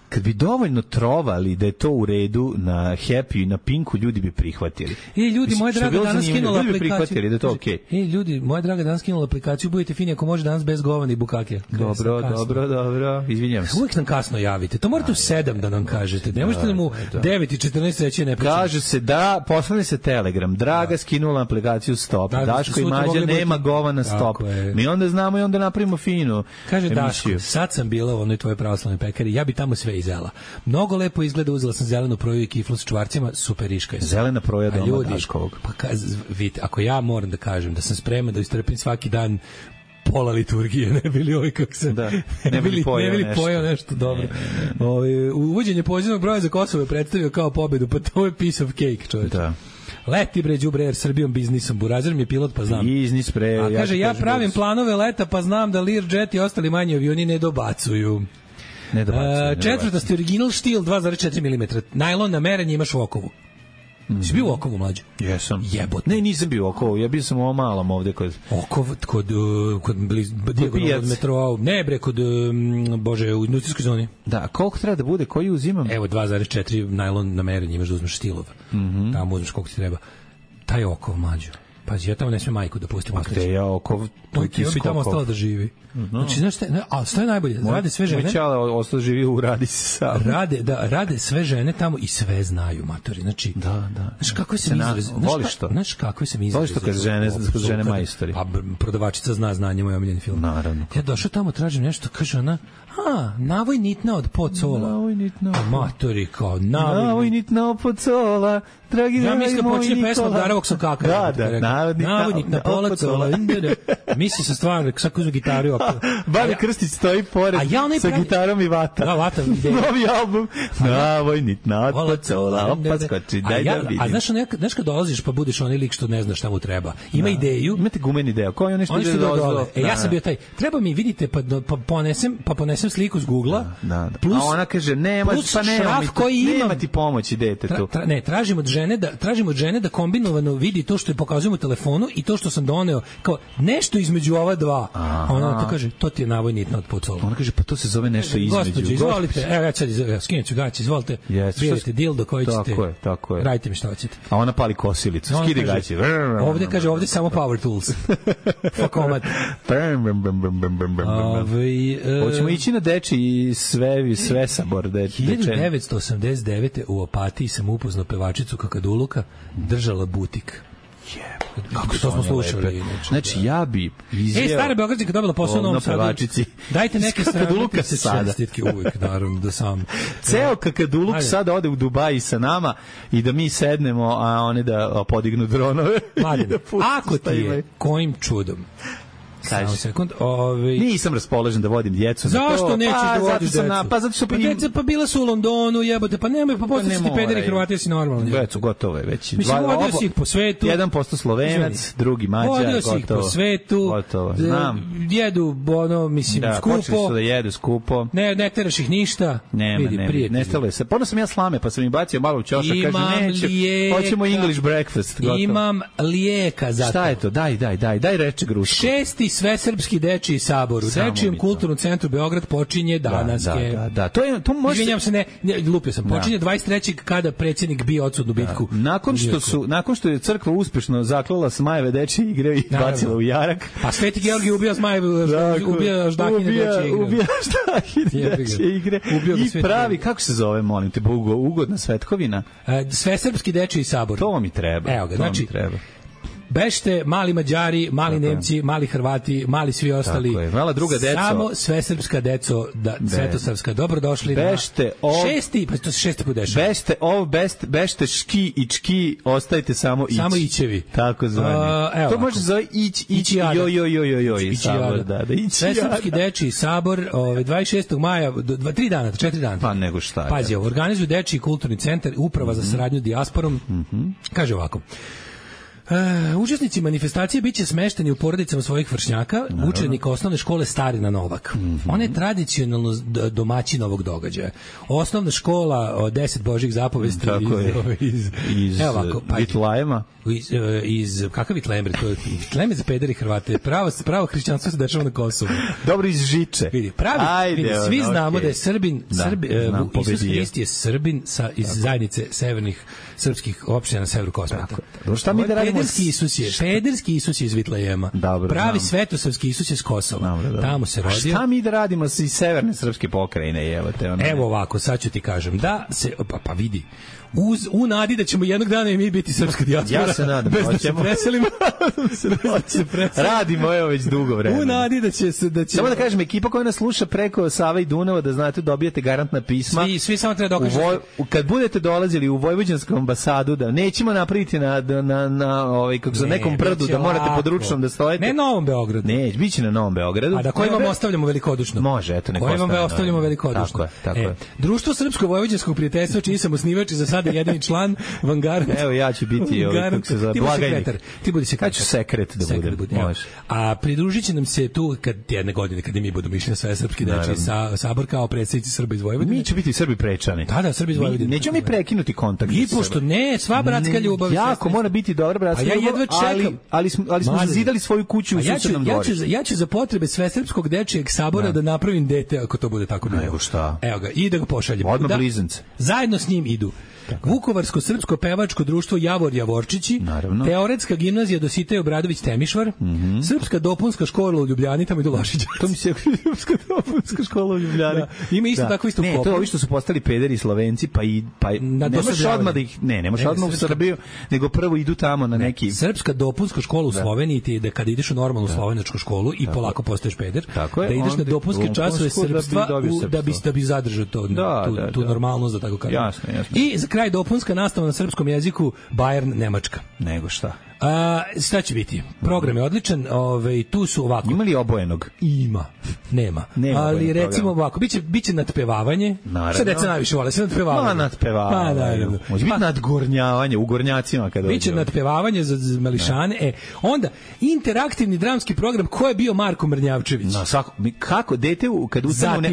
Kad bi dovoljno trovali da je to u redu na Happy i na Pinku, ljudi bi prihvatili. Ljudi, moja draga danas skinula aplikaciju. Ljudi bi prihvatili da je to okej. Ljudi, moja draga danas skinula aplikaciju, budete fini ako može danas bez govana i bukake. Dobro, izvinjavam se. Uvijek nam kasno javite. To morate u 7 da nam kažete. Ne možete nam u 9:14 reći ne pričati. Kaže se da, poslali se Telegram. Draga skinula aplikaciju Stop. Daško i Mađa nema govana Stop. Mi onda znamo i onda napravimo finu. Kaže Daško, sad sam bila u onoj tvojoj pravoslavnoj pekari, ja bi tamo sve izela. Mnogo lepo izgleda, uzela sam zelenu proju i kiflu s čvarcima, superiška je. Zelena proja doma Daškovog. Pa vidite, ako ja moram da kažem da sam spreman da istrpim svaki dan pola liturgije, ne bili ovaj kako se ne bili pojao nešto dobro. Uvođenje pozivnog broja za Kosovo je predstavio kao pobedu, pa to je piece of cake, čovječ. Da. Leti bre đubre Air Srbijom biznisom, Burazer mi je pilot pa znam. Biznis pre. A kaže ja pravim planove leta pa znam da Learjet i ostali manji avioni ne dobacuju. Četvrtasti original štil 2,4 mm. Najlon na merenje imaš u okovu. Si bio u Okovu, mlađe? Jesam. Jebot. Ne, nisam bio u Okovu, ja bio sam u ovom malom ovde kod... Okov, kod dijagonalno od metroa, ne bre, kod, bože, u industrijskoj zoni. Da, koliko treba da bude, koji uzimam? Evo, 2,4 najlon na merenje, imaš da uzmeš stilov. Tamo uzmeš koliko ti treba. Taj Okov, mlađe. Pazi, ja tamo ne smijem majku da pustim. Akte, ja Okov... Ja bi tamo ostala da živi. Znači, znaš šta, a što je najbolje? Rade sve žene. Moćala ostao živi u radi sam. Rade sve žene tamo i sve znaju, matori. Znači, da. Znaš kako se izraz. Voliš to? Znaš kako se izraz. Voliš to kad žene majstori. A prodavačica zna znanje, moj omiljeni film. Naravno. Ja došao tamo, tražim nešto, kaže ona, navoj nitna od pocola. Navoj nitna. Matori kao, navoj nitna od pocola. Dragi ja mislim da počinje pesma Darovog Sokaka. Da, navoj nitna pocola. Misli se stvarno, kako uzme gitaru. Bari Krstić stoji pored sa gitarom i vata. Da, vata. Novi album. Navoj nitna pocola. Opa skoči, daj da vidim. A znaš kad dolaziš pa budeš onaj lik što ne zna šta mu treba. Ima ideju. Imate gumeni ideju. Koji on nešto ide dole. Ja sam bio taj. Treba mi, vidite, pa ponesem sliku s Google-a. A ona kaže, nema ti pomoći detetu. Ne, tražimo od žene da kombinovano vidi to što je pokazujemo telefonu i to što sam doneo, kao nešto između ova dva. Ona to kaže, to ti je navoj nitno otpucalo. Ona kaže, pa to se zove nešto između. Gospođo, izvolite, evo ja sad skinuću gaće, izvolite, birajte dildo koji ćete. Tako je. Radite mi šta hoćete. A ona pali kosilicu, skidi gaće. Ovde kaže, ovde samo power tools. Fakomat. Hoćemo ići na deči i sve sabor. 1989. u Opatiji sam upoznao pevačicu Kakaduluka, držala butik. Kako to smo slušali. Znači, ja bi izjeo... Stara Beogradska dobila posao u Novom Sadu. Dajte neke Kakaduluka sada. Čestitke uvijek, naravno, da sam... Ceo Kakaduluk sada ode u Dubaji sa nama i da mi sednemo, a one da podignu dronove. Mladen, ako ti je kojim čudom samo sekund. Nisam raspoložen da vodim djecu. Zašto nećeš da vodiš decu? Zato što deca pa bila su u Londonu, jebote, pa nemoj, pa postati ti pederi Hrvati, si normalni. Decu gotovo je već. Mislim, vodio si ih po svetu. 1% Slovenac, drugi Mađar, gotovo. Vodio si ih po svetu. Gotovo, znam. Jedu, mislim, skupo. Počeli su da jedu skupo. Ne teraš ih ništa. Vidi, nestalo je se. Pono sam ja slame, pa sam im bacio malo u ćošak, kaže neću, hoćemo English breakfast. Imam lijeka za to. Šta je to? Daj reče Gruško. Svesrpski dečiji sabor u Dečijem kulturnom centru Beograd počinje danas. Da. To može. Izvinjavam se, lupio sam. Počinje 23. kada predsjednik bio odsudnu bitku. Nakon što je crkva uspešno zaklala Zmajeve dečije igre i bacila u jarak. Pa Sveti Georgij ubija Zmajeve, ubija Ždahine dečije igre. Ubija Ždahine dečije igre. I pravi, kako se zove, molim te, ugodna svetkovina? Svesrpski dečiji sabor. To mi treba. Evo ga, znači bešte, mali Mađari, mali Nemci, mali Hrvati, mali svi ostali. Tako je, mala druga deco. Samo svesrpska deco, svetosrpska, dobrodošli bešte na šesti, pa to se šesti put dešava. Bešte ški i čki, ostajte samo ići. Samo ićevi. Tako zvani. To može zove ići, joj. Svesrpski dečiji sabor, 26. maja, 4 dana. Pa nego šta. Pazi, organizuje Dečiji kulturni centar, uprava za saradnju dijasporom. Kaže ovako. Učesnici manifestacije biće smešteni u porodicama svojih vršnjaka, učenika osnovne škole Starina Novak. Ona je tradicionalno domaćin ovog događaja. Osnovna škola 10 božjih zapovesti iz Vitlajema. Kakav Vitlajmer? To je Vitlajmer za pederi Hrvate. Pravo hrišćanstvo se dešava na Kosovu. Dobro, iz Žiče. Svi znamo da je Srbin, Isus Hrist je Srbin iz zajednice severnih srpskih opština na severu Kosmeta. Šta mi da radimo? Pederski Isus je iz Vitlajema. Pravi svetosavski Isus je iz Kosova. Tamo se rodio. Šta mi da radimo iz severne srpske pokrajine? Evo ovako, sad ću ti kažem. Da se, pa vidi, u nadi da ćemo jednog dana i mi biti srpska dijaspora. Ja se nadam. Bez da se preselimo. Radimo već dugo vremena. U nadi da će... Samo da kažem, ekipa koja nas sluša preko Sava i Dunava, da znate, dobijete garantna pisma. Svi samo treba dokažete. Kad budete dolazili u Vojvođansku ambasadu, da nećemo napraviti na nekom brdu, da morate pod ručnom da stojite. Ne na Novom Beogradu. Ne, biće na Novom Beogradu. A da koji vam ostavljamo velikodušno? Može, eto, neko ostavljamo. Koji vam ostavljamo velikodušno? Tako je. Društvo Srpsko-vojvođanskog prijateljstva, čiji sam osnivač i za sada jedan član Vanguard. Evo, ja ću biti blagajnik. Ti budi sekretar. Ja ću sekret da budem. A pridružit će nam se tu jedne godine, kad mi budemo išli na sve srpski deči sabor kao predstavnici Srba iz Vojvodine. Mi će biti Srbi prečani. Da, Srbi iz Vojvodine. Nećemo mi prekinuti kontakt. I pošto ne, sva bratska ljubav. Jako mora biti dobra bratska ljubav, ali smo zazidali svoju kuću u susednom dvorištu. Ja ću za potrebe Svesrpskog dečijeg sabora da napravim dete, ako to bude tako bilo. Nego šta? Evo ga, i da ga pošaljem. Odmah blizance. Zajedno s njim idu Vukovarsko-srpsko pevačko društvo Javor Javorčići, Teoretska gimnazija Dositej Obradović Temišvar, Srpska dopunska škola u Ljubljani, tamo idu Lašića. To mi se Srpska dopunska škola u Ljubljani. Ima isto tako isto Ne, to je ovi što su postali pederi i Slovenci, ne možeš odmah da ih... Ne možeš odmah u Srbiju, nego prvo idu tamo na neki... Srpska dopunska škola u Sloveniji ti je da kada ideš u normalnu slovenačku školu i polako postaješ peder, da ideš na dopunske časove srpstva da bi zadržao tu normalnost, da tako kažem. Jasno. I za kraj dopunska nastava na srpskom jeziku Bayern Nemačka. Nego šta? Šta će biti? Program je odličan, tu su ovako. Ima li obojenog? Ima. Nema ali recimo ovako, biće nadpevavanje. Šta deca najviše vole? Sve nadpevavanje. Nadpevavanje. Pa naravno. Može biti nadgornjavanje, u gornjacima kada biće nadpevavanje za mališane. Onda interaktivni dramski program ko je bio Marko Mrnjavčević. Kako dete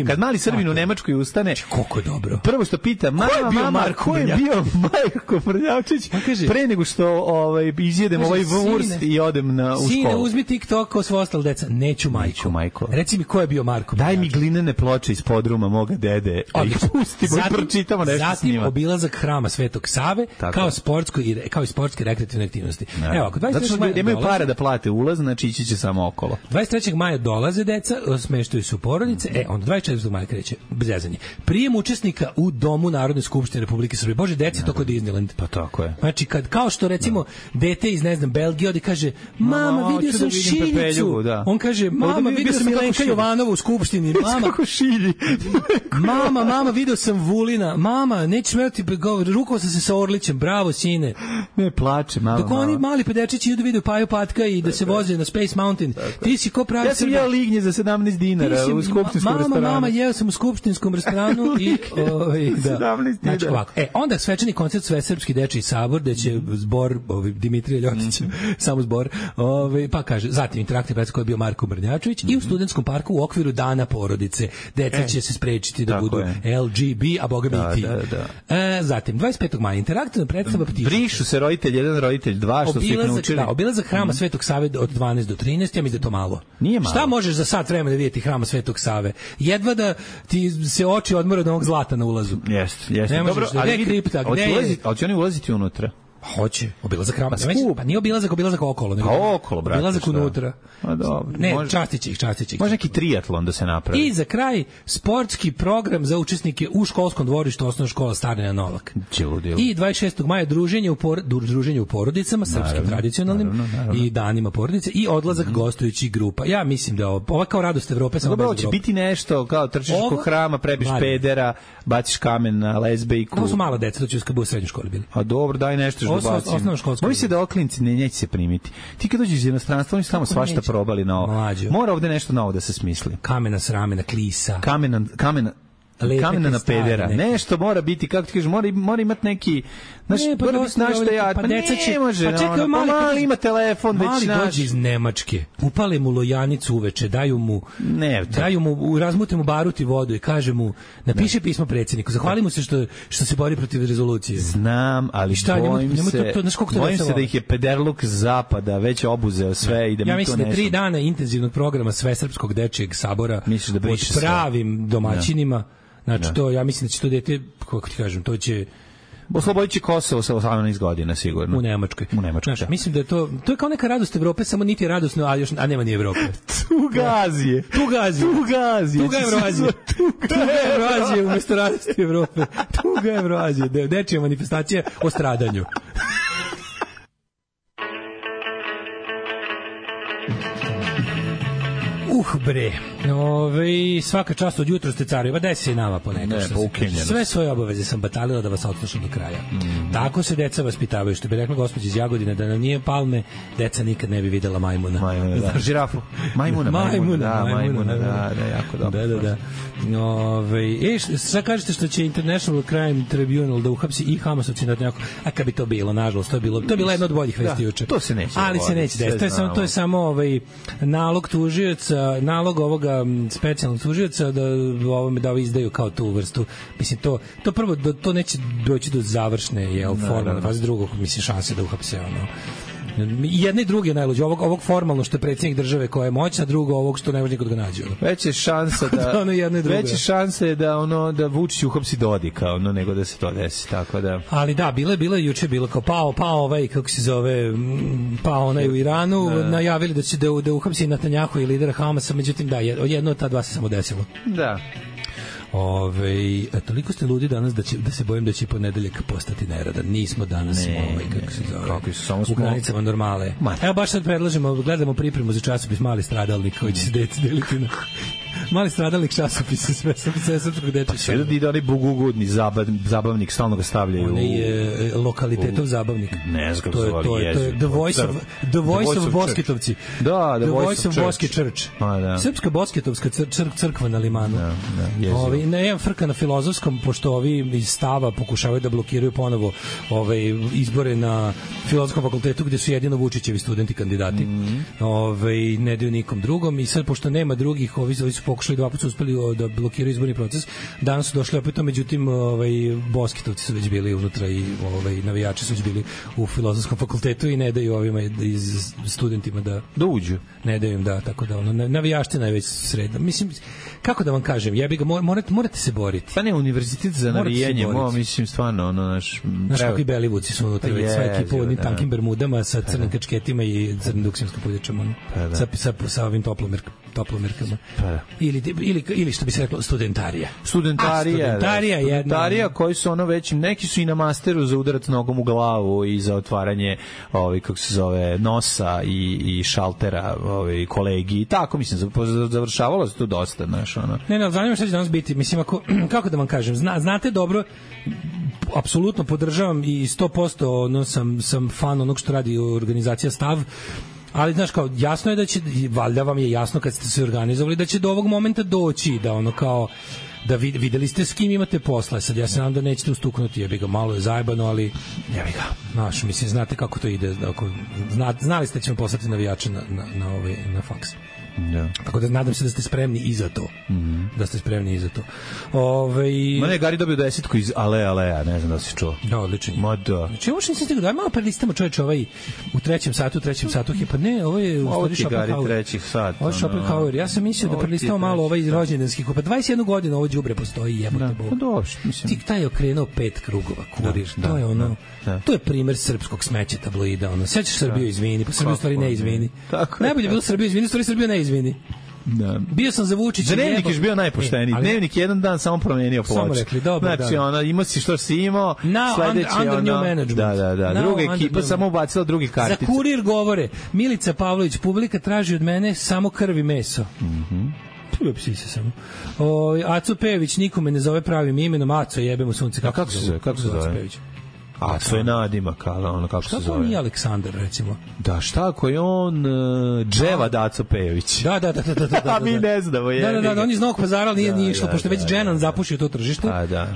kad mali Srbin u Nemačkoj ustane, koliko je dobro. Prvo što pita mama ko je bio Marko Mrnjavčević pre nego što izjedem ovaj vurst i odem u školu. Sine, uzmi TikTok kao svo ostalo deca. Neću majko. Reci mi ko je bio Marko. Daj mi glinene ploče iz podruma moga dede. Pustimo i pročitamo nešto s njima. Zatim obilazak hrama Svetog Save kao i sportske rekreativne aktivnosti. Evo, ako 23. maja nemaju para da plate ulaz, znači ići će samo okolo. 23. maja dolaze deca, smeštaju se u porodice, onda 24. maja kreće zezanje. Prijem učesnika u Domu Narodne skupštine Republike Srbije. Bože, deca to kod Disneyland. Pa tako je. Znači, kao što recimo dete iz, ne znam, Belgije odi kaže, mama, vidio sam šiljicu. On kaže, mama, vidio sam Milenka Jovanova u skupštini. Kako šilji. Mama, vidio sam Vulina. Mama, nećeš merati, rukovao sam se sa Orlićem. Bravo, sine. Ne plače, mama. Dok oni mali pedečići idu vidio Paju Patka i da se voze na Space Mountain. Ti si ko pravi Srba. Ja sam jeo lignje za 17 dinara u skupštinskom restoranu. Mama, jeo sam u skupštinskom restoranu i... 17 dinara. Znači, ovako. Onda svečani koncert Svesrpski dečiji sabor, gde će zbor Dimitrija Ljotića, samo zbor, pa kaže, zatim interaktivni predstav koji je bio Marko Mrnjavčević i u Studentskom parku u okviru Dana porodice. Deca će se sprečiti da budu LGB, a boga mi i ti. Zatim, 25. maja interaktivna predstava Ptičica. Brišu se roditelj 1, roditelj 2, što su ih naučili. Obilazak hrama Svetog Save od 12 do 13, ja mislim da je to malo. Nije malo. Šta možeš za sat vremena vidjeti hrama Svetog Save? Jedva da ti se oči odmore od onog zlata na ulazu. Jeste. Dobro, ali vidi, hoće oni ulaziti unutra? Hoće, obilazak hrama. Pa nije obilazak okolo. Okolo, brate. Obilazak unutra. A dobro. Ne, častiće ih. Može neki triatlon da se napravi. I za kraj, sportski program za učesnike u školskom dvorištu osnovna škola Starina Novak. I 26. maja druženje u porodicama, srpskim tradicionalnim i danima porodice i odlazak gostujućih grupa. Ja mislim da ovo kao radost Evrope samo bez Evrope. Će biti nešto kao trčiš oko hrama, prebiš pedera, baciš kamen na lezbejku. Ovo su mala deca, to će kad u srednjoj školi bili. A dobro, daj nešto. Moji se da oklinci neće se primiti. Ti kad dođeš iz inostranstva, oni su tamo svašta probali na ovo. Mora ovde nešto novo da se smisli. Kamena s ramena, klisa. Kamena na pedera. Nešto mora biti, kako ti kažeš, mora imati neki... mora biti našta ja. Pa deca će... Ne može, čekaj, mali ima telefon već naš. Mali dođe iz Nemačke, upale mu lojanicu uveče, daju mu, razmute mu baruti vodu i kaže mu, napiše pismo predsjedniku, zahvali mu se što se bori protiv rezolucije. Znam, ali bojim se da ih je pederluk zapada već obuzeo sve i da mi to nešto... Ja mislim da 3 dana intenzivnog programa Svesrpskog dečijeg sabora pod pravim domaćinima. Znači, to, ja mislim da će to dete, kako ti kažem, to će... Oslobodit će Kosovo sa 18 godina, sigurno. U Nemačkoj. Znači, mislim da je to je kao neka radost Evrope, samo niti je radosno, a nema ni Evrope. Tugazije. Tuga Evroazije umjesto radosti Evrope. Tuga Evroazije. Dečija manifestacija o stradanju. Bre, svaka čast od jutra ste careva, daj se i nama ponekad. Sve svoje obaveze sam batalila da vas odslušam do kraja. Tako se deca vaspitavaju, što bi rekla gospođa iz Jagodine, da nam nije Palme, deca nikad ne bi videla majmuna. Žirafu. Majmuna, jako dobro. Da. Sad kažete što će International Crime Tribunal da uhapsi i Hamasovci na nekako, a kad bi to bilo, nažalost, to je bila jedna od boljih vesti juče. To se neće. Ali se neće desiti. To je samo nalog tužioca, nalog ovoga specijalnog tužioca da izdaju kao tu vrstu. Mislim, to prvo, to neće doći do završne formalne faze, drugog, mislim, šanse da uhapse jedne i druge najluđe, ovog formalno što je predsjednik države koja je moćna, drugo ovog što ne može nikod ga nađe. Veće šanse da Vučić uhapsi Dodika, nego da se to desi, tako da. Ali da, juče bilo kao pao kako se zove, pao onaj u Iranu, najavili da će da uhapsi Netanjahu i lidera Hamasa, međutim da, jedno od ta dva se samo desilo. Da. Toliko ste ludi danas da se bojim da će ponedeljak postati neradan. Nismo danas kako se zove, u granicama normale. Evo baš sad predlažemo, gledamo pripremu za časopis Mali stradalnik koji će se deliti Mali stradalnik časopisa sve srpskog dečaka. Pa sve da ide onaj bugugodni zabavnik, stalno ga stavljaju. On je lokalitetov zabavnik. Ne znam kako to je The Voice of Bosketovci. Da, The Voice of Boske Church. Srpska Bosketovska crkva na limanu. Ne, frka na Filozofskom, pošto ovi iz Stava pokušavaju da blokiraju ponovo izbore na Filozofskom fakultetu, gde su jedino Vučićevi studenti kandidati. Ne daju nikom drugom i sad, pošto nema drugih, ovi su pokušali 2 puta su uspeli da blokiraju izborni proces. Danas su došli opet, međutim Bosketovci su već bili unutra i navijači su već bili u Filozofskom fakultetu i ne daju ovima iz studentima da uđu. Ne daju im, tako da navijaština je već sreda. Mislim, kako da vam kažem, jebi ga, morate se boriti. Pa ne, univerzitet za navijanje, mislim, stvarno, naš kakvi belivuci su unutra, već sva ekipa u onim tankim bermudama sa crnim kačketima i crnim duksinskom puljačama, sa ovim toplomerkama. Ili što bi se reklo, studentarija. Studentarija koji su već, neki su i na masteru za udarac nogom u glavu i za otvaranje kako se zove, nosa i šaltera kolegi i tako, mislim, završavalo se tu dosta, znaš, Ne, zanima šta će danas biti, mislim, kako da vam kažem, znate dobro, apsolutno podržavam i 100% sam fan onog što radi organizacija Stav, ali znaš, kao, jasno je da će, valjda vam je jasno kad ste se organizovali, da će do ovog momenta doći, da kao da videli ste s kim imate posla. Sad ja se nadam da nećete ustuknuti, jebi ga, malo je zajebano, ali jebi ga, znaš, mislim, znate kako to ide, znali ste da ćemo poslati navijače na faks. Tako da nadam se da ste spremni i za to. Da ste spremni i za to. Ma ne, Gari dobio 10 iz Alea, ne znam da si čuo. Da, odlično. Ma da. Znači, ovo što nisam stigao, daj malo prelistamo, čoveče, u trećem satu, pa ne, ovo je u stvari Schopenhauer. Ovo ti Gari treći sat. Ovo je Schopenhauer. Ja sam mislio da prelistamo malo rođendanskih, pa 21 godina ovo đubre postoji, jebote Bog. Pa dobro, mislim. Tik taj je okrenuo 5 krugova, Kurir. To je to je primer srpskog smeća tabloida, sećaš Srbiju izvini, pa Srbiju stvari ne izvini. Najbolje bilo Srbiju izvini, stvari Srbiju ne izvini. Da. Bio sam za Vučića. Dnevnik je bio najpošteniji. Dnevnik jedan dan samo promenio ploču. Samo rekli, dobro, znači, imao si što si imao, sledeće under new management. Da. Druga ekipa samo ubacila drugi kartice. Za Kurir govore, Milica Pavlović, publika traži od mene samo krv i meso. Psi se samo. Aco Pejović nikome ne zove pravim imenom, Aco jebemo sunce. Kako se zove? A to je nadimak, kako se zove. Šta to nije Aleksandar, recimo? Da, šta ako je on Dževa Daco Pejović? Da. A mi ne znamo. Da, on iz Novog Pazara, ali nije išlo, pošto već Dženan zapušio to tržište,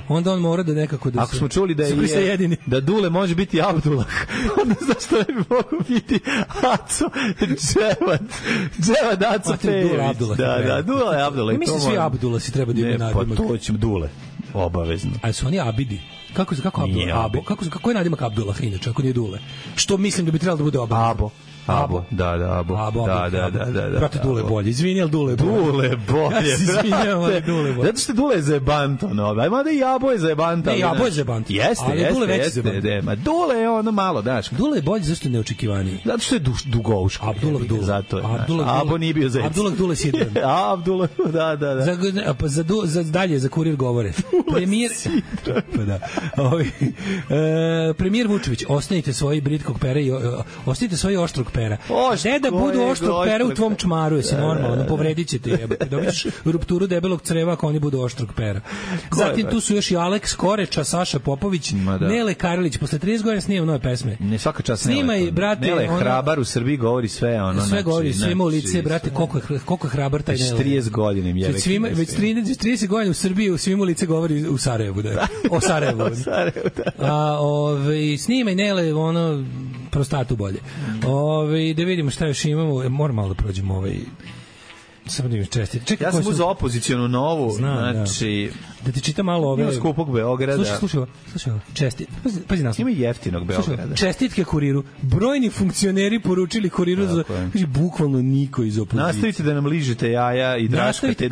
onda on mora da nekako da se... Ako smo čuli da Dule može biti Abdullah, onda zašto ne bi mogo biti Aco Dževa Daco Pejović? Da, Dule Abdullah. Mislim svi Abdullah si treba da ima nadimak. Ne, pa to ćemo Dule, obavezno. A su oni Abidi? Kako Abdullah? Kako je nadimak Abdullah inače, ako nije Dule? Što mislim da bi trebalo da bude Abo. Da. Brate, Dule bolje. Izvini, ali Dule bolje. Dule bolje. Ja se izvinjam, ali Dule bolje. Zato što Dule je zajebanto. Ajmo da i Abo je zajebanto. Ne, Abo je zajebanto. Jeste. Ma Dule je ono malo, daš. Dule je bolje, zašto je neočekivani? Zato što je dugouško. Abdullah Dule. Zato je. Abo nije bio zajedno. Abdullah Dule Sidran. Abdullah, da. Za dalje, za Kurir govore. Premijer... Premijer Vučević, ostanite svoji britkog pera i ostanite svoji oštrog pera. Ne da budu oštrog pera u tvom čmaru, jesi normalno, povredit ćete jebate. Dobićeš rupturu debelog creva ako oni budu oštrog pera. Zatim tu su još i Aleks Koreča, Saša Popović, Nele Karlić, posle 30 godina snimam nove pesme. Ne, svaka čast Snimaj, brate, Nele hrabar u Srbiji govori sve, sve govori, sve ima u lice, brate, koliko je hrabar taj Nele. 30 godina im je. Već 30 godina u Srbiji u svim u lice govori u Sarajevu, da. O Sarajevu. Snimaj Nele, prostatu bolje. Da vidimo šta još imamo. Moram malo da prođemo samo da im čestiti. Ja sam uzao opozicijonu novu, znači... Da ti čitam malo ove... Ima skupog Beograda. Slušaj ovo. Pazi naslov. Ima jeftinog Beograda. Čestitke Kuriru. Brojni funkcioneri poručili Kuriru za... Kaži, bukvalno niko iz opozicije. Nastavite da nam ližete jaja i draškate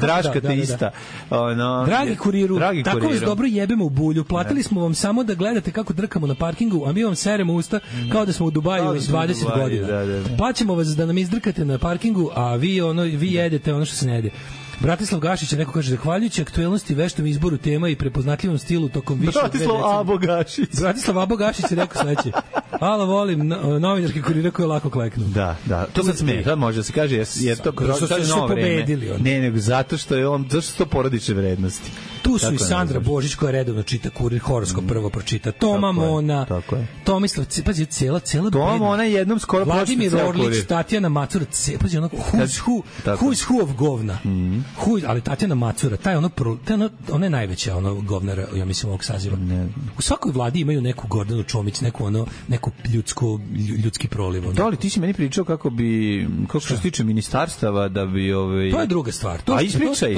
ista. Dragi Kuriru, tako vas dobro jebemo u bulju. Platili smo vam samo da gledate kako drkamo na parkingu, a mi vam seremo usta kao da smo u Dubaju 20 godina. Plaćamo vas da nam izdrkate na parkingu, a vi jedete ono što se ne jede. Bratislav Gašić, neko kaže, zahvaljujući aktuelnosti, veštom izboru tema i prepoznatljivom stilu tokom više od 2 decenije. Bratislav Abo Gašić je rekao sledeće. Hvala, volim novinarski kurira koji lako kleknu. Da. To sad smije, sad može da se kaže, jer to su pobedili. Ne, nego zato što je on, zašto su to porodične vrednosti. Tu su i Sandra Božić koja redovno čita Kurir, horoskop prvo pročita, Toma Mona, Tomislav, pazi, cela Toma Mona jednom skoro Vladimir Orlić, Tatjana Macura, pazi, ono who's who of govna. Ali Tatjana Macura, ona je najveća govnara, ja mislim, ovog saziva. U svakoj vladi imaju neku Gordanu Čomić, neku ljudski proliv. Da li ti si meni pričao kako što se tiče ministarstava da bi To je druga stvar. Ispričaj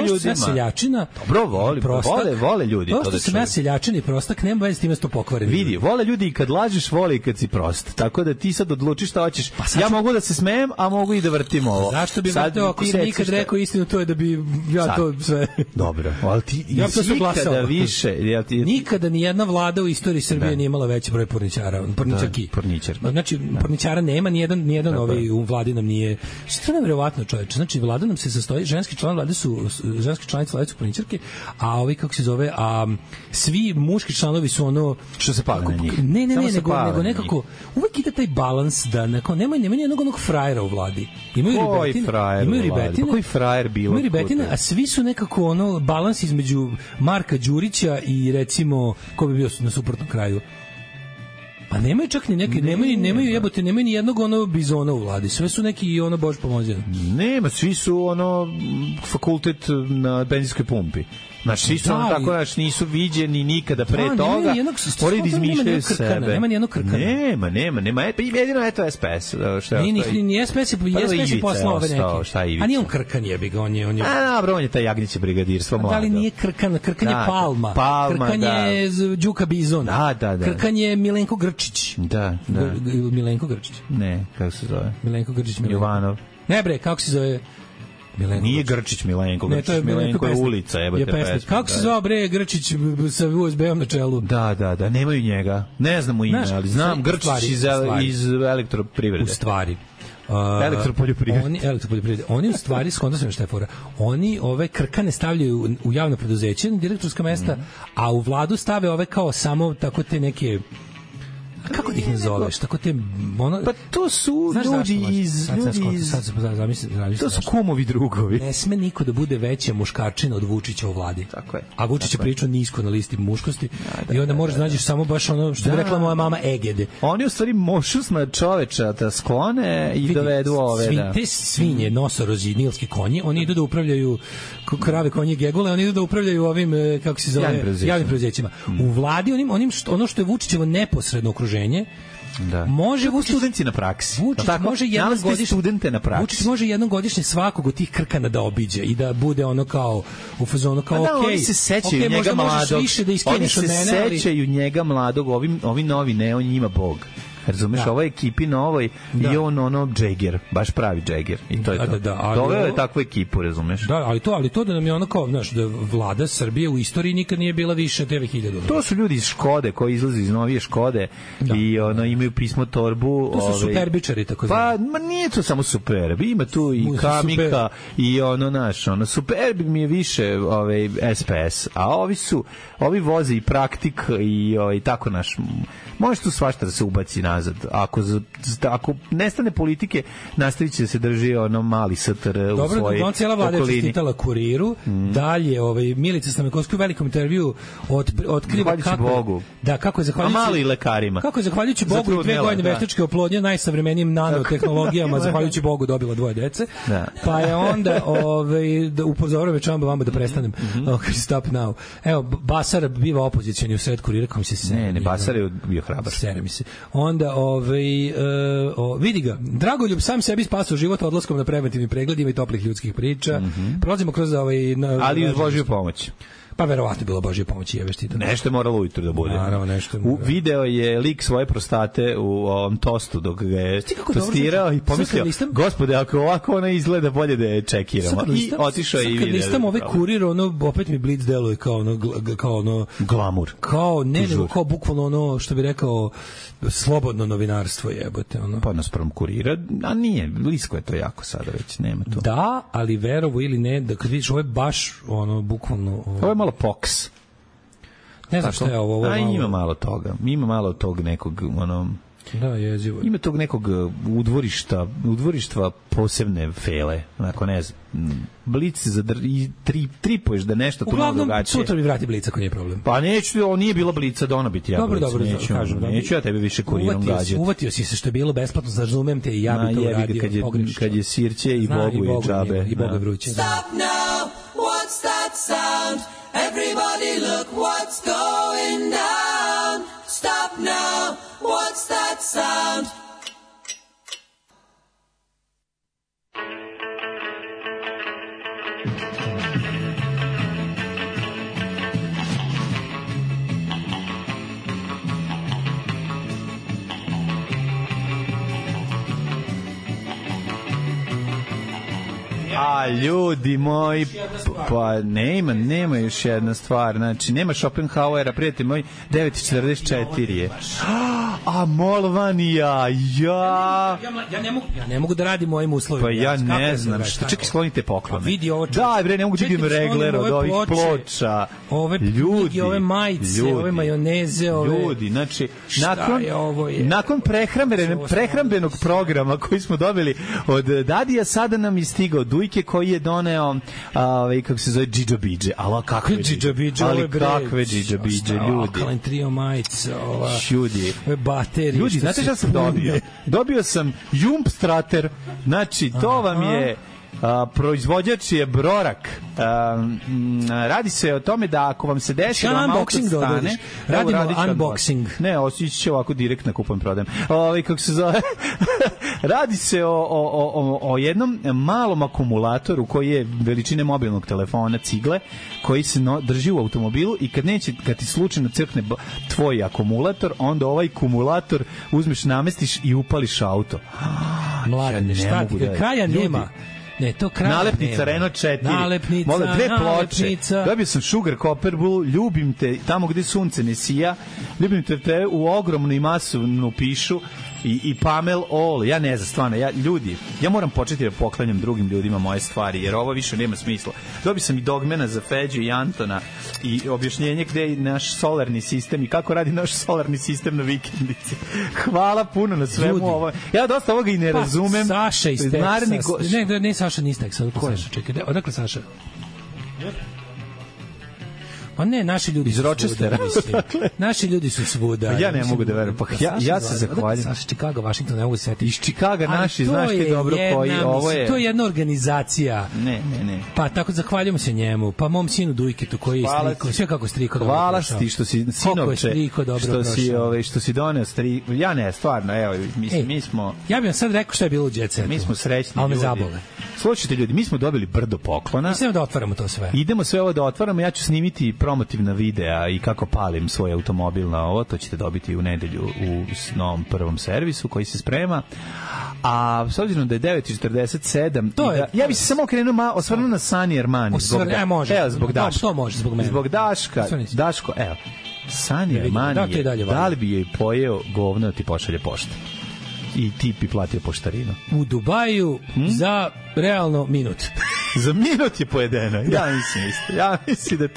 ljudima. Seljačina. Dobro, vole ljudi to što sam ja seljačin i prostak, nema veze s time što pokvaren. Vidi, vole ljudi i kad lažeš, vole i kad si prost. Tako da ti sad odlučiš šta hoćeš. Ja mogu da se smejem, a mogu i da vrtim ovo. Zašto bi vrteo ako sam nikad rekao istinu, to je da bi ja to sve... Dobro, ali ti nikada više... Nikada ni jedna vlada u istoriji Srbije nije imala veći broj porničarki. Znači, porničara nema, nijedan u vladi nam nije... Što je nevjerovatno, čoveče? Znači, vlada nam se sastoji, ženski članice vlade su porničarke, a kako se zove, svi muški članovi su ono... Što se pali na njih. Ne, nego nekako... Uvek ide taj balans da nema nijednog onog frajera u vladi. Imaju ribetine. Koji frajer bilo? Imaju ribetine, a svi su nekako balans između Marka Đurića i recimo, ko bi bio na suprotnom kraju? Pa nemaju čak ni neki, nemaju ni jednog bizona u vladi. Sve su neki Bož pomozi. Nema, svi su fakultet na benzinskoj pumpi. Znači, svi su tako, nisu viđeni nikada pre toga. Oni izmišljaju sebe. Nema nijednog krkana. Nema. Jedino je to SPS. Ni SPS je poslao ove neke. A nije on krkan, jebi ga. On je taj Jagnjiće brigadirstvo mlado. Da li nije krkan je Palma. Krkan je Đuka Bizon. Da. Krkan je Milenko Grčić. Da. Milenko Grčić. Ne, kako se zove? Milenko Grčić. Jovanov. Ne bre, kako se zove? Nije Grčić Milenko, Milenko je ulica, jebate pesma. Kako se zvao bre Grčić sa USB-om na čelu? Da, nemaju njega. Ne znamo ime, ali znam Grčić iz elektroprivrede. U stvari. Elektropoljoprivrede. Oni u stvari, skonto sam šta je fora, oni ove krkane stavljaju u javno preduzeće na direktorska mesta, a u vladu stave ove kao samo tako te neke... Kako ih ne zoveš? Tako te pa to su ljudi iz to su kumovi drugovi. Ne sme niko da bude veća muškarčina od Vučića u vladi. Tako je. A Vučić je pričao nisko na listi muškosti i onda možeš da nađeš samo baš što bi rekla moja mama Egede. Oni u stvari mošusna čoveča da sklone i dovedu ove. Te svinje, nosorozi, nilski konji, oni idu da upravljaju krave, konje, gegule, oni idu da upravljaju ovim, kako se zove, javnim preduzećima. U vladi ono što je Vučićevo neposredno okruženje. Da. Može studenti na praksi. Vučić može jednom godišnje svakog od tih krkana da obiđe i da bude kao u fazonu kao oni se sećaju njega mladog. Oni se sećaju njega mladog, ovi novi ne, on njima bog. Razumeš, ovoj ekipi novoj i on Džeger, baš pravi Džeger. I to je to. Doveo je takvu ekipu, razumeš? Da, ali to da nam je kao, znaš, da vlada Srbije u istoriji nikad nije bila više 9000. To su ljudi iz Škode, koji izlaze iz novije Škode i imaju pismo torbu. To su superbičari, tako znači. Pa, nije to samo superbi, ima tu i Kamika i superbi mi je više SPS, a ovi voze i praktik i tako naš. Može tu svašta da se ubaci nazad. Ako nestane politike, nastavit će se drži mali STR u svojoj okolini. Cijela vlada je čestitala Kuriru. Dalje, Milica Stamenkovski u velikom intervjuu otkriva kako je zahvaljujući malo i lekarima. Kako je zahvaljujući Bogu i 2 godine veštačke oplodnje najsavremenijim nanotehnologijama zahvaljujući Bogu dobila 2 dece. Pa je onda upozorio već vama da prestanem. Stop now. Evo, Basar biva opozicioni u sred Kurira, kom se ne, Basar je bio hrabar. Sere mi se. Onda, vidi ga, Dragoljub sam sebi spasao život odlaskom na preventivnim pregledima i toplih ljudskih priča. Prolazimo kroz ali uz Božju pomoć. Pa verovatno je bilo Božje pomoći, jebeš ti. Nešto je moralo ujutru da bude. Naravno, nešto. Video je lik svoje prostate u ovom tostu dok ga je tostirao i pomislio, gospode, ako ovako ona izgleda, bolje da je čekiramo. I otišao i video. Kad listam ove Kurir, ono, opet mi Blitz deluje kao ono glamur. Kao, nego kao bukvalno ono, što bi rekao, slobodno novinarstvo, jebote. Ono. Pa naspram Kurira, a nije, blisko je to jako sada već, nema to. Da, ali verovo ili ne, da kad vidiš, ovo je baš, ono, bukvalno... Ovo je malo Fox. Ne znam šta je ovo. A ima malo toga. Ima malo tog nekog, ono... Da, jezivo. Ima tog nekog udvorištva posebne fele. Onako, ne znam, Blic i tripuješ da nešto tu malo drugačije. Uglavnom, sutra mi vrati Blic ako nije problem. Pa neću, ovo nije bilo Blica, da ona biti ja Blic. Dobro, neću ja tebe više Kurirom gađati. Uvatio si se što je bilo besplatno, razumem te i ja bi to uradio pogrešno. Kad je sirće i Bogu je džabe. I Boga vruće. Stop now, what's that sound? Everybody look what's going down. Stop now, what's that sound? A ljudi moji, pa nema još jedna stvar, znači nema Schopenhauera, prijatelj moj, 9:44 je. A Molvanija, ja ne mogu da radim u ovim uslovima. Pa ja ne znam, šta, čekaj, sklonite poklone. Vidi ovo. Da, bre, ne mogu da vidim regler od ovih ploča. Ove ljudi, ove majice, ove majoneze, ove... Ljudi, znači, nakon prehrambenog programa koji smo dobili od Dadija, sada nam je stigao Dujke koji je doneo, kako se zove, Džidžo Bidže. Ali kakve Džidžo Bidže, ljudi. Alkaline Trio majice, ova... Ljudi. Baterije. Ljudi, znate šta sam dobio? Dobio sam Jumpstrater, znači, to vam je... proizvođač je Brorak. Radi se o tome da ako vam se desi da vam auto stane, radimo unboxing. Ne, osjeći će ovako direktno kupujem, prodajem. Kako se zove? Radi se o jednom malom akumulatoru koji je veličine mobilnog telefona, cigle, koji se drži u automobilu i kad ti slučajno crkne tvoj akumulator, onda ovaj akumulator uzmeš, namestiš i upališ auto. Mladine, šta ti, kraja nema. Ne, to kraj. Nalepnica Renault 4. Nalepnica, mola, 2 ploče. Dobio sam Sugar Copper Blue, ljubim te tamo gde sunce ne sija. Ljubim te u ogromnu i masovnu pišu i Pamel All. Ja ne znam, stvarno, ja moram početi da poklanjam drugim ljudima moje stvari, jer ovo više nema smisla. Dobio sam i Dogmana za Feđu i Antona i objašnjenje gde je naš solarni sistem i kako radi naš solarni sistem na vikendici. Hvala puno na svemu ovo. Ja dosta ovoga i ne razumem. Saša iz Teksasa. Ne, Saša nije iz Teksasa. Čekaj, odakle Saša? Pa ne, naši ljudi iz Rochestera. Naši ljudi su svuda. Ja ne mogu da verujem. Pa ja se zahvaljujem. Saša, Chicago, Washington, ne mogu se setiti. Iz Chicaga naši, znaš ti dobro koji ovo je. To je jedna organizacija. Ne. Pa tako zahvaljujemo se njemu. Pa mom sinu Dujketu koji je striko, sve kako striko dobro. Hvala ti što si sinovče, što si doneo striko. Ja ne, stvarno, evo, mi smo. Ja bih vam sad rekao šta je bilo u Jet Setu. Mi smo srećni ljudi. Ali me zabole. Slušajte ljudi, mi smo dobili brdo poklona. Mislim da otvaramo to sve. Idemo sve ovo da otvaramo, ja ću snimiti promotivna videa i kako palim svoj automobil na ovo, to ćete dobiti u nedelju u novom prvom servisu koji se sprema. A s obzirom da je 9:47, ja bih se samo osvrnuo na Sani Armani. Zbog Daška. To može, zbog mene. Zbog Daško, evo. Sani Armani, da li bi joj pojeo govno ti pošalje pošta? I ti bi platio poštarinu. U Dubaju za realno minut. Za minut je pojedeno. Ja mislim da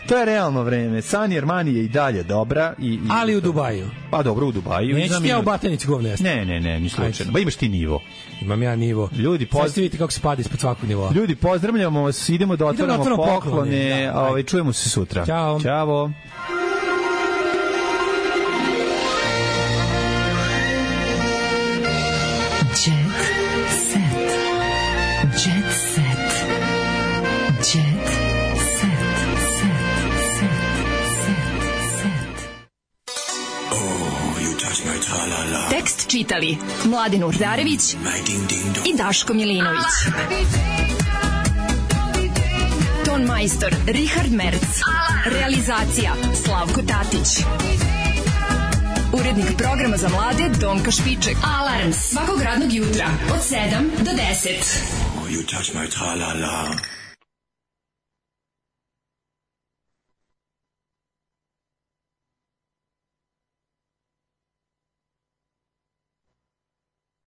to je realno vreme. Sani Armani je i dalje dobra. Ali u Dubaju. Pa dobro, u Dubaju. Neću ti ja u Batenici govno jesti. Ne, ni slučajno. Ba imaš ti nivo. Imam ja nivo. Ljudi, vidite kako se pada ispod svakog nivoa. Ljudi, pozdravljamo vas, idemo da otvaramo poklone. Čujemo se sutra. Ćao. Tekst čitali Mladin Urdarević i Daško Milinović. ton majstor Richard Merc. Realizacija Slavko Tatić. Urednik programa za mlade Donka Špiček. Alarms svakog radnog jutra od 7 do 10. Oh, you touch my tra-la-la.